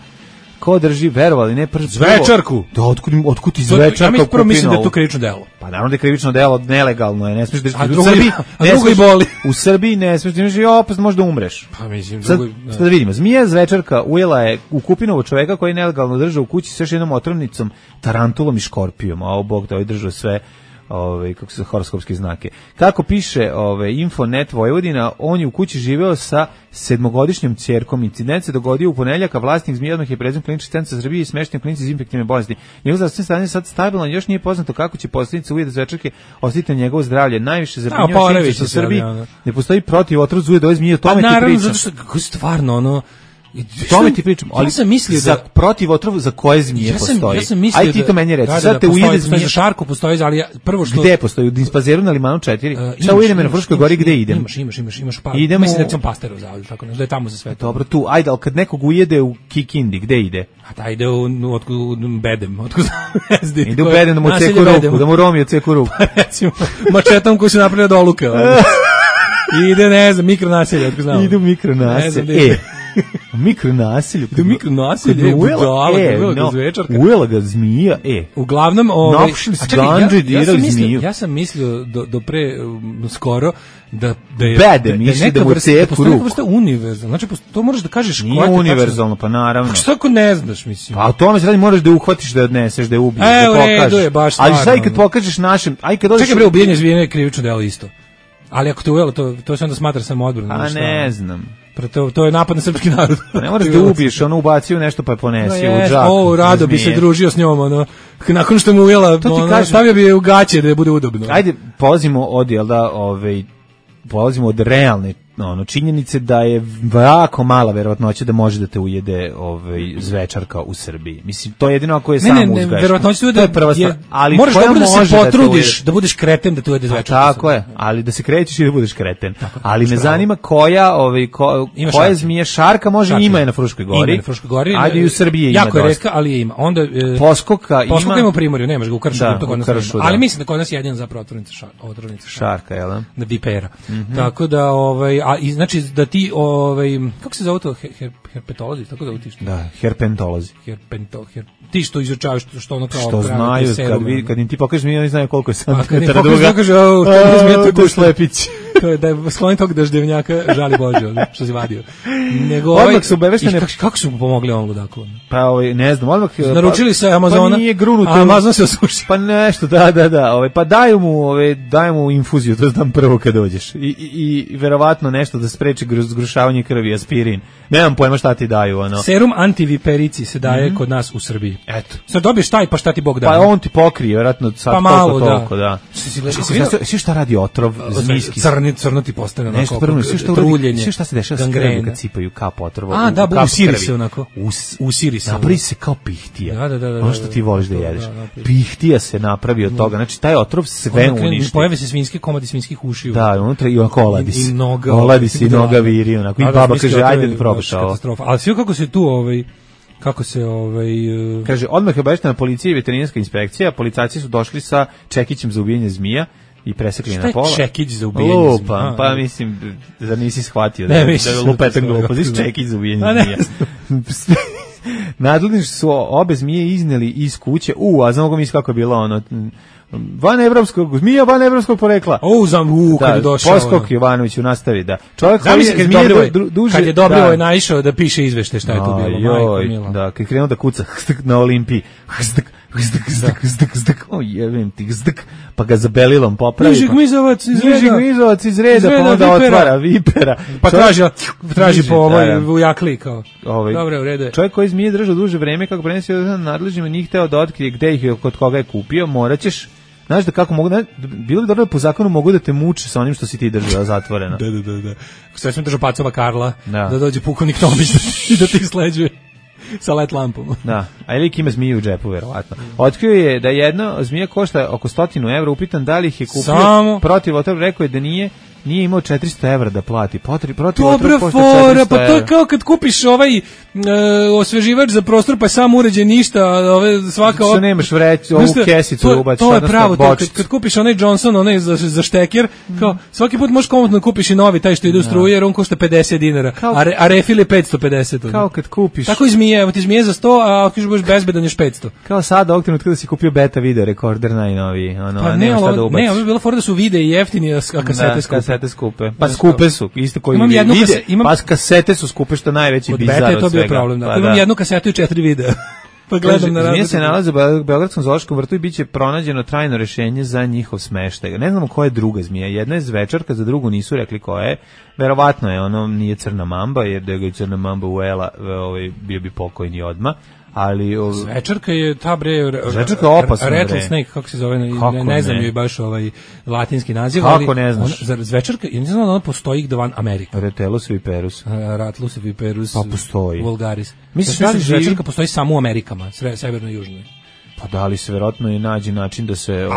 Ko drži, verovali, ne prvo. Zvečarku? Da, otkud, otkud ti Zvečarka ja mi prvo mislim da je to krivično delo. Pa naravno da je krivično delo, nelegalno je, ne smiješ držati. A drugo, u Srbiji, a drugo i boli. U Srbiji ne smiješ držati, opet možda umreš. Pa mislim, sad, drugo... Sad da vidimo, zmija Zvečarka ujela je u Kupinovo čoveka koji je nelegalno držao u kući s još jednom otrovnicom, tarantulom i škorpijom, a ovo Bog da ovaj držao sve... Ove, kako se horoskopske znake. Kako piše ove, Infonet Vojvodina, on je u kući živeo sa sedmogodišnjom ćerkom. Incident se dogodio u ponedjeljak, a vlasnik zmije odmah je prezim klinički centar Srbije i smešten klinici iz infektivne bolesti. Njegov zdravstveno stanje je sad stabilno, još nije poznato kako će posljedice ujeda Zvečarke ostati na njegovo zdravlje. Najviše zabrinjava činjenica u Srbiji ne postoji protiv otrov zujeda ove zmije, o tome ti pričam. Naravno, zato što kako stvarno ono Tome ti pričam, ali ja sam mislio za da protiv otrova za koje zmije ja sam, postoji. Ja sam mislio Aj ti to meni reci. Da, Sad da, te postoji, ujede zmije. za šarku postoji, ali ja, prvo što gde postoji? U Dinspazeru na Limanu četiri. Uh, Šta ujedem na Fruškoj gori, gde idem? Imaš, imaš, imaš, imaš pa. Idemo, mislim da sam Pasteru zavod, tako da je tamo za sve to. Dobro, tu, ajde, al kad nekog ujede u Kikindi, gde ide? A da ide u, u, u, u Bedem, otkud znam. Ide u Bedem da mu ceku ruku, da mu Romio ceku ruku. Recimo, mačetom koji se napravio do oluke. Ide, ne znam, mikronaselje, otkud znam. Ide u mikronaselje. E, u mikronaselju. Ide u mikronaselje, budala, e, ujela no, ga zvečarka. Ujela ga zmija, e. Uglavnom, ovaj, napušili su ganđe, dirali zmiju. Ja sam mislio do, do pre, um, skoro, da, da je, Bede, misli da mu ceku ruku. Da vrsta univerzalna, znači to moraš da kažeš. Nije univerzalno, pa naravno. Pa što ako ne znaš, mislim? Pa o tome se radi, moraš da uhvatiš, da odneseš, da je ubiješ, e, da pokažeš. Je, baš ali sad kad pokažeš našem, aj kad dođeš... Čekaj bre, ubijanje zvijene je krivično delo isto. Ali ako te ujelo, to, to se onda smatra samoodbrana. A ne znam. To, to je napad na srpski narod. Ne moraš da ubiješ, ono ubacio nešto pa je ponesi no, u džak. O, rado bi se družio s njom, ono. Nakon što mu ujela, ono, kažem, stavio bi je u gaće da je bude udobno. Ajde, polazimo od, jel da, ovaj, polazimo od realne ono, činjenice da je jako mala verovatnoća da može da te ujede ovaj, zvečarka u Srbiji. Mislim, to je jedino ako je ne, samo ne, ne, uzgaš. Verovatnoća da je prva stvar. Ali moraš dobro da se potrudiš, da, da budeš kreten da te ujede zvečarka. Pa, tako je, ali da se krećeš i da budeš kreten. Tako, ali me zanima koja, ovaj, ko, koja zmije šarka može šarka. Ima je na Fruškoj gori. Ima na Fruškoj gori. Ajde i u Srbiji ima jako je retka, ali je ima. Onda, e, Poskoka ima. Poskoka ima u Primorju, nemaš ga u Kršu. Da, to kod nas Kršu, da. Ali mislim da kod nas je jedina zapravo otrovnica šarka. Šarka, jel da? Da vipera. Tako da, ovaj, a znači da ti ovaj kako se zove to her, herpetolozi, tako da utiš. Da, herpentolozi. Herpento, her, ti što izučavaš što, što ono kao što znaju kad vi kad im ti pokažeš mi oni znaju koliko je santimetara duga. Kaže, o, to, to je slepić. To je da je sklon tog daždevnjaka žali Bože, što si vadio. Nego ovaj su obaveštene kako, kako su mu pomogli on ludaku. Pa ovaj ne znam, odmah naručili se Amazona. Pa nije grunuto. Amazon se osuši. Pa nešto, da, da, da, ovaj pa daju mu, ovaj daju mu infuziju, to znam prvo kad dođeš. I i, i verovatno nešto da spreči zgrušavanje krvi, aspirin. Nemam pojma šta ti daju, ono. Serum antiviperici se daje mm-hmm. kod nas u Srbiji. Eto. Sad dobiješ taj, pa šta ti Bog da? Pa on ti pokrije, verovatno sad pa malo, toliko, da. da. Sve šta radi otrov, zmijski. Crni, crno ti postane onako. Nešto prvo, sve što truljenje. Sve šta se dešava s krvom kad cipaju kap otrova. A, da, usiri se onako. Usiri se. Napravi se kao pihtija. Da, da, da. Ono što ti voliš da jedeš. Pihtija se napravi od toga. Znači, taj otrov sve uništi. Pojave se svinjski komadi svinjskih ušiju. Da, unutra i onako oladi se. I noga. Oladi se i noga viri, onako. I baba kaže, ajde da probaš ovo. Ali sve kako se tu, ovaj, kako se, ovaj... Uh... Kaže, odmah je obaveštena policija i veterinarska inspekcija, policajci su došli sa čekićem za ubijanje zmija i presekli na pola. Šta je čekić za ubijanje Lupa, zmija? Pa mislim, da nisi shvatio. Ne, da, mislim. Da je lupetan glupost, čekić za ubijanje zmija. Nadledni su obe zmije izneli iz kuće. U, a znamo ga misli kako je bilo ono... Van evropskog, zmija van evropskog porekla. O, znam, u, kad je došao. Poskok Jovanović u nastavi, da. Čovjek koji je zmije duže... Kad je Dobrivoje je naišao da piše izvešte šta je tu bilo. Joj, da, kad je krenuo da kuca na Olimpiji. Hrstk, hrstk, hrstk, hrstk, hrstk, o jebem ti, hrstk, pa ga za belilom popravi. Niži gmizovac iz reda. Niži gmizovac iz reda, pa onda otvara vipera. Pa traži, traži po ovoj u jakli, kao. Dobre, u redu je. Čovjek koji zmije držao duže vreme, kako prenesio nadležnima, nije hteo da otkrije gde ih je, kod koga je kupio, moraćeš. Znaš da kako mogu, bilo bi dobro da po zakonu mogu da te muče sa onim što si ti držao zatvoreno. Da, da, da, da. Sve sam držao Pacova Karla, da, da dođe pukovnik Tomić i da ti sleđuje sa let lampom. Da, a lik ima zmiju u džepu, verovatno. Otkrio je da jedna zmija košta oko stotinu evra, upitan da li ih je kupio Samo... protiv otrova, rekao je da nije, nije imao četiristo evra da plati. Potri, protiv Dobra fora, pa to je kao kad kupiš ovaj e, osveživač za prostor, pa je sam uređen ništa, ove, svaka... Što nemaš vreć, ovu kesicu to, ubaciš, to je pravo, to, kad, kad kupiš onaj Johnson, onaj za, za šteker, kao, svaki put možeš komotno kupiš i novi, taj što ide u struju, jer on košta pedeset dinara, kao, a, re, a refil je petsto pedeset. Ono. Kao kad kupiš... Tako i zmije, evo ti zmije za sto, a ako budeš bezbedan još petsto. Kao sada, ovog trenutka da si kupio beta video rekorder najnoviji, ono, pa a ne, nema šta da ubaciš. Ne, ovo je bilo fora da su vide i jeftini, a kasete da, skupe. Kasete skupe. Pa skupe su, isto koji imam vide, kase, imam, pa kasete su skupe što najveći bizar od svega. Od beta je to bio problem, da. Pa imam da. jednu kasetu i četiri videa. Pa gledam na zmije se nalaze u Beogradskom zoološkom vrtu i biće pronađeno trajno rešenje za njihov smeštaj. Ne znamo koja je druga zmija. Jedna je zvečarka, za drugu nisu rekli koja je. Verovatno je ono nije crna mamba, jer da ga je crna mamba ujela, ovaj bio bi pokojni odma. ali o... Zvečarka je ta bre Zvečarka je opasna bre. Rattlesnake, kako se zove, ne, ne znam joj baš ovaj latinski naziv, kako ali ne znaš? Ona, Zvečarka, ja ne znam da ona postoji gde van Amerika. Retelus viperus. Rattlus viperus. Pa postoji. Vulgaris. Mislim da Zvečarka postoji samo u Amerikama, severno i južno. Pa da li se verovatno i nađe način da se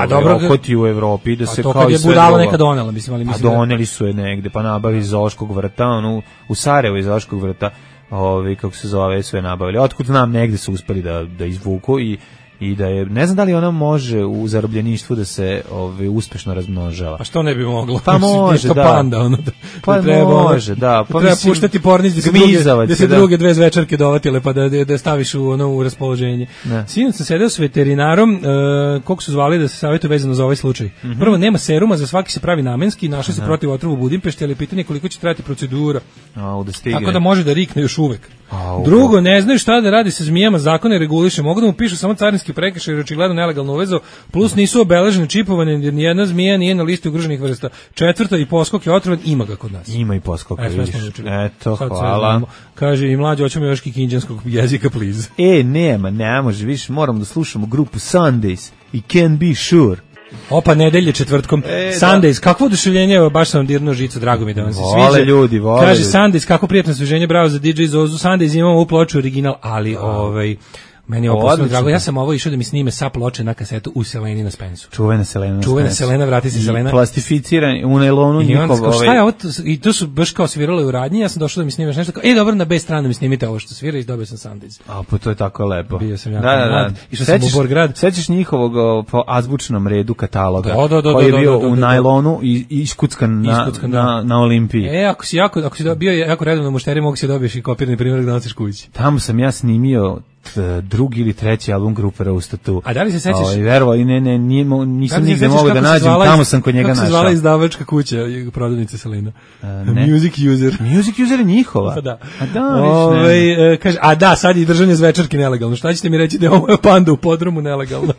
okoti u Evropi, da se kao i sve drugo. A to kad je budala neka donela, mislim, ali mislim. A doneli su je negde, pa nabavi iz Zoološkog vrta, ono, u Sarajevu iz Zoološkog vrta, ovi, kako se zove, sve nabavili. Otkud znam, negde su uspeli da, da izvuku i i da je, ne znam da li ona može u zarobljeništvu da se ovaj uspešno razmnožava. Pa što ne bi moglo? Pa može, da. Panda, ono, da, pa da treba, može, da. Pa treba mislim, puštati pornić da se, druge, da se da. druge dve zvečarke dovatile, pa da, da staviš u, ono, u raspoloženje. Sinoć sam sedeo s veterinarom, uh, koliko su zvali da se savjetuju vezano za ovaj slučaj. Mm -hmm. Prvo, nema seruma, za svaki se pravi namenski, našli se protiv otrova u Budimpešti, ali pitanje koliko će trajati procedura. A, da stigne. Tako da može da rikne još uvek. A, drugo, ne znaju šta da radi sa zmijama, zakone reguliše. Mogu da mu pišu samo carinski prekršaj jer očigledno nelegalno uvezo, plus nisu obeležene, čipovane, jer nijedna zmija nije na listi ugroženih vrsta. Četvrto, i poskok je otrovan, ima ga kod nas. Ima i poskok, e, vidiš. Eto, hvala. Kaže, i mlađe, hoćemo još kikinđanskog jezika, please. E, nema, ne može, viš, moramo da slušamo grupu Sundays i Can Be Sure. Opa, nedelje četvrtkom. E, Sundays, da. Kakvo oduševljenje, evo, baš sam dirnuo žicu, drago mi da vam se sviđa. Vole ljudi, vole. Kaže Sundays, kako prijatno osveženje, bravo za D J Zozu. Sundays, imamo ovu ploču original, ali oh. ovaj... Meni je ovo drago. Ja sam ovo išao da mi snime sa ploče na kasetu u Seleni na Spensu. Čuvena Selena na Čuvena Selena, vrati se Selena. Plastificiran u nailonu njihov. Ovaj... Šta je ovo? I to su baš kao svirale u radnji, ja sam došao da mi snimeš nešto kao, e dobro, na B stranu mi snimite ovo što svira i dobio sam Sundays. A pa to je tako lepo. Bio sam jako da, da, mlad. Išao sam u Borgrad. Sećaš njihovog o, po azbučnom redu kataloga da, da, da, koji je bio da, da, da, u nailonu i iskuckan na, iskuckan, na, na Olimpiji. E, ako si jako, ako si bio jako redovno mušteri, mogu se dobiješ i kopirani primjerak da nosiš kući. Tamo sam ja snimio drugi ili treći album grupe Roastatu. A da li se sećaš? Ovaj verovo i ne ne nije, nisam nigde mogao da nađem, tamo sam kod njega našao. Kako se zvala izdavačka kuća prodavnice Selena? Music User. Music User je njihova. Pa da. A da, Ove, kaže, a da, sad je držanje zvečarke nelegalno. Šta ćete mi reći da je ovo Panda u podrumu nelegalno?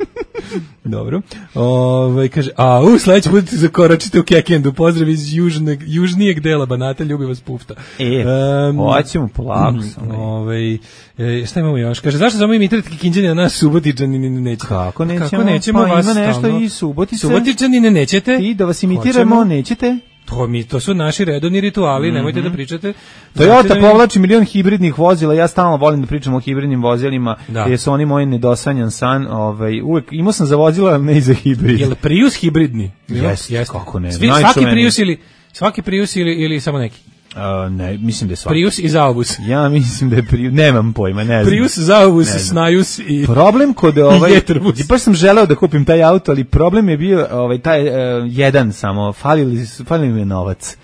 Dobro. Ove, kaže, a u sledeći put zakoračite u Kekendu. Pozdrav iz južneg, južnijeg dela Banata, ljubi vas Pufta. E, um, hoćemo polako. Ove, e, šta imamo još? Kaže, zašto samo imitirati Kikinđani na nas Subotičani ne nećete? Kako nećemo? Kako nećemo pa vas ima nešto stalno. I Subotice. Subotičani ne nećete? I da vas imitiramo, hoćemo. Nećete? To mi to su naši redovni rituali, mm-hmm. Nemojte da pričate. Toyota da mi... povlači milion hibridnih vozila, ja stalno volim da pričam o hibridnim vozilima, da. Jer su oni moj nedosanjan san, ovaj uvek imao sam za vozila, ne i za hibrid. Jel Prius hibridni? Jeste, yes, kako ne. Svi, svaki Prius ili svaki Prius ili ili samo neki? Uh, ne, mislim da je svaki. Prius i Zaubus. Ja mislim da je Prius, nemam pojma, ne znam. Prius, Zaubus, Snajus i problem kod ovaj, i baš sam želeo da kupim taj auto, ali problem je bio ovaj taj uh, jedan samo, falili, falili mi je novac.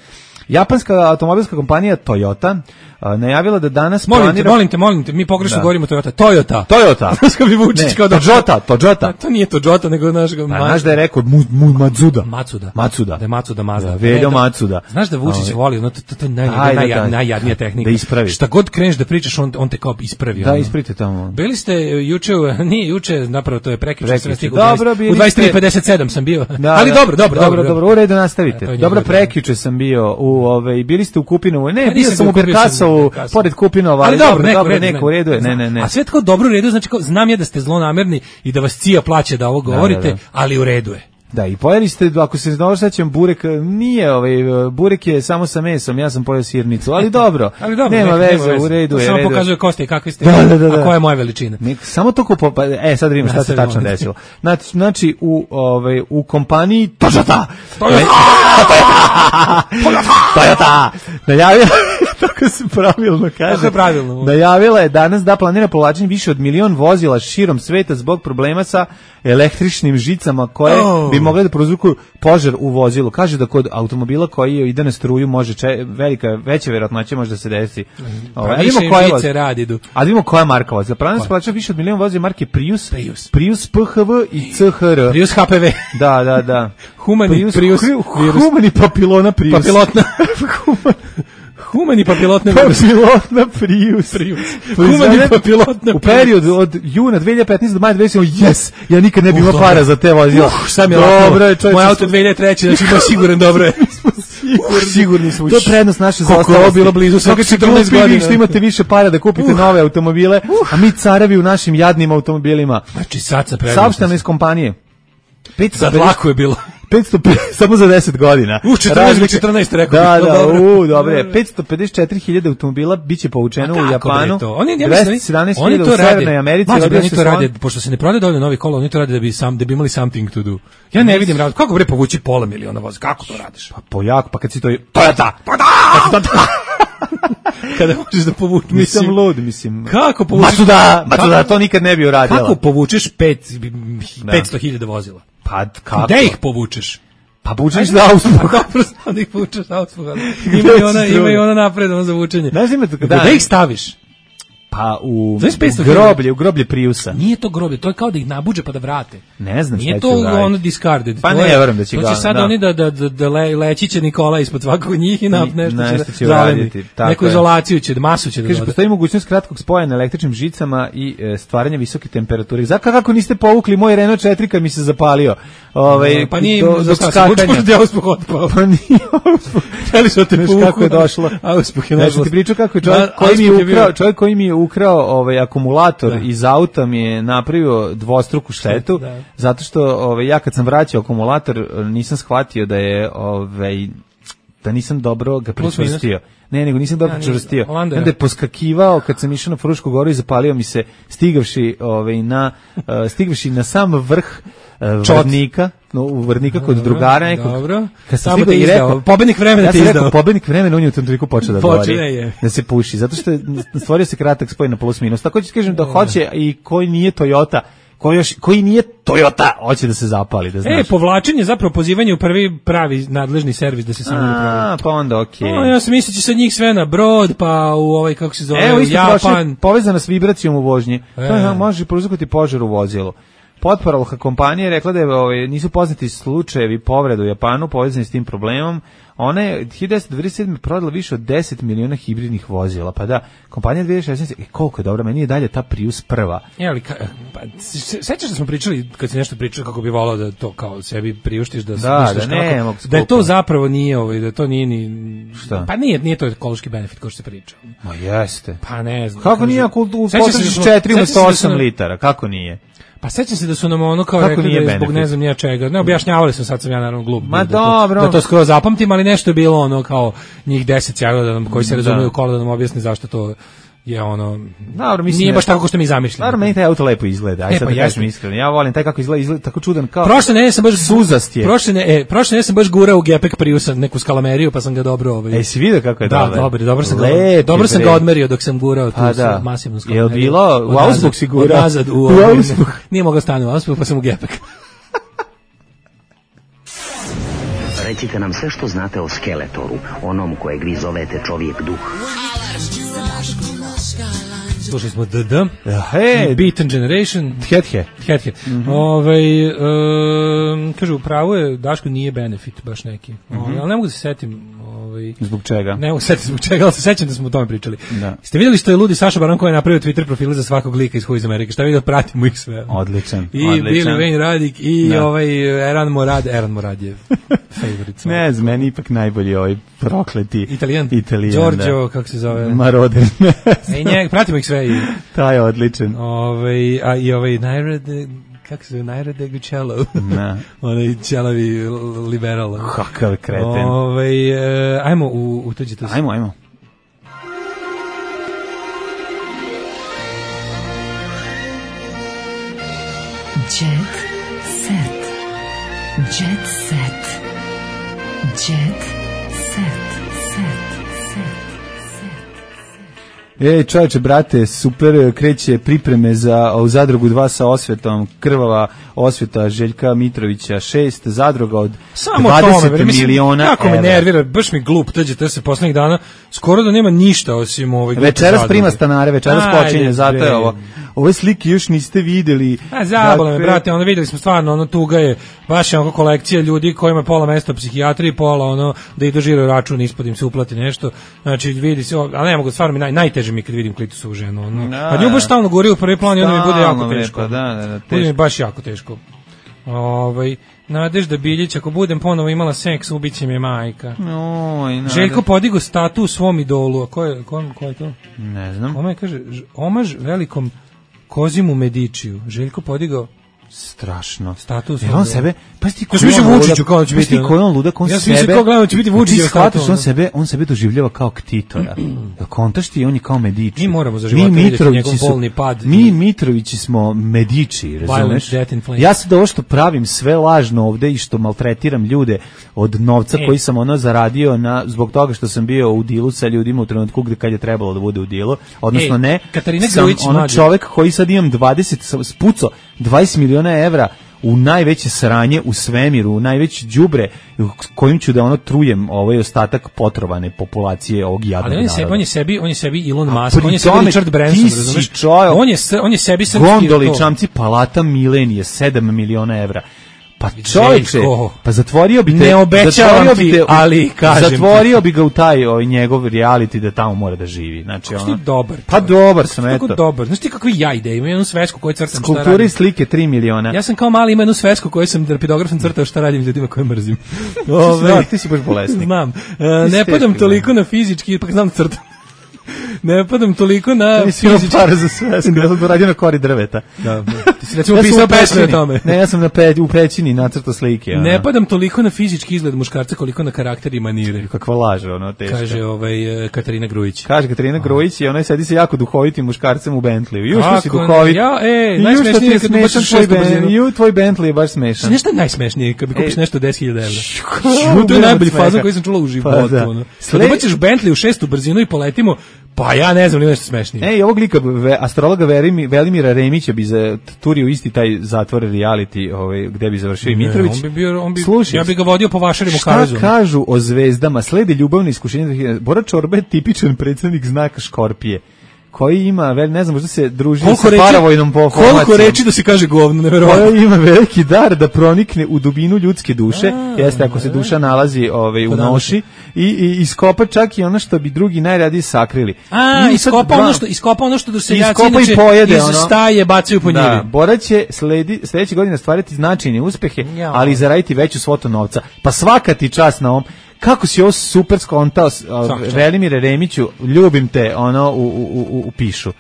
Japanska automobilska kompanija Toyota uh, najavila da danas molim planira... te, molim te, molim te, mi pogrešno da. Govorimo Toyota. Toyota. Toyota. Što bi Vučić kao da... Toyota, Toyota. To nije Toyota, nego naš... Znaš da je rekao mu, mu, Matsuda. Matsuda. Matsuda. Da je Matsuda Mazda. Da, Veljo Matsuda. Znaš da Vučić voli, no, to, to, to je naj, Ajde, naj, naj, najjadnija tehnika. Da ispravi. Šta god kreneš da pričaš, on, on te kao ispravi. Da, ispravite tamo. Bili ste juče, nije juče, napravo to je prekjuče, sam stigao dobro, u dvadeset tri pedeset sedam sam bio. Da, ali da, dobro, dobro, dobro, dobro, u redu nastavite. Dobro, prekjuče sam bio u ovaj bili ste u Kupinovu. Ne, bio sam u Berkasovu, pored Kupinova. Ali dobro, neko, dobro, neko u redu je. Ne, ne, ne. A sve tako dobro u redu, znači kao znam ja da ste zlonamerni i da vas cija plaće da ovo govorite, da, da, da. Ali u redu je. Da, i pojeli ste, ako se dobro sećam, burek, nije ovaj, burek je samo sa mesom, ja sam pojeo sirnicu, ali dobro, ali dobro nema, nek, veze, nema veze, u redu to je. Samo redu. Pokazuje ko ste i kakvi ste, da, da, da, da. A koja je moja veličina. Nek, samo to kupo, pa, e, sad vidimo šta se tačno desilo. Znači, znači u, ovaj, u kompaniji Toyota, Toyota, Toyota, najavila, tako se pravilno kaže, tako je pravilno. Najavila je danas da planira povlačenje više od milion vozila širom sveta zbog problema sa električnim žicama koje oh. bi mogle da prouzrokuju požar u vozilu. Kaže da kod automobila koji ide na struju može če, velika veća verovatnoća može da se desi. Pa više žice radi du. A vidimo koja marka vozila. Pravno se plaća više od milion vozila marke Prius, Prius, Prius P H V i C H R. Prius H P V. Da, da, da. Humani Prius, Prius, Prius humani papilona Prius. Papilotna. Humani papilotna virus. Papilotna Prius. Prius. Humani papilotna u periodu od juna dve hiljade petnaeste do maja dve hiljade sedamnaeste. Yes, ja nikad ne bih imao para za te vozila. Uh, šta mi je dobro je, čovječe. Moj auto dve hiljade treće, znači ima siguran dobro je. Sigurni smo. To je prednost naše zaostalosti. Kako je bilo blizu svega četrnaest godina. Što imate više para da kupite nove automobile, a mi carevi u našim jadnim automobilima. Znači sad sa prednosti. Saopšteno iz kompanije. Za dlaku je bilo. petsto samo za deset godina. U četrnaest četrnaest rekao. Da, da, u, dobre. petsto pedeset četiri hiljade automobila biće povučeno u Japanu. Oni dvesta sedamnaest hiljada u Severnoj Americi. Oni to rade, pošto se ne prodaje dovoljno novih kola, oni to rade da bi sam da bi imali something to do. Ja ne vidim razlog. Kako bre povući pola miliona voza? Kako to radiš? Pa pojako, pa kad si to Toyota. Pa da! Kada možeš da povučeš, mislim lud, mislim. Kako povučeš? Matsuda, Matsuda to nikad ne bi uradila. Kako povučeš petsto hiljada vozila? Pa kako? Gde ih povučeš? Pa povučeš za Augsburg. Pa dobro, da ih povučeš za Augsburg. Ima i ona, ima i ona napredno za vučenje. Ne znam da da ih staviš. Pa u, u groblje, u groblje Priusa. Nije to groblje, to je kao da ih nabuđe pa da vrate. Ne znam šta će uraditi. Nije to ono discarded. Pa ne, verujem da će ga. To će sad oni da, da, da, da le, leći će Nikola ispod svakog njih i nap, nešto, nešto će raditi. Neku izolaciju će, masu će da kaže, postoji mogućnost kratkog spoja na električnim žicama i e, stvaranja visoke temperature. Zaka kako niste povukli moj Renault četiri kad mi se zapalio? Ovaj no, pa nije do, do skakanja. Da uspeh otpao. Pa nije uspeh. Hteli su te povuku. Kako je došlo? A uspeh je došlo. Ti pričao kako je čovjek koji mi je ukrao, čovjek koji mi je ukrao ovaj akumulator da. iz auta mi je napravio dvostruku štetu da. zato što ovaj ja kad sam vraćao akumulator nisam shvatio da je ovaj da nisam dobro ga pričvrstio. Ne, nego nisam dobro pričvrstio. Onda je poskakivao kad sam išao na Frušku goru i zapalio mi se stigavši ovaj na uh, stigavši na sam vrh uh, Vrnika, no u Vrnika kod drugara nekog. Dobro. Kad sam te izdao, pobednik vremena te izdao. Pobednik vremena on je u tom trenutku počeo da govori. Da se puši, zato što stvorio se kratak spoj na plus minus. Tako ću kažem da hoće i koji nije Toyota, koji još koji nije Toyota, hoće da se zapali, da znaš. E, povlačenje zapravo pozivanje u prvi pravi nadležni servis da se samo upravi. A, pa onda okej. Okay. Ja sam mislio će sa njih sve na brod, pa u ovaj kako se zove, Evo, Japan, povezana s vibracijom u vožnji. E. To je, može prouzrokovati požar u vozilu. Potparolka kompanije rekla da je, ovaj, nisu poznati slučajevi povreda u Japanu povezani s tim problemom. Ona je hiljadu devetsto devedeset sedme prodala više od deset miliona hibridnih vozila. Pa da, kompanija dve hiljade šesnaeste. E, koliko je dobra, meni je dalje ta Prius prva. Je, ali, pa, sećaš da smo pričali, kad si nešto pričali kako bi volao da to kao sebi priuštiš, da, da, da, ne, kako, da je to zapravo nije, ovaj, da to nije ni... Šta? Pa nije, nije to ekološki benefit kao što se priča. Ma jeste. Pa ne znam. Kako nije, ako potrošiš četiri umesto osam litara, kako nije? Pa sećam se da su nam ono kao kako rekli da je zbog ne znam nija čega. Ne objašnjavali su, sad sam ja naravno glup. Ma da, dobro. Da to skroz zapamtim, ali nešto je bilo ono kao njih deset sjagao da nam, koji se razumiju kola da nam objasni zašto to je ono, dobro, mislim, nije baš tako kao što mi zamišljamo. Naravno, meni taj auto lepo izgleda, aj e, sad pa da kažem iskreno, ja volim taj kako izgleda, izgleda tako čudan kao prošle ne sam baš suzast je. Prošle ne, e, prošle ne sam baš gurao u gepek Priusa neku skalameriju, pa sam ga dobro ovaj. Ej, si vidio kako je da, dobar? Dobro, dobro sam ga, dobro sam ga odmerio dok sam gurao tu da. masivnu skalameriju. Jel bilo u Augsburg si gurao? Nazad u Augsburg. Nije mogao stati u Augsburg, pa sam u gepek. Recite nam sve što znate o Skeletoru, onom kojeg vi zovete čovjek duh. Slušali smo D D, hey, Beaten Generation, Thethe. Thethe. Mm -hmm. Ovaj, um, kaže, upravo je, Daško nije benefit baš neki. Mm -hmm. Ovaj, ali ne mogu da se setim. Ovaj, zbog čega? Ne mogu se setiti zbog čega, ali se sećam da smo o tome pričali. Da. Ste vidjeli što je ludi Saša Baron koji je napravio Twitter profile za svakog lika iz Who iz Amerike? Šta vidio, pratimo ih sve. Odličan. I odličan. Billy Wayne Radik i da. ovaj Eran Morad, Eran Morad je favorite. Ne znam, meni ipak najbolji ovaj prokleti Italijan. Italijan, Giorgio, da. kako se zove? Maroder. Ej, njeg, pratimo ih sve. I, taj je odličan. Ovaj, a i ovaj Najrade, kako se zove, Najrade Gucello. Na. Onaj ćelavi liberal. Kakav kreten. Ovaj, e, ajmo u, u tuđe to. Ajmo, ajmo. Jet set. Jet set. Jet set. Ej, čovječe, brate, super, kreće pripreme za u Zadrugu dva sa osvetom, krvava osveta Željka Mitrovića, šest zadruga od samo dvadeset tome, miliona evra. Kako me nervira, baš mi glup, tađe se poslednjih dana, skoro da nema ništa osim ovih. Večeras prima stanare, večeras počinje, zato je ovo. Ove slike još niste videli. A zabole me, brate, ono videli smo stvarno, ono tuga je, baš je ono kolekcija ljudi kojima je pola mesta u psihijatriji, pola ono da idu žiro račun, ispod im se uplati nešto. Znači vidi se, ali ne mogu, stvarno mi naj, najteže mi kad vidim Klitusovu ženu, ono. A nju baš stalno gori u prvi plan i onda mi bude jako teško. Da, da, da, bude mi baš jako teško. Ovaj Nadežda Biljić, ako budem ponovo imala seks, ubiće me majka. Oj, Željko podigo statu svom idolu, a ko je, ko, ko je to? Ne znam. Ome kaže, omaž velikom Kozimu Medičiju. Željko podigao strašno. Status. Jer on sebe, pa ti ko je Vučiću kao će biti. Pa ti ko on ludak, on ja sebe. Ja svi se kao gledamo će biti Vučić status, on sebe, on sebe doživljava kao ktitora. Da kontaš ti on je kao Mediči. Mi moramo za života vidjeti njegov polni pad. Mi Mitrovići smo Mediči, razumeš? Ja sad ovo što pravim sve lažno ovde i što maltretiram ljude od novca e. koji sam ono zaradio na zbog toga što sam bio u dilu sa ljudima u trenutku gde kad je trebalo da bude u dilu, odnosno e, ne. Katarina Grujić, on čovjek koji sad imam dvadeset spuco dvadeset miliona evra u najveće sranje u svemiru, u najveće đubre kojim ću da ono trujem ovaj ostatak potrovane populacije ovog jadnog naroda. Ali on je sebi, on je sebi Elon Musk, on je sebi Richard Branson, razumeš? On je on je sebi srpski gondoli čamci Palata Milenije sedam miliona evra. Pa čovječe, pa zatvorio bi te, ne obećavam ti, te, ali kažem zatvorio bi ga u taj ovaj njegov reality da tamo mora da živi. Znači ono. Što dobar. Pa dobar sam eto. Kako dobar. Znaš ti kakvi ja ide, imam jednu svesku koju crtam šta radim. Skulpture i slike tri miliona. Ja sam kao mali imam jednu svesku koju sam rapidografom crtao šta radim ljudima koje mrzim. Ove, da, ti si baš bolesnik. Znam. Uh, ne padam toliko na fizički, pa znam crtam. Ne padam toliko na fizički para za sve, ja sam radio na kori drveta. Da, ti si recimo ja pisao pesme o tome. Ne, ja sam na pe, u pećini nacrtao slike. Ono. Ne padam toliko na fizički izgled muškarca koliko na karakter i manire. Kakva laže, ono, teška. Kaže ovaj, Katarina Grujić. Kaže Katarina Grujić i ona sedi se jako duhovitim muškarcem u Bentleyu. Ju što si duhovit. Ja, ej, najsmešnije je kad ubaciš tvoj Bentley. Ju, tvoj Bentley je baš smešan. Nešto je najsmešnije kad mi kupiš nešto deset hiljada evra. To je najbolji fazon koji sam čula u životu. Kad ubaciš Bentley u šestu brzinu i poletimo, pa ja ne znam, li nešto smešnije. Ej, ovog lika, ve, astrologa Verimi, Velimira Remića bi za turio isti taj zatvor reality, ovaj, gde bi završio i Mitrović. On bi bio, on bi, Slušaj, ja bi ga vodio po vašarima kavezu. Šta kažu o zvezdama? Slede ljubavne iskušenje. Bora Čorba je tipičan predstavnik znaka Škorpije, koji ima, vel, ne znam, možda se druži koliko sa reči, paravojnom formacijom. Koliko reči da se kaže govno, neverovatno. Koja ima veliki dar da pronikne u dubinu ljudske duše, a, jeste ako se duša nalazi ovaj, u noši, i, i iskopa čak i ono što bi drugi najradije sakrili. A, iskopa ono, što, iskopa ono što doseljaci inače pojede, iz ono, staje bacaju po njivi. Da, Bora će sledi, sledeće godine stvariti značajne uspehe, ja, ali i zaraditi veću svotu novca. Pa svaka ti čast na ovom. Kako si ovo super skontao, Velimire Remiću, ljubim te, ono, u, u, u, u pišu.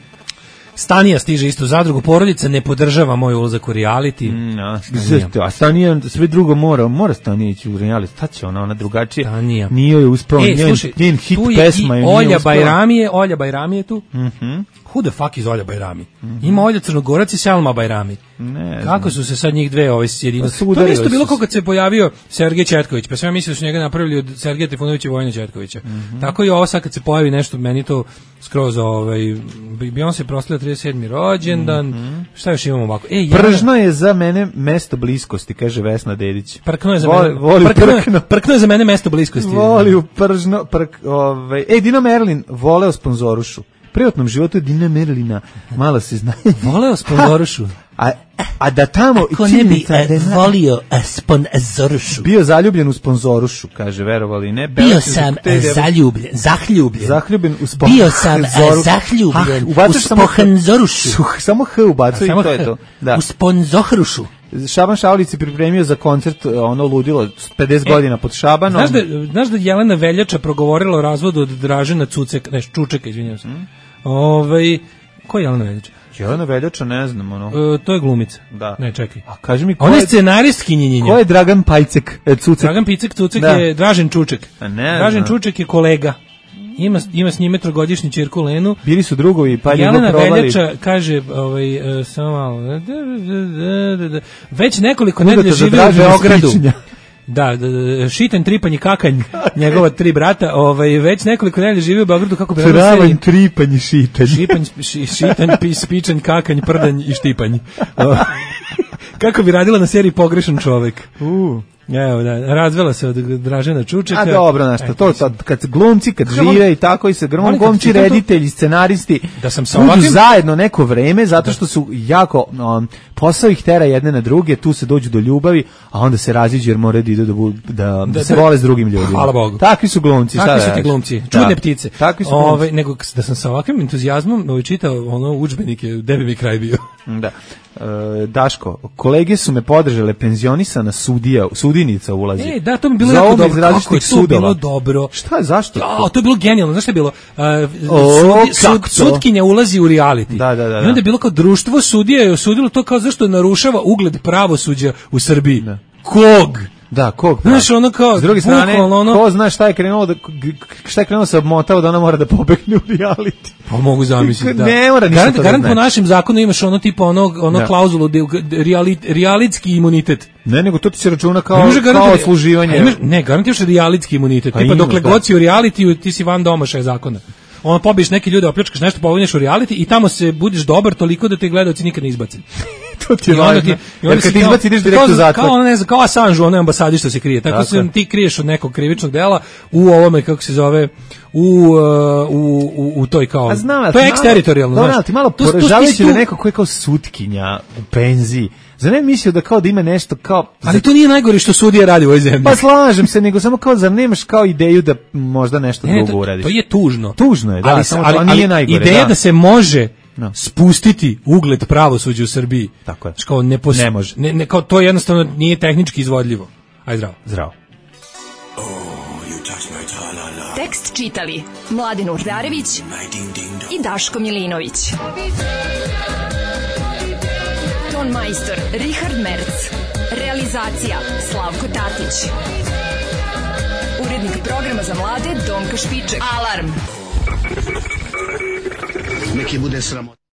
Stanija stiže isto zadrugu, porodica ne podržava moj ulazak u reality. Mm, a, Stanija. a Stanija sve drugo mora, mora Stanija ići u reality, šta će ona, ona drugačije, Stanija. Nije joj uspeo, e, njen, njen hit pesma je nije Olja Bajramije, Olja Bajramije tu. Mhm. Who the fuck is Olja Bajrami? Mm-hmm. Ima Olja Crnogorac i Selma Bajrami. Ne Kako su se sad njih dve ove sjedine? Pa to isto bilo kao kad se pojavio Sergej Četković, pa sam ja mislio da su njega napravili od Sergeja Trifunovića i Vojina Četkovića. Mm-hmm. Tako i ovo sad kad se pojavi nešto, meni to skroz ovaj, Beyoncé proslavlja trideset sedmi rođendan, mm-hmm. šta još imamo ovako? E, ja... Pržno je za mene mesto bliskosti, kaže Vesna Dedić. Prkno je za voli, mene, voli prkno, prkno. prkno je za mene mesto bliskosti. Voli u pržno, prk, ovaj. Ej, Dino Merlin voleo sponzorušu. Privatnom životu je Dina Merlina, malo se zna. Voleo sponzorušu. A, a da tamo... Ako ne bi e, volio sponzorušu. Bio zaljubljen u sponzorušu, kaže, verovali ne. Bio sam zaljubljen, zahljubljen. Zahljubljen u sponzorušu. Bio sam zahljubjen u sponzorušu. Samo H ubacuje i to je to. Da. U sponzorušu. Šaban Šaulić se pripremio za koncert, ono ludilo, pedeset e, godina pod Šabanom. Znaš da, znaš da Jelena Veljača progovorila o razvodu od Dražena Cucek, ne, Čučeka, izvinjavam se. Mm. Ovaj, ko je Jelena Veljača? Jelena Veljača, ne znam, ono. E, to je glumica. Da. Ne, čekaj. A kaži mi, ko Ona je... je scenaristkinjenjenja. Ko je Dragan Pajcek, e, Cucek? Dragan Picek, Cucek da. Je Dražen Čuček. A ne, Dražen ne. Čuček je kolega. Ima, ima s njime trogodišnju ćerku Lenu. Bili su drugovi, pa je Jelena Veljača kaže, ovaj, uh, samo malo, već nekoliko nedelja živi u Beogradu. Da, Šiten, Tripanj i Kakanj, njegova tri brata, ovaj, već nekoliko nedelja živi u Beogradu, kako bi... Travanj, Tripanj i Šitanj. Šipanj, ši, Šitanj, Spičanj, Kakanj, Prdanj i Štipanj. Kako bi radila na seriji Pogrešan čovek. Uh. Evo, da, razvela se od Dražena Čučeka. A dobro, znaš, e, to, to, kad glumci, kad žive i tako i se grmom, glumci, reditelji, scenaristi, da sam sa budu ovakvim... zajedno neko vreme, zato što su jako, um, posao ih tera jedne na druge, tu se dođu do ljubavi, a onda se raziđu jer moraju da idu da, da, da, da se vole s drugim ljudima. Hvala Bogu. Takvi su glumci. Takvi su ti glumci, čudne da. ptice. Takvi su Ove, glumci. nego da sam sa ovakvim entuzijazmom ovaj, čitao ono udžbenike, gde bi mi kraj bio. Da. E, Daško, kolege su me podržale, penzionisana sudija, sudinica ulazi. E, da, to mi bilo jako dobro. Kako je to sudova. Bilo dobro. Šta, zašto? Ja, to je bilo genijalno. Znaš šta je bilo? Uh, o, sudi, sud, sudkinja ulazi u reality. Da, da, da, da. I onda je bilo kao društvo sudija je osudilo to kao zašto narušava ugled pravosuđa u Srbiji. Da. Kog? Da, kog? Znaš, ono kao... S druge strane, ono, ko zna šta je krenulo da, šta je krenulo se obmotao da ona mora da pobegne u reality. Pa mogu zamisliti, da. Ne mora ništa garant, to garant da po našem zakonu imaš ono tipa ono, ono da. klauzulu realit, realitski imunitet. Ne, nego to ti se računa kao, kao služivanje. Imaš, ne, garant imaš realitski imunitet. Pa tipa imaš, dokle da. god si u realitiju, ti si van domašaja zakona. Ono pobiješ neke ljude, opljačkaš nešto, povinješ u reality i tamo se budiš dobar toliko da te gledaoci nikad ne izbacim. To ti je važno. Jer kad ti izbaci, ideš direkt u zatvor. Kao, ne znam, kao Assange u onoj ambasadi što se krije. Tako, tako. se ti kriješ od nekog krivičnog dela u ovome, kako se zove, u, u, u, u toj kao... A znam, to je eksteritorijalno, znaš. Ti malo poražavajući da neko ko je kao sutkinja u penziji. Zar ne mislio da kao da ima nešto kao... Ali to nije najgore što sudija radi u ovoj zemlji. Pa slažem se, nego samo kao zar nemaš kao ideju da možda nešto ne, drugo to, uradiš. To je tužno. Tužno je, da, ali, samo ali, to nije ali najgore. Ideja da. da se može no. spustiti ugled pravosuđa u Srbiji. Tako je. Kao ne, pos... ne može. Ne, ne, kao to jednostavno nije tehnički izvodljivo. Aj zdravo. Zdravo. Tekst čitali Mladin Urdarević i Daško Milinović. Ton majstor Richard Merc. Realizacija Slavko Tatić. Urednik programa za mlade Donka Špiček. Alarm! Neki bude sramot.